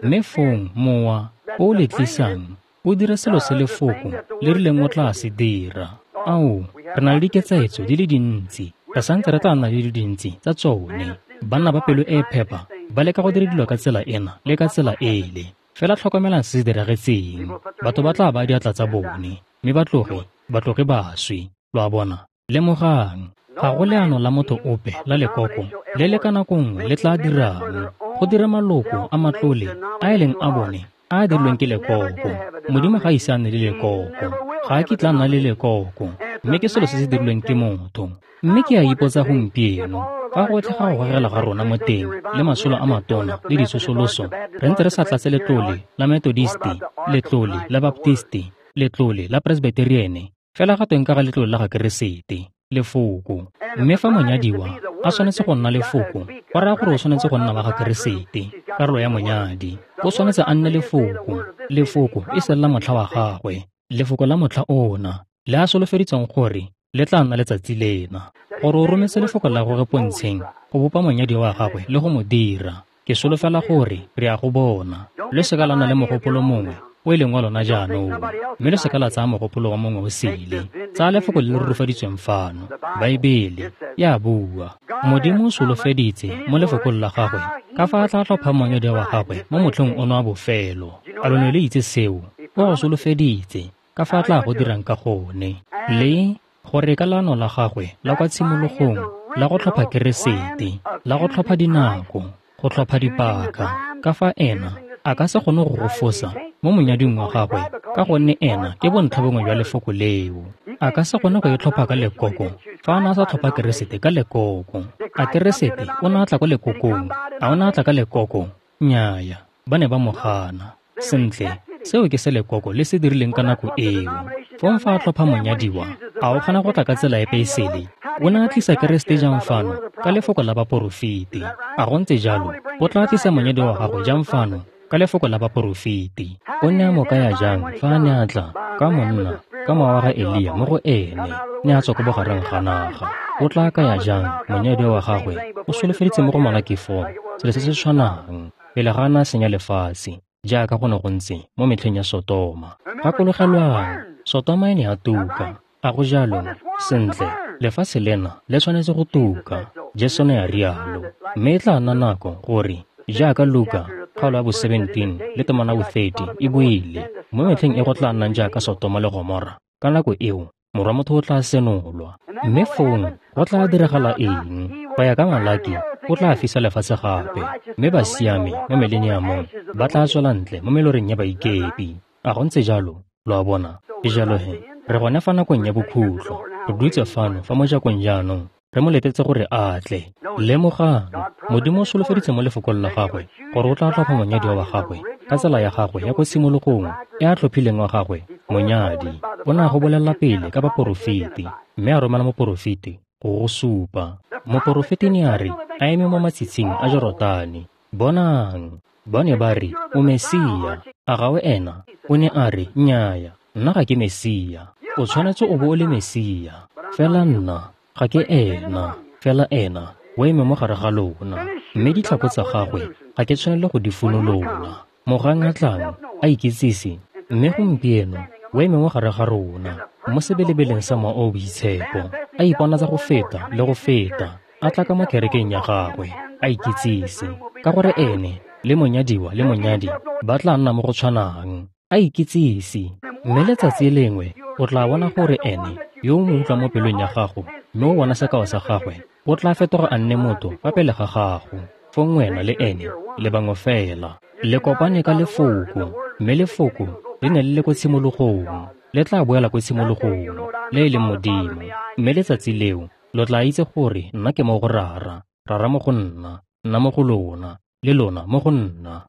Mme fong mowa o le tlisang o dira selo se lefoko le rileng o tla se dira. Ao, re na le diketsaetso di le dintsi. Re santse re tla nna le di dintsi tsa tsone. Banna ba pelo e phepa ba leka go dira dilo ka tsela ena le ka tsela ele. Fela tlhokomelang se se diragetseng. Batho ba tla ba diatla tsa bone, mme ba tloge, ba tloge ba swe. Lo a bona? Lemogang, ga go leano la motho ope la lekoko le le ka nako nngwe le tla dirang go dira maloko a matlole a e leng a bone a a dirilweng ke lekoko. Modimo ga a ise a nne le lekoko. Ga a kitla a nna le lekoko, mme ke selo se se dirilweng ke motho. Mme ke a ipotsa gompieno, fa gotlhe ga go gogela ga rona mo teng le masolo a matona le ditsosoloso, re ntse re sa tlatse letlole la Methodisti, letlole la Baptisti, letlole la Presbyteriene, fela ga tweng ka ga letlole la ga Keresete, lefoko. Mme fa monyadiwa a tshwanetse go nna lefoko, go raya gore o tshwanetse go nna wa ga Keresete, karolo ya monyadi. O tshwanetse a nne lefoko, lefoko e seng la motlha wa gagwe, lefoko la motlha ona, le a solofeditseng gore le tla nna letsatsi lena. Gore o rometse lefoko la gagwe pontsheng go bopa monyadi wa gagwe le go mo dira. Ke solofela gore re a go bona. Le seka la nna le mogopolo mongwe o e leng wa lona jaanong, mme le seka la tsaya mogopolo wa mongwe o sele. Tsaya lefoko le le rurifaditsweng fano. Baebele ya bua. Modimo o solofeditse mo lefokong la gagwe ka fa a tla tlhopha monyadi wa gagwe mo motlheng ono wa bofelo. A lo ne le itse seo? O go solofeditse ka fa a tla go dirang ka gone. Le gore ka leano la gagwe la kwa tshimologong la go tlhopha Keresete, la go tlhopha dinako, go tlhopha dipaka, ka fa ena a ka se kgone go go fosa mo monyading wa gagwe, ka gonne ena ke bontlha bongwe jwa lefoko leo. A ka se kgone go e tlhopha ka lekoko fa a ne a sa tlhopha Keresete ka lekoko. A Keresete o ne a tla ko lekokong? A o ne a tla ka lekoko? Nnyaya, ba ne ba mo gana. Sentle, seo ke se lekoko le se dirileng ka nako eo. Fong fa a tlhopha monyadiwa, a o kgona go tla ka tsela epe e sele? O ne a tlisa Keresete jang fano ka lefoko la baporofeti? A go ntse jalo? O tla tlisa monyadiwa wa gagwe jang fano ka lefoko la baporofeti? O ne a mo kaya jang fa a ne a tla ka monna ka mowa wa ga Elia mo go ene, ne a tswa ko bogareng ga naga? O tla kaya jang monyadiwa wa gagwe? O solofeditse mo go Malaki four selo se se tshwanang pele ga a ne a senya lefatshe, jaaka go ne go ntse mo metlheng ya Sotoma. Gakologelwang, Sotoma e ne ya tuka. A go jalo? Sentle, lefatshe lena le tshwanetse go tuka. Jesu ne a rialo. Mme e tla nna nako gore jaaka Luka kgaolo ya bo seventeen le temana bo thirty e buile, mo metlheng e go tla nnang jaaka Sotoma le Gomora, ka nako eo morwa motho o tla senolwa. Mme fong go tla diragala eng? Go ya ka Malaki, o tla fisa lefatshe gape, mme basiami mo mileniamong ba tla tswela ntle mo meloreng ya baikepi. A go ntse jalo? Lo a bona? Ke jalo he, re gone fa nakong ya bokhutlo. Re dutse fano fa mojakong jaanong, re mo letetse gore a tle. Lemogang, Modimo o solofeditse mo lefokong la gagwe gore o tla tlhopha monyadiwa wa gagwe ka tsela ya gagwe ya ko tshimologong e a tlhophileng wa gagwe monyadi. O ne a go bolelela pele ka baporofeti, mme a romela moporofeti go go supa. Moporofeti ne a re a eme mo matshitshing a Jorotane, bonang, ba ne ba re, o Mesia, a ga o ena? O ne a re, nnyaya, nna ga ke Mesia. O tshwanetse o bo o le Mesia, fela nna ga ke ena. Fela ena o eme mo gare ga lona, mme ditlhako tsa gagwe ga ke tshwanele go di funolola. Mogang a tlang a ikitsise, mme gompieno o eme mo gare ga rona mo sebelebeleng sa Mowa o o Boitshepo, a iponatsa go feta le go feta, a tla ka mo kerekeng ya gagwe a ikitsise, ka gore ene le monyadiwa le monyadi ba tla nna mo go tshwanang. A ikitsise, mme letsatsi lengwe o tla bona gore ene yo o mo utlwa mo pelong ya gago, mme o bona sekao sa gagwe, o tla fetoga a nne motho fa pele ga gago. Fong wena le ene le bangwe fela le kopane ka lefoko, mme lefoko le ne le le ko tshimologong, le tla boela ko tshimologong, le e leng Modimo. Mme letsatsi leo lo tla itse gore nna ke mo go Rara, Rara mo go nna, nna mo go lona, le lona mo go nna.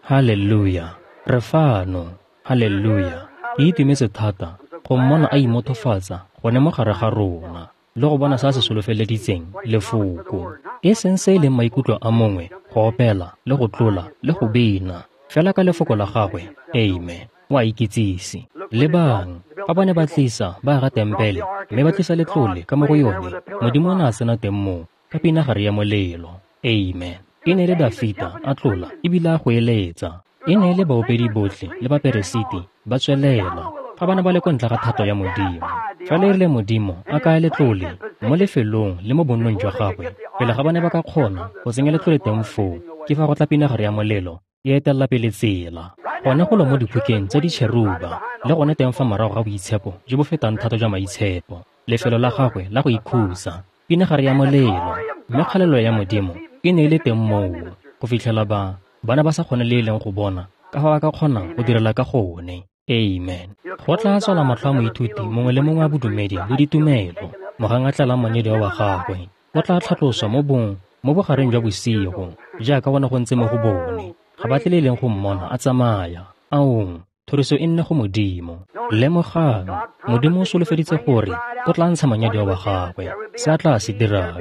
Haleluya! Re fano. Haleluya. Ke itumetse thata go mmona a imothofatsa gone mo gare ga rona le go bona se a se solofeleditseng lefoko. E seng se e leng maikutlo a mongwe go opela le go tlola le go bina fela ka lefoko la gagwe. Amen. O a ikitsise. Lebang, fa ba ne ba tlisa ba aga tempele mme ba tlisa letlole ka mo go yone, Modimo o ne a sena teng moo ka pinagare ya molelo. Amen. E ne e le Dafita a tlola ebile a go eletsa. E ne e le baopedi botlhe le baperesiti ba tswelela fa ba ne ba le ko ntle ga thato ya Modimo. Fela e rile Modimo a kaya letlole mo lefelong le mo bonnong jwa gagwe, pele ga ba ne ba ka kgona go tsenya letlole teng foo, ke fa go tla pinagare ya molelo e etelela pele tsela. Gone go lo mo diphukeng tsa ditšheruba le gone teng fa morago ga boitshepo jo bo fetang thata jwa maitshepo, lefelo la gagwe la go ikhutsa, pinagare ya molelo, mme kgalelo ya Modimo e ne e le teng moo go fitlhela ba bana ba sa kgone le e leng go bona ka fa ba ka kgonang go direla ka gone. Amen. Go tla tswala matlho a moithuti mongwe le mongwe wa bodumedi le ditumelo mogang a tlalang monyadiwa wa gagwe. O tla tlhatloswa mo bong mo bogareng jwa bosigo jaaka go ne go ntse mo go bone. Ga ba tle le e leng go mmona a tsamaya. Aong, thoriso e nne go Modimo. Lemogang, Modimo o solofeditse gore o tla ntsha monyadiwa wa gagwe. Se a tla se dirang,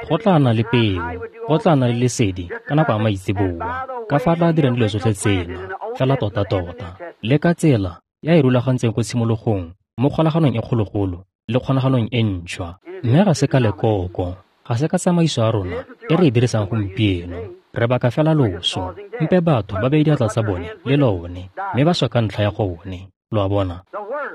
go tla nna le peo, go tla nna le lesedi ka nako ya maitseboa, ka fa a tla dirang dilo tsotlhe tsena fela tota-tota le ka tsela ya e rulagantseng ko tshimologong mo kgolaganong e kgologolo le kgonagalong e ntšhwa. Mme ga se ka lekoko, ga se ka tsamaiso ya rona e re e dirisang gompieno. Re baka fela loso. Mpe batho ba beye diatla tsa bone le lone mme ba swa ka ntlha ya gone. Lo a bona?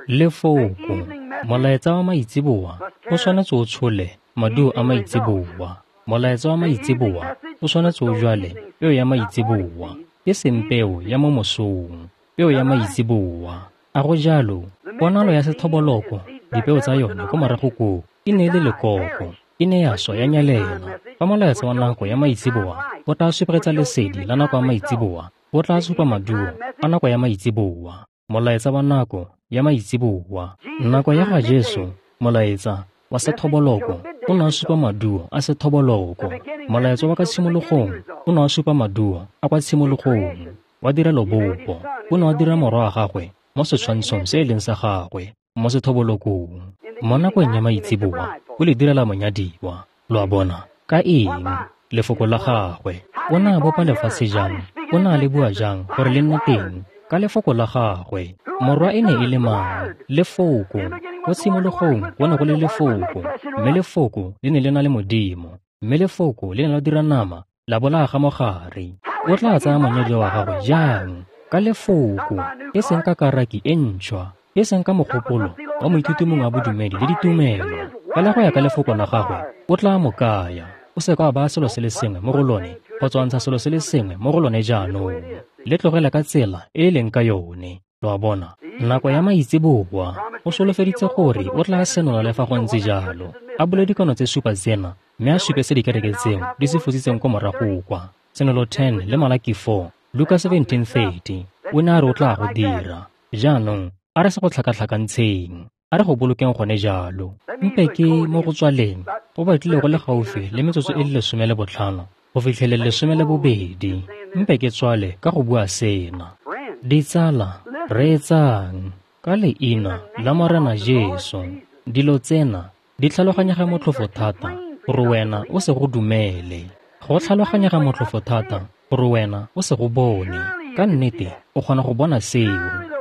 Lefoko, molaetsa wa maitseboa o tshwanetse o tshole maduo a maitseboa. Molaetsa wa maitseboa o tshwanetse o jwale peo ya maitseboa, e seng peo ya mo mosong, peo ya maitseboa. A go jalo? Ponalo ya sethoboloko, dipeo tsa yone ko morago koo e ne e le lekoko, e ne ya swa ya nyelela. Fa molaetsa wa nako ya maitseboa o tla supegetsa lesedi la nako ya maitseboa, o tla supa maduo a nako ya maitseboa. Molaetsa wa nako ya maitseboa. Nako ya ga Jesu, molaetsa wa sethoboloko o ne a supa maduo a sethoboloko. Molaetsa wa ka tshimologong o ne a supa maduo a kwa tshimologong. Wa dira lobopo, o ne a dira morwa wa gagwe mo setshwantshong se e leng sa gagwe mo sethobolokong. Mo nakong ya maitseboa o le direla monyadiwa. Lo a bona? Ka eng? Lefoko la gagwe. O ne a bopa lefatshe jang? O ne a le bua jang gore le nne teng? Ka lefoko la gagwe. Morwa e ne e le mang? Lefoko. Ko tshimologong go ne go le lefoko, mme lefoko le ne le na le Modimo, mme lefoko le ne la dira nama la bo la aga mo gare. O tla tsaya monyadiwa wa gagwe jang? Ka lefoko, e seng ka karaki e ntšhwa, e seng ka mogopolo wa moithuti mongwe wa bodumedi le ditumelo. Fela go ya ka lefoko la gagwe o tla mo kaya. O se ka wa baya selo se le sengwe mo go lone kgotsa wa ntsha selo se le sengwe mo go lone jaanong. Le tlogele ka tsela e e leng ka yone. Lo a bona? Nako ya maitseboa o solofeditse gore o tla senola le fa go ntse jalo, a bule dikano tse supa tsena mme a supe se dikereke tseo di se fositseng ko morago kwa. Senolo ten le Malaki four, Luka seventeen thirty. O ne a re o tla go dira. Jaanong a re se go tlhakatlhakantsheng, a re go bolokeng gone jalo. Mpe ke mo go tswaleng go batlile go le gaufi le metsotso e le lesome le botlhano go fitlheleng lesome le bobedi. Mpe ke tswale ka go bua sena. Ditsala, reetsang ka leina la Morena Jesu. Dilo tsena di tlhaloganyega motlhofo thata gore wena o se go dumele. Go tlhaloganyega motlhofo thata gore wena o se go bone. Ka nnete o kgona go bona seo.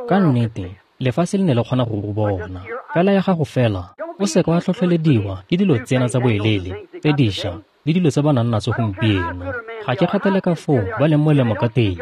Ka nnete lefatshe le ne le kgona go go bona. Fela ya gago fela o se ka wa tlhotlhelediwa ke dilo tsena tsa boelele tse dišwa le dilo tse ba nang natso gompieno. Ga ke kgathale ka foo ba leng molemo ka teng,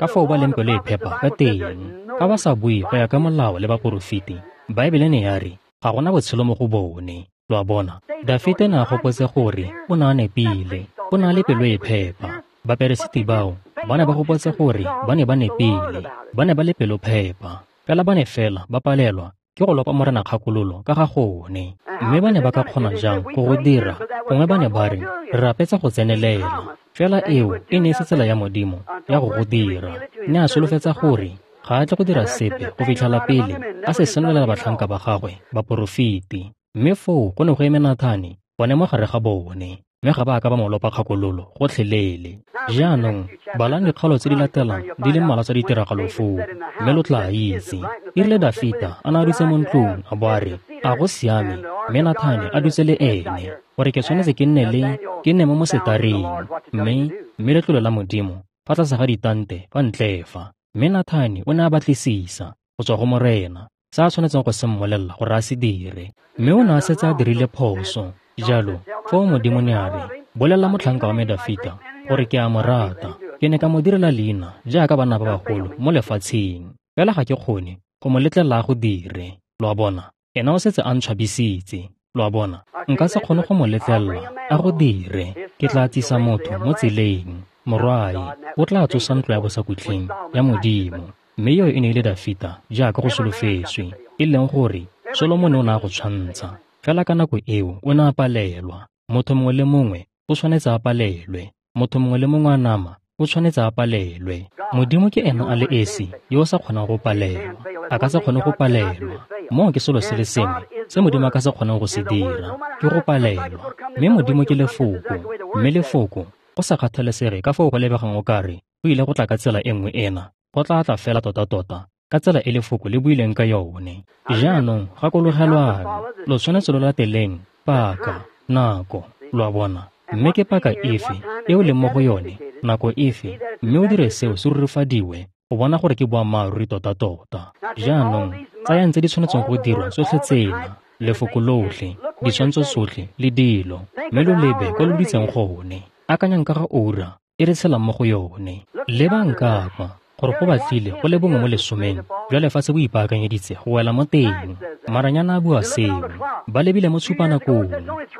ka foo ba leng pelo e phepa ka teng, ka ba sa bue go ya ka molao le baporofeti. Baebele ne ya re ga gona botshelo mo go bone. Lo a bona? Dafite ne a gopotse gore o ne a nepile, o ne a le pelo e phepa. Baperesiti bao ba ne ba gopotse gore ba ne ba nepile, ba ne ba le pelo phepa. Fela ba ne fela ba palelwa ke go lopa Morena kgakololo ka ga gone. Mme ba ne ba ka kgona jang go go dira? Gongwe ba ne ba re re rapetsa go tsenelela. Fela eo e ne e se tsela ya Modimo ya go go dira. Ne a solofetsa gore ga a tle go dira sepe go fitlhela pele a se senolela batlhanka ba gagwe baporofeti. Mme foo go ne go eme Nathane gone mo gare ga bone. mme ga ba a ka ba mo lopa kgakololo gotlhelele. Jaanong balang dikgaolo tse di latelang di le mmalwa tsa ditiragalo foo, mme lo tla itse. E rile Dafita a ne a dutse mo ntlong a bo a re, a go siame, mme Nathane a dutse le ene, gore ke tshwanetse ke nne le ke nne mo mosetareng, mme mme letlole la Modimo fa tlase ga ditante fa ntle fa. Mme Nathane o ne a batlisisa go tswa go Morena se a tshwanetseng go se mmolelela gore a se dire, mme o ne a setse a dirile phoso. Jalo foo Modimo ne a re, bolelela motlhanka wa me Dafita gore ke a mo rata, ke ne ka mo direla leina jaaka banna ba bagolo mo lefatsheng, fela ga ke kgone go mo letlelela go dire. Lo a bona, ena o setse a ntshwabisitse. Lo a bona, nka se kgone go mo letlelela a go dire. Ke tla tsisa motho mo tseleng, morwae o tla tsosa ntlo ya bosakhutleng ya Modimo. Mme yo e ne e le Dafita jaaka go solofetswe, e leng gore Solomone o ne a go tshwantsha. Fela ka nako eo o ne a palelwa. Motho mongwe le mongwe o tshwanetse a palelwe. Motho mongwe le mongwe a nama o tshwanetse a palelwe. Modimo ke ena a le esi yo o sa kgonang go palelwa. A ka se kgone go palelwa. Moo ke selo se le sengwe se Modimo a ka se kgonang go se dira, ke go palelwa. Mme Modimo ke lefoko, mme lefoko go sa kgathalesege ka foo go lebegang o kare o ile go tla ka tsela e nngwe ena, go tla tla fela tota-tota ka tsela e lefoko le buileng ka yone. Jaanong gakologelwang, lo tshwanetse lo lateleng paka, nako, lo a bona. Mme ke paka efe e o leng mo go yone, nako efe, mme o dire seo se rurifadiwe go bona gore ke boammaaruri tota-tota. Jaanong tsayang tse di tshwanetseng go dirwa tsotlhe tsena, lefoko lotlhe, ditshwantsho tsotlhe le dilo, mme lo lebe kwa lo dutseng gone. Akanyang ka ga ura e re tshelang mo go yone. Lebang ka kwa gore go batlile go le bongwe mo lesomeng jwa lefatshe bo ipaakanyeditse go wela mo teng. Maranyana a bua seo, ba lebile mo tshupanakong.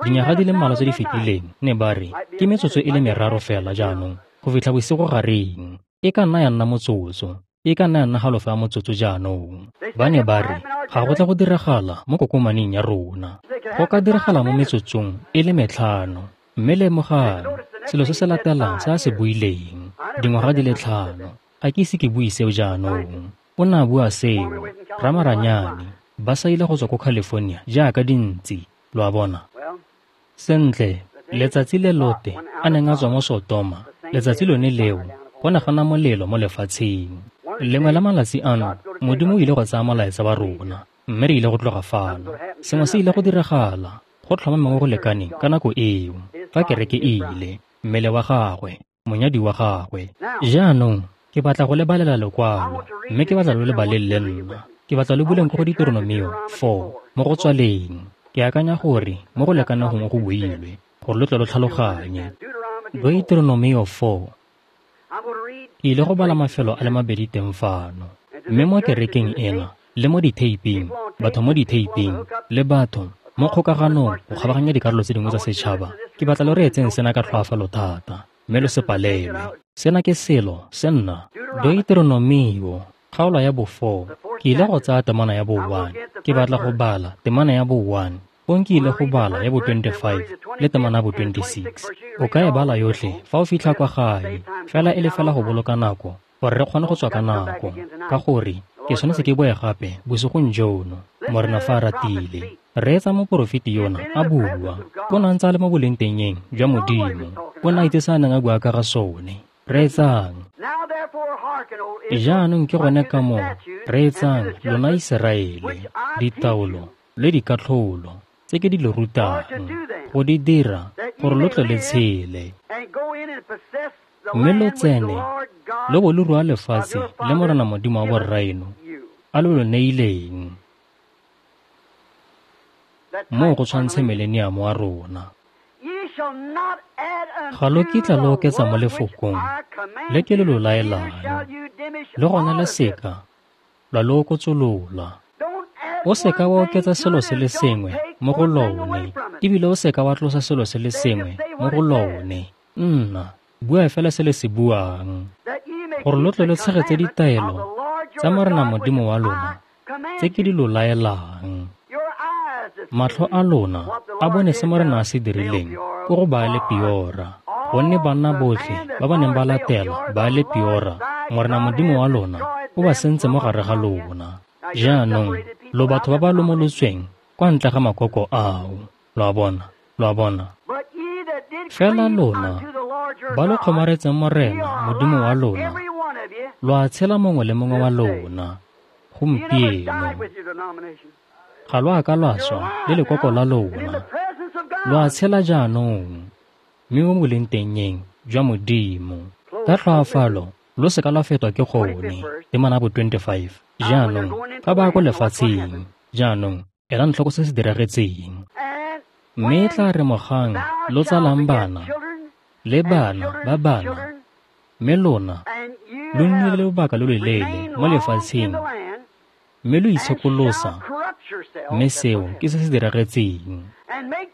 Dinyaga di le mmalwa tse di fetileng ne ba re ke metsotso e le meraro fela jaanong go fitlha bosigo gareng. E ka nna ya nna motsotso, e ka nna ya nna halofo ya motsotso jaanong. Ba ne ba re ga go tla go diragala mo kokomaneng ya rona, go ka diragala mo metsotsong e le metlhano. Mme lemogang selo se se latelang se a se buileng, dingwaga di le tlhano. Ga ke ise ke bue seo jaanong. O ne a bua seo, ramaranyane ba sa ile go tswa ko California jaaka dintsi, lo a bona. Sentle, letsatsi le Lote a neng a tswa mo Sotoma, letsatsi lone leo go ne ga nna molelo mo lefatsheng. Lengwe la malatsi ano Modimo o ile go tsaya molaetsa wa rona, mme re ile go tloga fano. Sengwe se ile go diragala go tlhomameng go lekaneng ka nako eo, fa kereke e ile, mmele wa gagwe, monyadi wa gagwe. Jaanong ke batla go le balela lekwalo, mme ke batla lo le baleng le nna. Ke batla lo buleng ko go Deuteronomio four mo go tswaleng. Ke akanya gore mo go lekaneng gongwe go builwe gore lo tle lo tlhaloganye. Deuteronomio four. Ke ile go bala mafelo a le mabedi teng fano, mme mo kerekeng ena le mo ditheiping, batho mo ditheiping le batho mo kgokaganong go kgabaganya dikarolo tse dingwe tsa setšhaba. Ke batla lo reetseng sena ka tlhoafalo thata, mme lo se palelwe. Sena ke selo se nna Deuteronomio kgaolo ya bo four. Ke ile go tsaya temana ya bo one. Ke batla go bala temana ya bo one, fong ke ile go bala ya bo twenty-five le temana ya bo twenty-six. O ka e bala yotlhe fa o fitlha kwa gae, fela e le fela go boloka nako gore re kgone go tswa ka nako, ka gore ke tshwanetse ke boe gape bosigong jono, Morena fa a ratile. Reetsa moporofeti yona a bua, o ne a ntse a le mo bolengtengeng jwa Modimo, o ne a itse se a neng a bua ka ga sone. Reetsang. Jaanong ke gone ka moo, reetsang lona Iseraele, ditaolo le dikatlholo tse ke di le rutang go di dira gore lo tle le tshele, mme lo tsene lo bo lo rua lefatshe le Morena Modimo wa borraeno a lo lo neileng. Moo go tshwantshe mileniamo wa rona. Ga lo kitla lo oketsa mo lefokong le ke le lo laelang, le gona le seka lwa lo okotsolola. O seka wa oketsa selo se le sengwe mo go lone, ebile o seka wa tlosa selo se le sengwe mo go lone. Nna bua fela se le se buang, gore lo tle lo tshegetse ditaelo tsa Morena Modimo wa lona tse ke di lo laelang. Matlho a lona a bone se Morena a se dirileng ko go Baale Peora, gonne banna botlhe ba ba neng ba latela Baale Peora, Morena Modimo wa lona o ba sentse mo gare ga lona. Jaanong lo batho ba ba lomolotsweng kwa ntle ga makoko ao. Lo a bona, lo a bona. Fela lona ba lo kgomaretseng Morena Modimo wa lona, lo a tshela mongwe le mongwe wa lona gompieno. Ga lo a ka lwa swa le lekoko la lona, lo a tshela jaanong mme mo boleng tengeng jwa Modimo. Ka tlhoafalo lo se ka lwa fetwa ke gone. Temana bo twenty-five. Jaanong fa ba ko lefatsheng, jaanong elang tlhoko se se diragetseng. Mme e tla re mogang lo tsalang bana le bana ba bana, mme lona lo nnile le lobaka lo loleele mo lefatsheng, mme lo itshekolosa, mme seo ke se se diragetseng.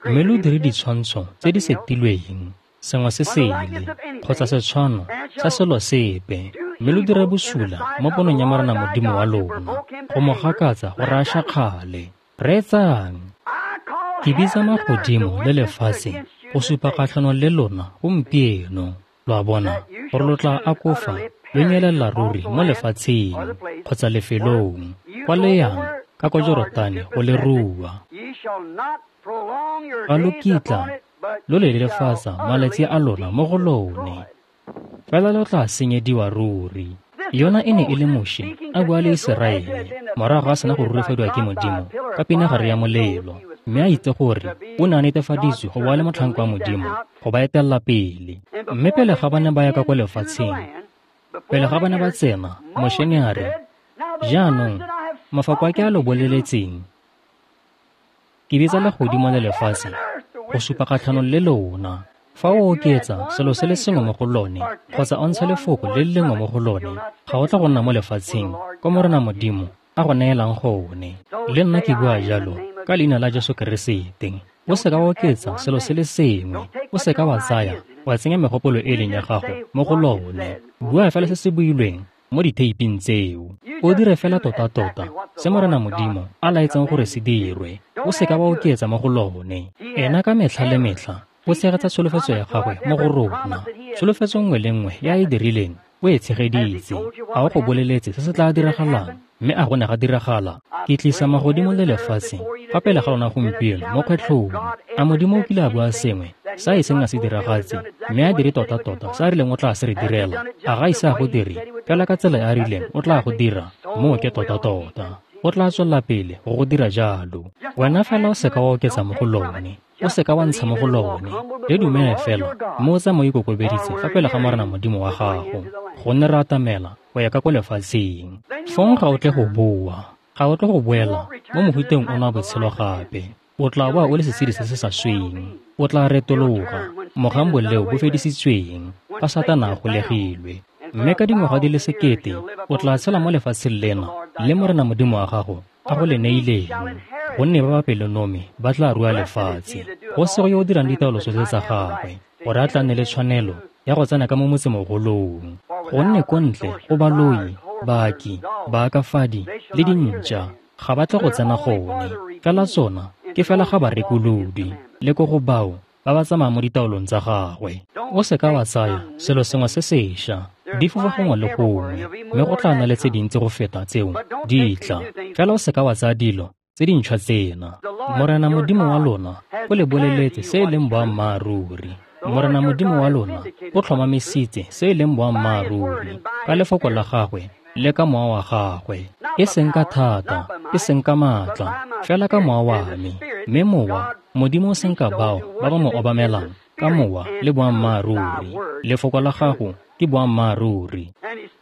Mme lo dire ditshwantsho tse di setilweng, sengwe se sele kgotsa setshwano sa selo sepe, mme lo dire bosula mo ponong ya Morena Modimo wa lona, go mo gakatsa gore a šakgale. Reetsang, ke bitsa magodimo le lefatshe go supa kgatlhanong le lona gompieno. Lo a bona gore lo tla akofa lo nyelela ruri mo lefatsheng kgotsa lefelong kwa le yang ka kwa Jorotane go le rua. Ga lo kitla lo le lelefatsa malatsi a lona mo go lone, fela lo tla senyediwa ruri. Yona e ne e le Moshe a bua le Iseraele morago a sena go rurifadiwa ke Modimo ka pinagare ya molelo, mme a itse gore o ne a netefaditswe go boa le motlhanka wa Modimo go ba etelela pele. Mme pele ga ba ne ba ya ka kwa lefatsheng, pele ga ba ne ba tsena, Moshe ne a re, jaanong mafoko a ke a lo boleletseng, ke bitsa legodimo le lefatshe go supa kgatlhanong le lona. Fa o oketsa selo se le sengwe mo go lone kgotsa o ntsha lefoko le le lengwe mo go lone, ga o tla go nna mo lefatsheng kwa Morena Modimo a go neelang gone. Le nna ke bua jalo ka leina la Jesu Keresete. O se ka wa oketsa selo se le sengwe, o se ka wa tsaya wa tsenya megopolo e leng ya gago mo go lone. Bua fela se se builweng mo ditheiping tseo. O dire fela tota-tota se Morena Modimo a laetseng gore se dirwe. O se ka wa oketsa mo go lone. Ena ka metlha le metlha o tshegetsa tsholofetso ya gagwe mo go rona. Tsholofetso nngwe le nngwe ya e dirileng o e tshegeditse. A o go boleletse se se tla diragalang, mme a go ne ga diragala. Ke tlisa magodimo le lefatshe fa pele ga lona gompieno mo kgwetlhong. A Modimo o kile a bua sengwe sa e seng a se diragatse, mme a dire tota-tota se a rileng o tla se re direla? A ga ise a go dire fela ka tsela e a rileng o tla go dira? Moo ke tota-tota. O tla tswelela pele go go dira jalo. Wena fela o se ka wa oketsa mo go lone, o se ka wa ntsha mo go lone. Le dumele fela mme o tsamaye o ikokobeditse fa pele ga Morena Modimo wa gago, gonne re atamela go ya ka ko lefatsheng. Fong ga o tle go boa, ga o tle go boela mo mohuteng ono wa botshelo gape. O tla boa o le setshedi se se sa sweng. O tla retologa mogang boleo bo fedisitsweng fa Satana a golegilwe. Mme ka dingwaga di le sekete o tla tshela mo lefatsheng lena le Morena Modimo wa gago a go le neileng, gonne ba ba pelonomi ba tla rua lefatshe. Go sego yo o dirang ditaolo tsotlhe tsa gagwe gore a tla nne le tshwanelo ya go tsena ka mo motsemogolong. Gonne ko ntle go baloi, baaki, baakafadi le dintša ga ba tle go tsena gone. Fela tsona ke fela ga barekolodi le ko go bao ba ba tsamayang mo ditaolong tsa gagwe. O se ka wa tsaya selo sengwe se sešwa, di fofa gongwe le gongwe, mme go tla nna le tse dintsi go feta tseo di tla. Fela o se ka wa tsaya dilo tse dintšhwa tsena. Morena Modimo wa lona o le boleletse se e leng boammaaruri. Morena Modimo wa lona o tlhomamisitse se e leng boammaaruri ka lefoko la gagwe le ka mowa wa gagwe, e seng ka thata, e seng ka maatla, fela ka mowa wa me. Mme mowa Modimo o senka bao ba ba mo obamelang ka mowa le boammaaruri. Lefoko la gago ke boammaaruri.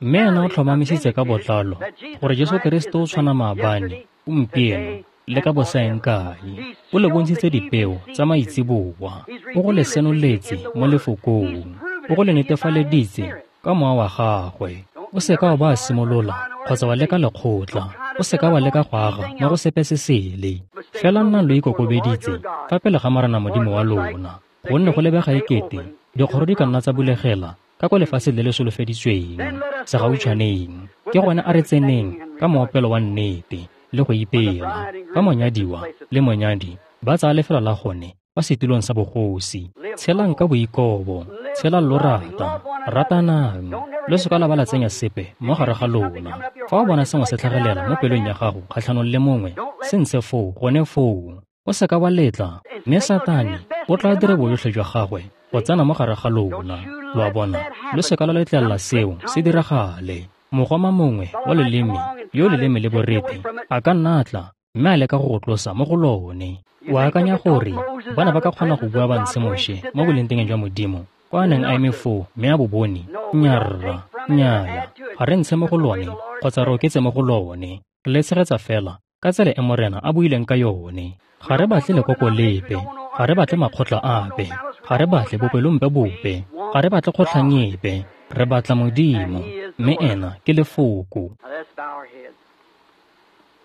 Mme ena o tlhomamisitse ka botlalo gore Jesu Keresete o tshwana maabane, gompieno le ka bosaeng kae. O le bontshitse dipeo tsa maitseboa, o go le senoletse mo lefokong, o go le netefaleditse ka mowa wa gagwe. O se ka wa ba simolola kgotsa wa leka lekgotla, o se ka wa leka go aga mo go sepe se sele. Fela nnang lo ikokobeditse fa pele ga Morena Modimo wa lona, gonne go lebega ekete dikgoro di ka nna tsa bulegela ka kwa lefatsheng le le solofeditsweng segautshwaneng. Ke gone a re tseneng ka moopelo wa nnete le go ipela, ka monyadiwa le monyadi ba tsaya lefelo la gone kwa setulong sa bogosi. Tshelang ka boikobo, tshelang lo rata, ratanang, lo se ka la ba la tsenya sepe mo gare ga lona. Fa o bona sengwe se tlhagelela mo pelong ya gago kgatlhanong le mongwe, se ntshe foo gone foo. O seka wa letla, mme Satane o tla dira bojotlhe jwa gagwe go tsena mo gare ga lona. Lo a bona, lo seka la letlelela seo se diragale. Mogoma mongwe wa leleme yo leleme le borethe a ka nna a tla mme a leka go go tlosa mo go lone. O akanya gore bana ba ka kgona go bua ba ntshe Moshe mo bolengteng jwa Modimo kwa a neng a eme foo mme a bo bone? Nnyaa, nnyaya, ga re ntshe mo go lone kgotsa re oketse mo go lone. Re le tshegetsa fela ka tsela e Morena a buileng ka yone. Ga re batle lekoko lepe, ga re batle makgotla ape, ga re batle bopelompe bope, ga re batle kgotlhang epe. Re batla Modimo, mme ena ke lefoko.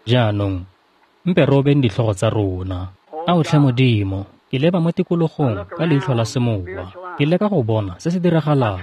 Jaanong, mpe re obeng ditlhogo tsa rona. Ao tlhe Modimo, ke leba mo tikologong ka leitlho la semowa. Ke leka go bona se se diragalang.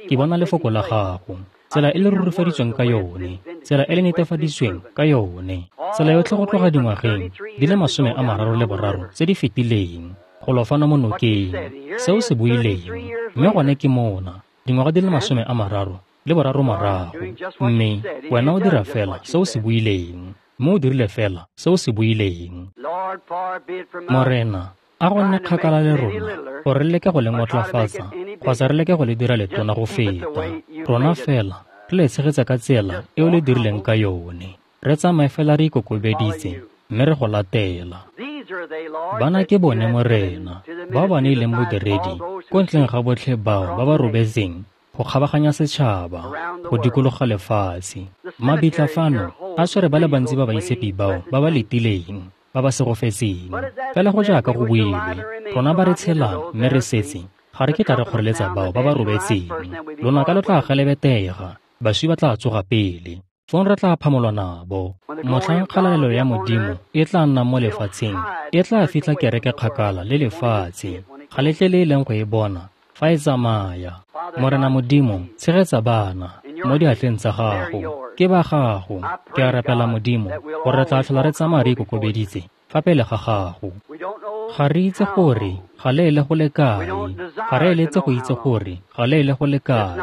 Ke bona lefoko la gago, tsela e le rurifaditsweng ka yone, tsela e le netefaditsweng ka yone, tsela yotlhe go tloga dingwageng di le masome a mararo le boraro tse di fetileng, go lo fano mo nokeng, seo se buileng, mme gone ke mona, dingwaga di le masome a mararo le boraro morago, mme wena o dira fela seo se buileng, mme o dirile fela seo se buileng. Morena, a go nne kgakala le rona gore re leke go le ngotlafatsa kgotsa re leke go le dira letona go feta. Rona fela re le tshegetsa ka tsela e o le dirileng ka yone. Re tsamaye fela re ikokobeditse mme re go latela. Bana ke bone Morena, bao ba neileng bodiredi ko ntleng ga botlhe bao ba ba robetseng go kgabaganya setšhaba, go dikologa lefatshe. Mabitla fano a tshwere ba le bantsi ba baitshepi bao ba ba letileng, ba ba segofetseng. Fela go jaaka go builwe, rona ba re tshelang mme re setse, ga re kitla re kgoreletsa bao ba ba robetseng. Lonaka lo tla gelebetega, baswi ba tla tsoga pele, fong re tla phamolwa nabo. Motlhang kgalalelo ya Modimo e tla nna mo lefatsheng, e tla fitlha kereke kgakala le lefatshe, ga letle le e leng go e bona fa e tsamaya. Morena Modimo, tshegetsa bana mo diatleng tsa gago. Ke ba gago. Ke a rapela Modimo gore re tla tlhola re tsamaya re ikokobeditse fa pele ga gago. Ga re itse gore ga le ele go le kae, ga re eletse go itse gore ga le ele go le kae.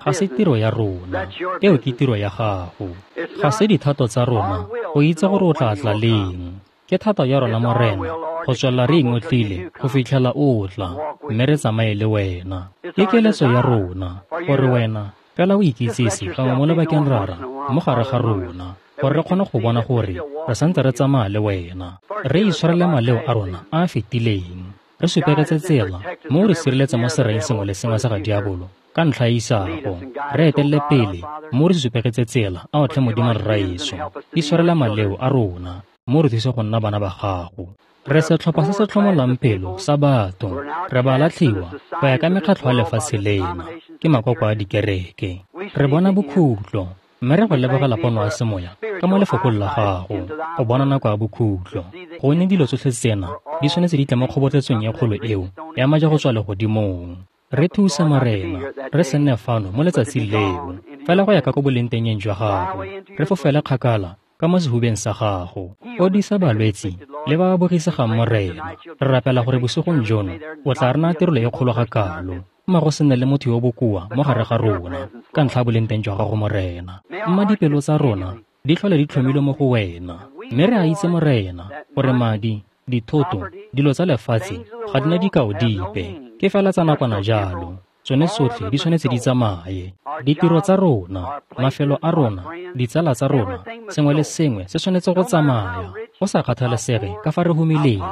Ga se tiro ya rona, eo ke tiro ya gago. Ga se dithato tsa rona go itse gore o tla tla leng. Ke thato ya rona Morena go tswelela re ingotlile go fitlhela o tla, mme re tsamaye le wena. Ke keletso ya rona gore wena fela o ikitsise gangwe mo lobakeng rara mo gare ga rona, gore re kgone go bona gore re santse re tsamaya le wena. Re itshwarele maleo a rona a a fetileng, re supegetse tsela mo re sireletse mo sereng sengwe le sengwe sa ga diabolo ka ntlha ya isago. Re etelele pele mo re supegetse tsela a otlhe Modimo Rraetsho. Itshwarele maleo a rona mo re thuse go nna bana ba gago. Re setlhopha se se tlhomolang pelo sa batho, re ba latlhiwa go ya ka mekgatlho ya lefatshe lena, ke makoko a dikereke. Re bona bokhutlo, mme re go lebogela pono ya semoya ka mo lefokong la gago go bona nako ya bokhutlo. Gonne dilo tsotlhe tsena di tshwanetse di tle mo kgobotletsong e kgolo eo ya maje go tswa legodimong. Re thuse Morena, re se nne fano mo letsatsing leo, fela go ya ka ko bolengtengeng jwa gago, re fofele kgakala ka mo sehubeng sa gago. Fodisa balwetsi le ba ba bogisegang Morena. Re rapela gore bosigong jono o tla re naya tirelo e kgolo ga kalo, mma go se nne le motho yo bokoa mo gare ga rona ka ntlha ya bolengteng jwa gago Morena. Mma dipelo tsa rona di tlhole di tlhomilwe mo go wena, mme re a itse Morena gore madi, dithoto, dilo tsa lefatshe ga di na dikao dipe, ke fela tsa nakwana jalo. Tsone tsotlhe di tshwanetse di tsamaye. Ditiro tsa rona, mafelo a rona, ditsala tsa rona, sengwe le sengwe se tshwanetse go tsamaya, go sa kgathalesege ka fa re humileng,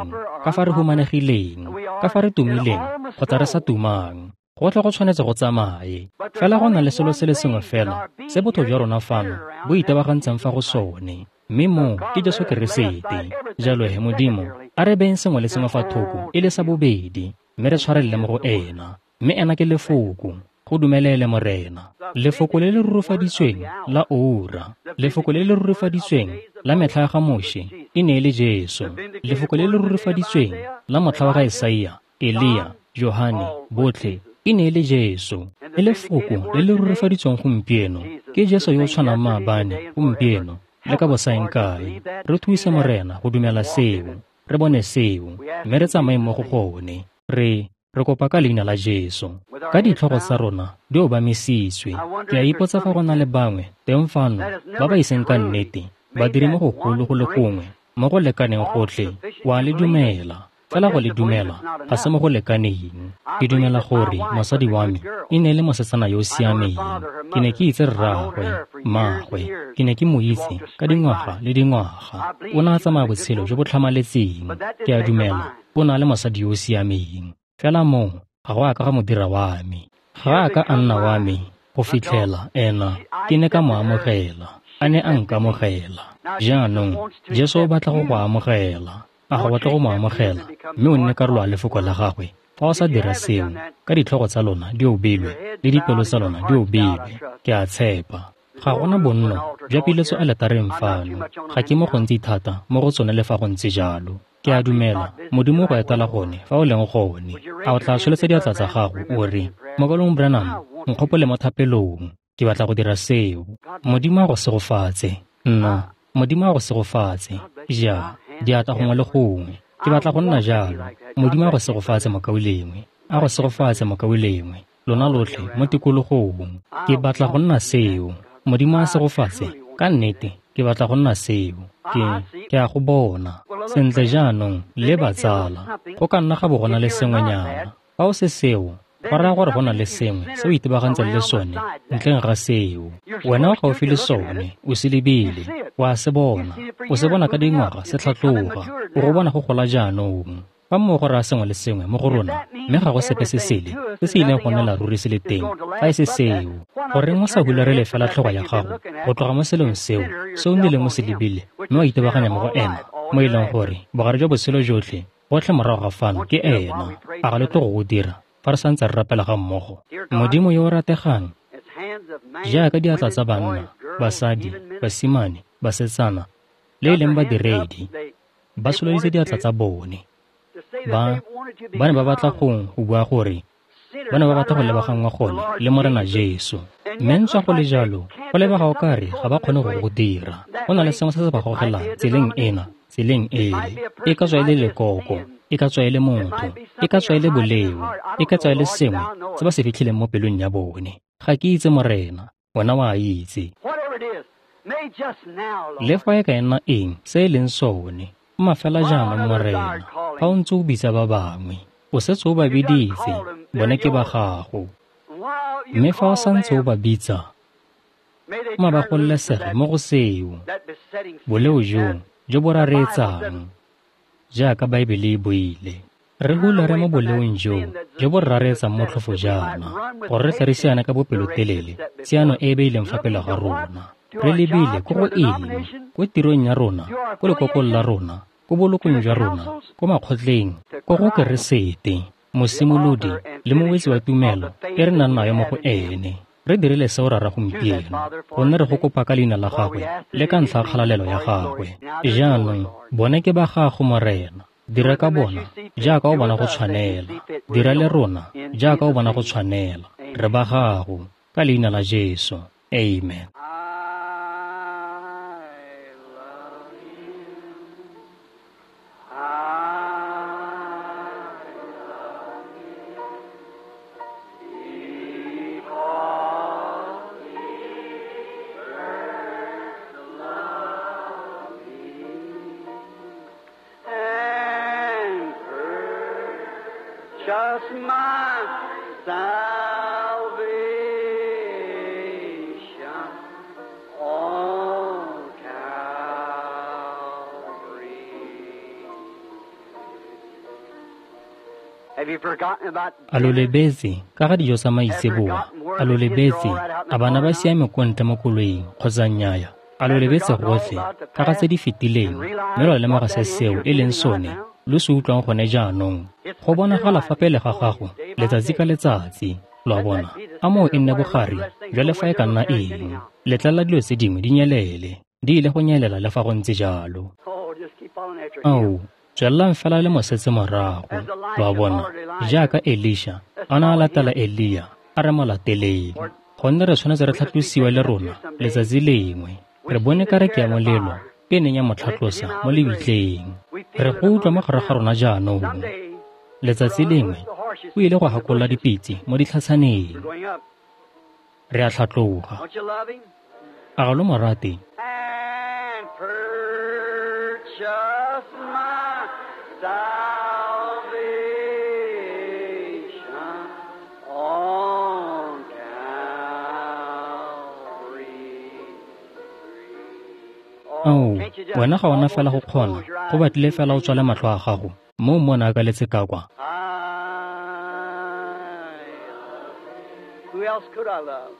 ka fa re humanegileng, ka fa re tumileng kgotsa re sa tumang. Gotlhe go tshwanetse go tsamaye. Fela go na le selo se le sengwe fela se botho jwa rona fano bo itebagantseng fa go sone, mme moo ke Jesu Keresete. Jalo he Modimo, a re beyeng sengwe le sengwe fa thoko e le sa bobedi, mme re tshwarelele mo go ena. Mme ena ke lefoko. Go dumelele Morena. Lefoko le le rurifaditsweng la oura, lefoko le le rurifaditsweng la metlha ya ga Moshe e ne e le Jesu. Lefoko le le rurifaditsweng la motlha wa ga Isaia, Elia, Johane, botlhe e ne e le Jesu. Le lefoko le le rurifaditsweng gompieno ke Jesu yo o tshwanang maabane, gompieno le ka bosaeng kae. Re thuse Morena go dumela seo, re bone seo, mme re tsamaye mo go gone. Re re kopa ka leina la Jesu. Ka ditlhogo tsa rona di obamisitswe, ke a ipotsa fa go na le bangwe teng fano ba ba iseng ka nnete ba dire mo gogolo go le gongwe Mo go lekaneng gotlhe, o a le dumela. Fela go le dumela ga se mo go lekaneng. Ke dumela gore mosadi wa me e ne e le mosetsana yo o siameng. Ke ne ke itse rraagwe, mmaagwe. Ke ne ke mo itse ka dingwaga le dingwaga. O ne a tsamaya botshelo jo bo tlhamaletseng. Ke a dumela o na le mosadi yo o siameng. Fela moo ga go a ka ga mo dira wa me. Ga a ka a nna wa me go fitlhela ena ke ne ka mo amogela. A ne a nkamogela. Jaanong Jesu o batla go go amogela. A ga batla go mo amogela mme o nne karolo ya lefoko la gagwe. Fa o sa dira seo, ka ditlhogo tsa lona di obilwe le dipelo tsa lona di obilwe, ke a tshepa. Ga gona bonno jwa piletso aletareng fano. Ga ke mo gontsi thata mo go tsone le fa go ntse jalo. Ke a dumela Modimo go etela gone fa o leng gone. A o tla tsholetsa diatla tsa gago o re, Mokaulengwe Branham, nkgopole mo thapelong. Ke batla go dira seo. Modimo a go segofatse. Nna, Modimo a go segofatse. Ja, diatla gongwe le gongwe. Ke batla go nna jalo. Modimo a go segofatse mokaulengwe. A go segofatse mokaulengwe. Lona lotlhe mo tikologong. Ke batla go nna seo. Modimo a segofatse. Ka nnete, ke batla go nna seo. Ke, ke a go bona. Sentle jaanong, le batsala. Go ka nna ga bo go na le sengwenyana. Fa o se seo, go raya gore go na le sengwe se o itebagantseng le sone ntleng ga seo. Wena o gaufi le sone, o se lebile, o a se bona. O se bona ka dingwaga se tlhatloga, o go bona go gola jaanong. Fa mmogo go raya sengwe le sengwe mo go rona, mme ga go sepe se sele se se ileng go nnela ruri se le teng, fa e se seo. Goreng o sa hularele fela tlhogo ya gago go tloga mo selong seo se o nnileng o se lebile, mme wa itebaganya mo go ena, mo e leng gore bogare jwa botshelo jotlhe gotlhe morago ga fano ke ena. A ga le tlo go go dira fa re santse re rapela ga mmogo? Modimo yo o rategang, jaaka diatla tsa banna, basadi, basimane, basetsana, le e leng badiredi, ba tsholeditse diatla tsa bone. Ba, ba ne ba batla go go bua gore ba ne ba batla go lebaganngwa gone le Morena Jesu. Mme ntswa go le jalo, go lebega o kare ga ba kgone go go dira. Go na le sengwe se se ba gogelang tseleng ena, tseleng ele. E ka tswa e le lekoko, e ka tswa e le motho, e ka tswa e le boleo, e ka tswa e le sengwe se ba se fitlhileng mo pelong ya bone. Ga ke itse Morena, wena wa itse. Le fa e ka nna eng se e leng sone, mma fela jaanong Morena, fa o ntse o bitsa ba bangwe, o setse o ba biditse, bone ke ba gago. Mme fa o santse o ba bitsa, mma ba gololesege mo go seo, boleo joo jo bo rareetsang, jaaka Baebele e buile. Re hulare mo boleong joo jo bo rareetsang motlhofo jaana, gore re tle re siane ka bopelotelele tshiano e e beileng fa pele ga rona. Re lebile ko go eng? Ko tirong ya rona, ko lekokong la rona, ko bolokong jwa rona, ko makgotleng, ko go Keresete, mosimolodi le mowetsi wa tumelo e re nang nayo mo go ene. Re dirile seo Rara gompieno, gonne re go kopa ka leina la gagwe le ka ntlha ya kgalalelo ya gagwe. Jaanong bone ke ba gago Morena. Dira ka bona jaaka o bona go tshwanela. Dira le rona jaaka o bona go tshwanela. Re ba gago ka leina la Jesu. Amen. Just my salvation on Calvary. Have you forgotten about A lo lebetse ka ga dijo tsa maitseboa? A lo lebetse a bana ba siame ko ntle mo koloing kgotsa nnyaya? A lo lebetse gotlhe ka ga tse di fetileng, mme lwa lemoga se seo e leng sone lo se utlwang gone jaanong? Go bonagala fa pele ga gago letsatsi ka letsatsi. Lo a bona, a moo e nne bogare jwa le fa e ka nna eng. Letlelela dilo tse dingwe di nyelele, di ile go nyelela le fa go ntse jalo. Oh, just keep on after him. Ao, tswelelang fela le mosetse morago. Lo a bona, jaaka Elisha a ne a latela Elia, a re mo lateleng. Gonne re tshwanetse re tlhatlosiwe le rona letsatsi lengwe. Re bone kareke ya molelo e neng ya mo tlhatlosa mo lebitleng. Re go utlwa mo gare ga rona jaanong. Letsatsi lengwe o ile go gakolola dipitse mo ditlhatshaneng. We're going up. Re a tlhatloga. Don't you love him? A ga lo mo rate? And purchase Ao, wena ga ona fela go kgona, go batlile fela o tswale matlho a gago, mo o mmona a kaletse ka kwa. Who else could I love?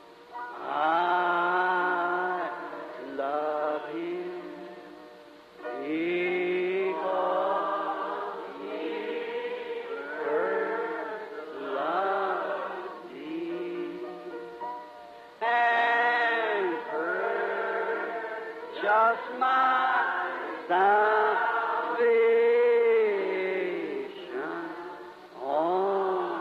I love him because he first loved me and purchased my salvation on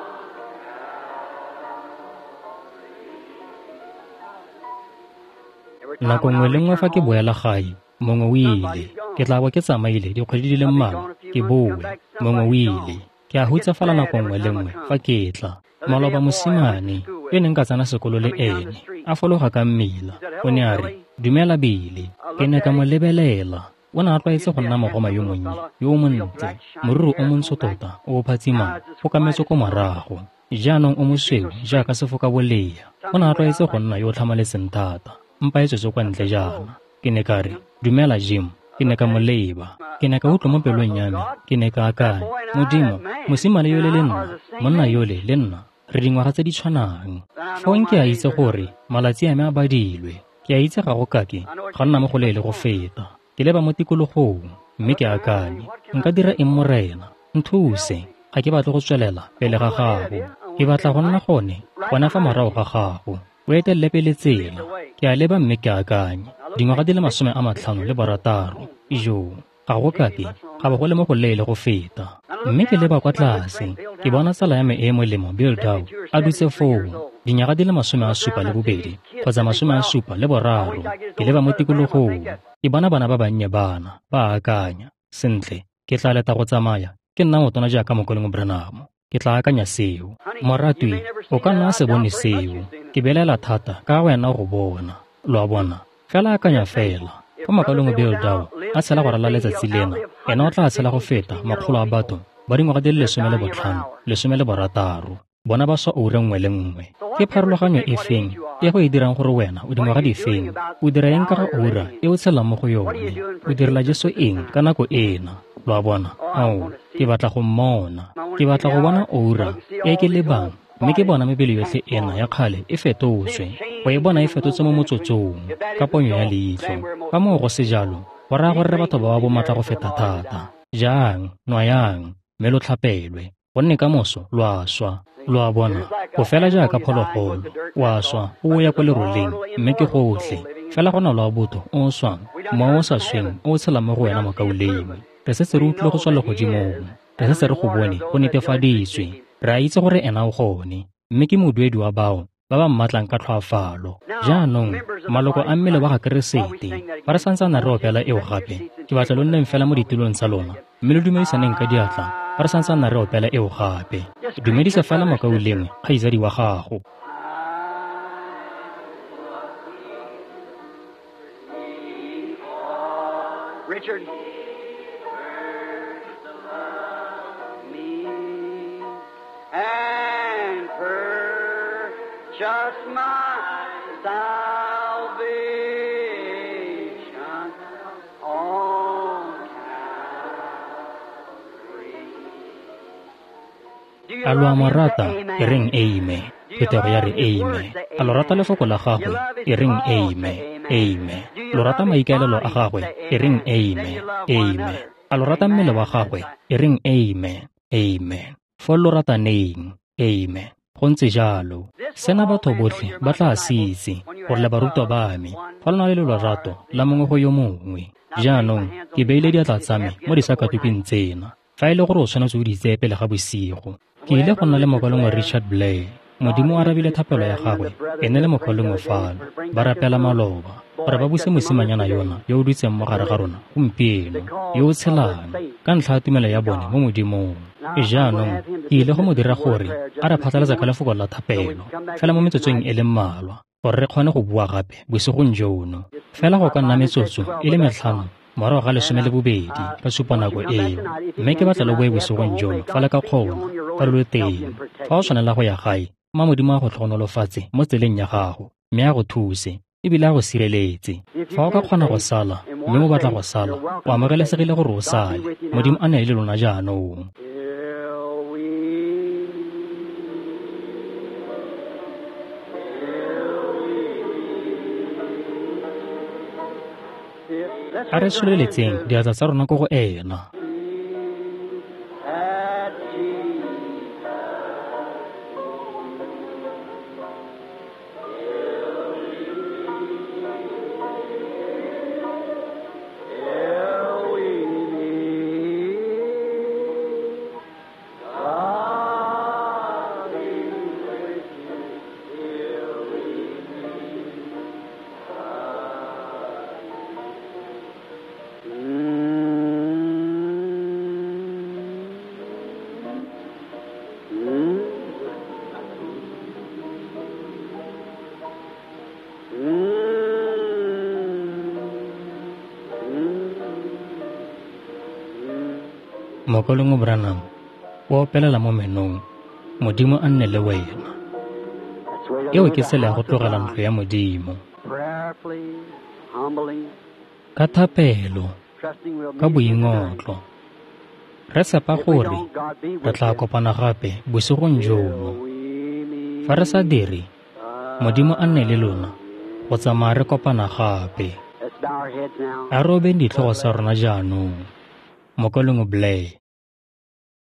Nako nngwe le nngwe fa ke boela gae, mongwe o ile. Ke tla bo ke tsamaile dikgwedi di le mmalwa, ke boe, mongwe o ile. Ke a hutsafala nako nngwe le nngwe fa ke tla. Maloba mosimane yo neng ka tsena sekolo le ene, a fologa ka mmila, o ne a re, "Dumela Billy." Ke ne ka mo lebelela. O ne a tlwaetse go nna mogoma yo monnye, yo o montle, moriri o montsho tota, o o phatsimang, o kametswe ko morago. Jaanong o mosweu jaaka sefokabolea. O ne a tlwaetse go nna yo o tlhamaletseng thata, mpa e tswetse kwa ntle jaana. Ke ne ka re, "Dumela Jim." Ke ne ka mo leba. Ke ne ka utlwa mo pelong ya me. Ke ne ka akanya, Modimo, mosimane yole le nna, monna yole le nna, re dingwaga tse di tshwanang. Fong ke a itse gore malatsi a me a badilwe. Ke a itse ga go kake ga nna mo go leele go feta. Ke leba mo tikologong, mme ke akanye, nka dira eng Morena? Nthuse. Ga ke batle go tswelela pele ga gago. Ke batla go nna gone, gona fa morago ga gago. O etelele pele tsela. Ke a leba mme ke akanye, dingwaga di le masome a matlhano le barataro. Ijoo, ga go kake ga bo go le mo go leele go feta. Mme ke leba kwa tlase, ke bona tsala ya me e e molemo Bill Dow a dutse foo, dinyaga di le masome a supa le bobedi kgotsa masome a supa le boraro. Ke leba mo tikologong, ke bona bana ba bannye bana ba akanya, sentle, ke tla leta go tsamaya, ke nna motona jaaka Mokoleng Branham. Ke tla akanya seo. Moratwi, o ka nna se bone seo. Ke belela thata ka wena go bona. Lo a bona? Fela akanya fela. Fa Mokaleng Bill Dow a tshela go ralala letsatsi lena, ena o tla tshela go feta makgolo a batho ba dingwaga di le lesome le botlhano, lesome le borataro. Bona ba swa oura nngwe le nngwe. Ke pharologanyo e feng e go e dirang gore wena o dingwaga di feng? O dira eng ka ga oura e o tshelang mo go yone? O direla Jesu eng ka nako ena? Lo a bona? Ao, ke batla go mmona. Ke batla go bona oura e ke lebang, mme ke bona mebele yotlhe ena ya kgale e fetotswe. Go e bona e fetotswe mo motsotsong, ka ponyo ya leitlho. Fa moo go se jalo, go raya gore re batho ba ba bomatla go feta thata. Jang, nwayang, mme lo tlhapelwe, gonne ka moso lo a swa. Lo a bona? Go fela jaaka phologolo, o a swa, o ya kwa leroleng, mme ke gotlhe. Fela go na le wa botho o o swang, mowa o sa sweng o o tshelang mo go wena mokaulengwe. Re setse re utlwile go tswa legodimong. Re setse re go bone go netefaditswe. Re a itse gore ena o gone, mme ke moduedi wa bao ba ba mmatlang ka tlhoafalo. Jaanong, maloko a mmele wa ga Keresete, fa re santsane re opela eo gape, ke batla lo nneng fela mo ditulong tsa lona, mme lo dumedisaneng ka diatla fa re santsane re opela eo gape. Dumedisa fela mokaulengwe, kgaitsadi wa gago. Richard. And purchase my salvation on Calvary. A lo a mo rata? E reng amen. Phuthego ya re amen. A lo rata lefoko la gagwe? E reng amen. Amen. Lo rata maikaelelo a gagwe? E reng amen. Amen. A lo rata mmele wa gagwe? E reng amen. Amen. Fo lo rataneng. Amen. Go ntse jalo. Sena batho botlhe ba tla se itse gore le barutwa ba me fa lo na le lorato la mongwe go yo mongwe. Jaanong ke beile diatla tsa me mo disakatukwing tsena. Fa e le gore o tshwanetse o di tseye pele ga bosigo. Ke ile go nna le mokalengwe Richard Blair. Modimo o arabile thapelo ya gagwe, ene le mokalengwe fano, ba rapela maloba gore ba buse mosimanyana yona yo o dutseng mo gare ga rona gompieno, yo o tshelang ka ntlha ya tumelo ya bone mo Modimong. Jaanong ke ile go mo dira gore a re phatlalatsa ka lefoko la thapelo fela mo metsotsong e le mmalwa, gore re kgone go bua gape bosigong jono. Fela go ka nna metsotso e le metlhano morago ga lesome le bobedi ka supa nako eo, mme ke batla lo boe bosigong jono fa le ka kgona, fa lo le teng. Fa o tshwanela go ya gae, mma Modimo a go tlhogonolofatse mo tseleng ya gago, mme a go thuse ebile a go sireletse. Fa o ka kgona go sala mme o batla go sala, o amogelesegile gore o sale. Modimo a nne le lona jaanong. A re tsholeletseng diatla tsa rona ko go ena. Mokaulengwe Branham o opelela mo menong, Modimo a nne le wena. Eo ke tsela ya go tlogela ntlo ya Modimo. Ka thapelo, ka boingotlo, re tshepa gore re tla kopana gape bosigong jono. Fa re sa dire, Modimo a nne le lona go tsamaya re kopana gape. A re obeng ditlhogo tsa rona jaanong. Mokaulengwe Blair.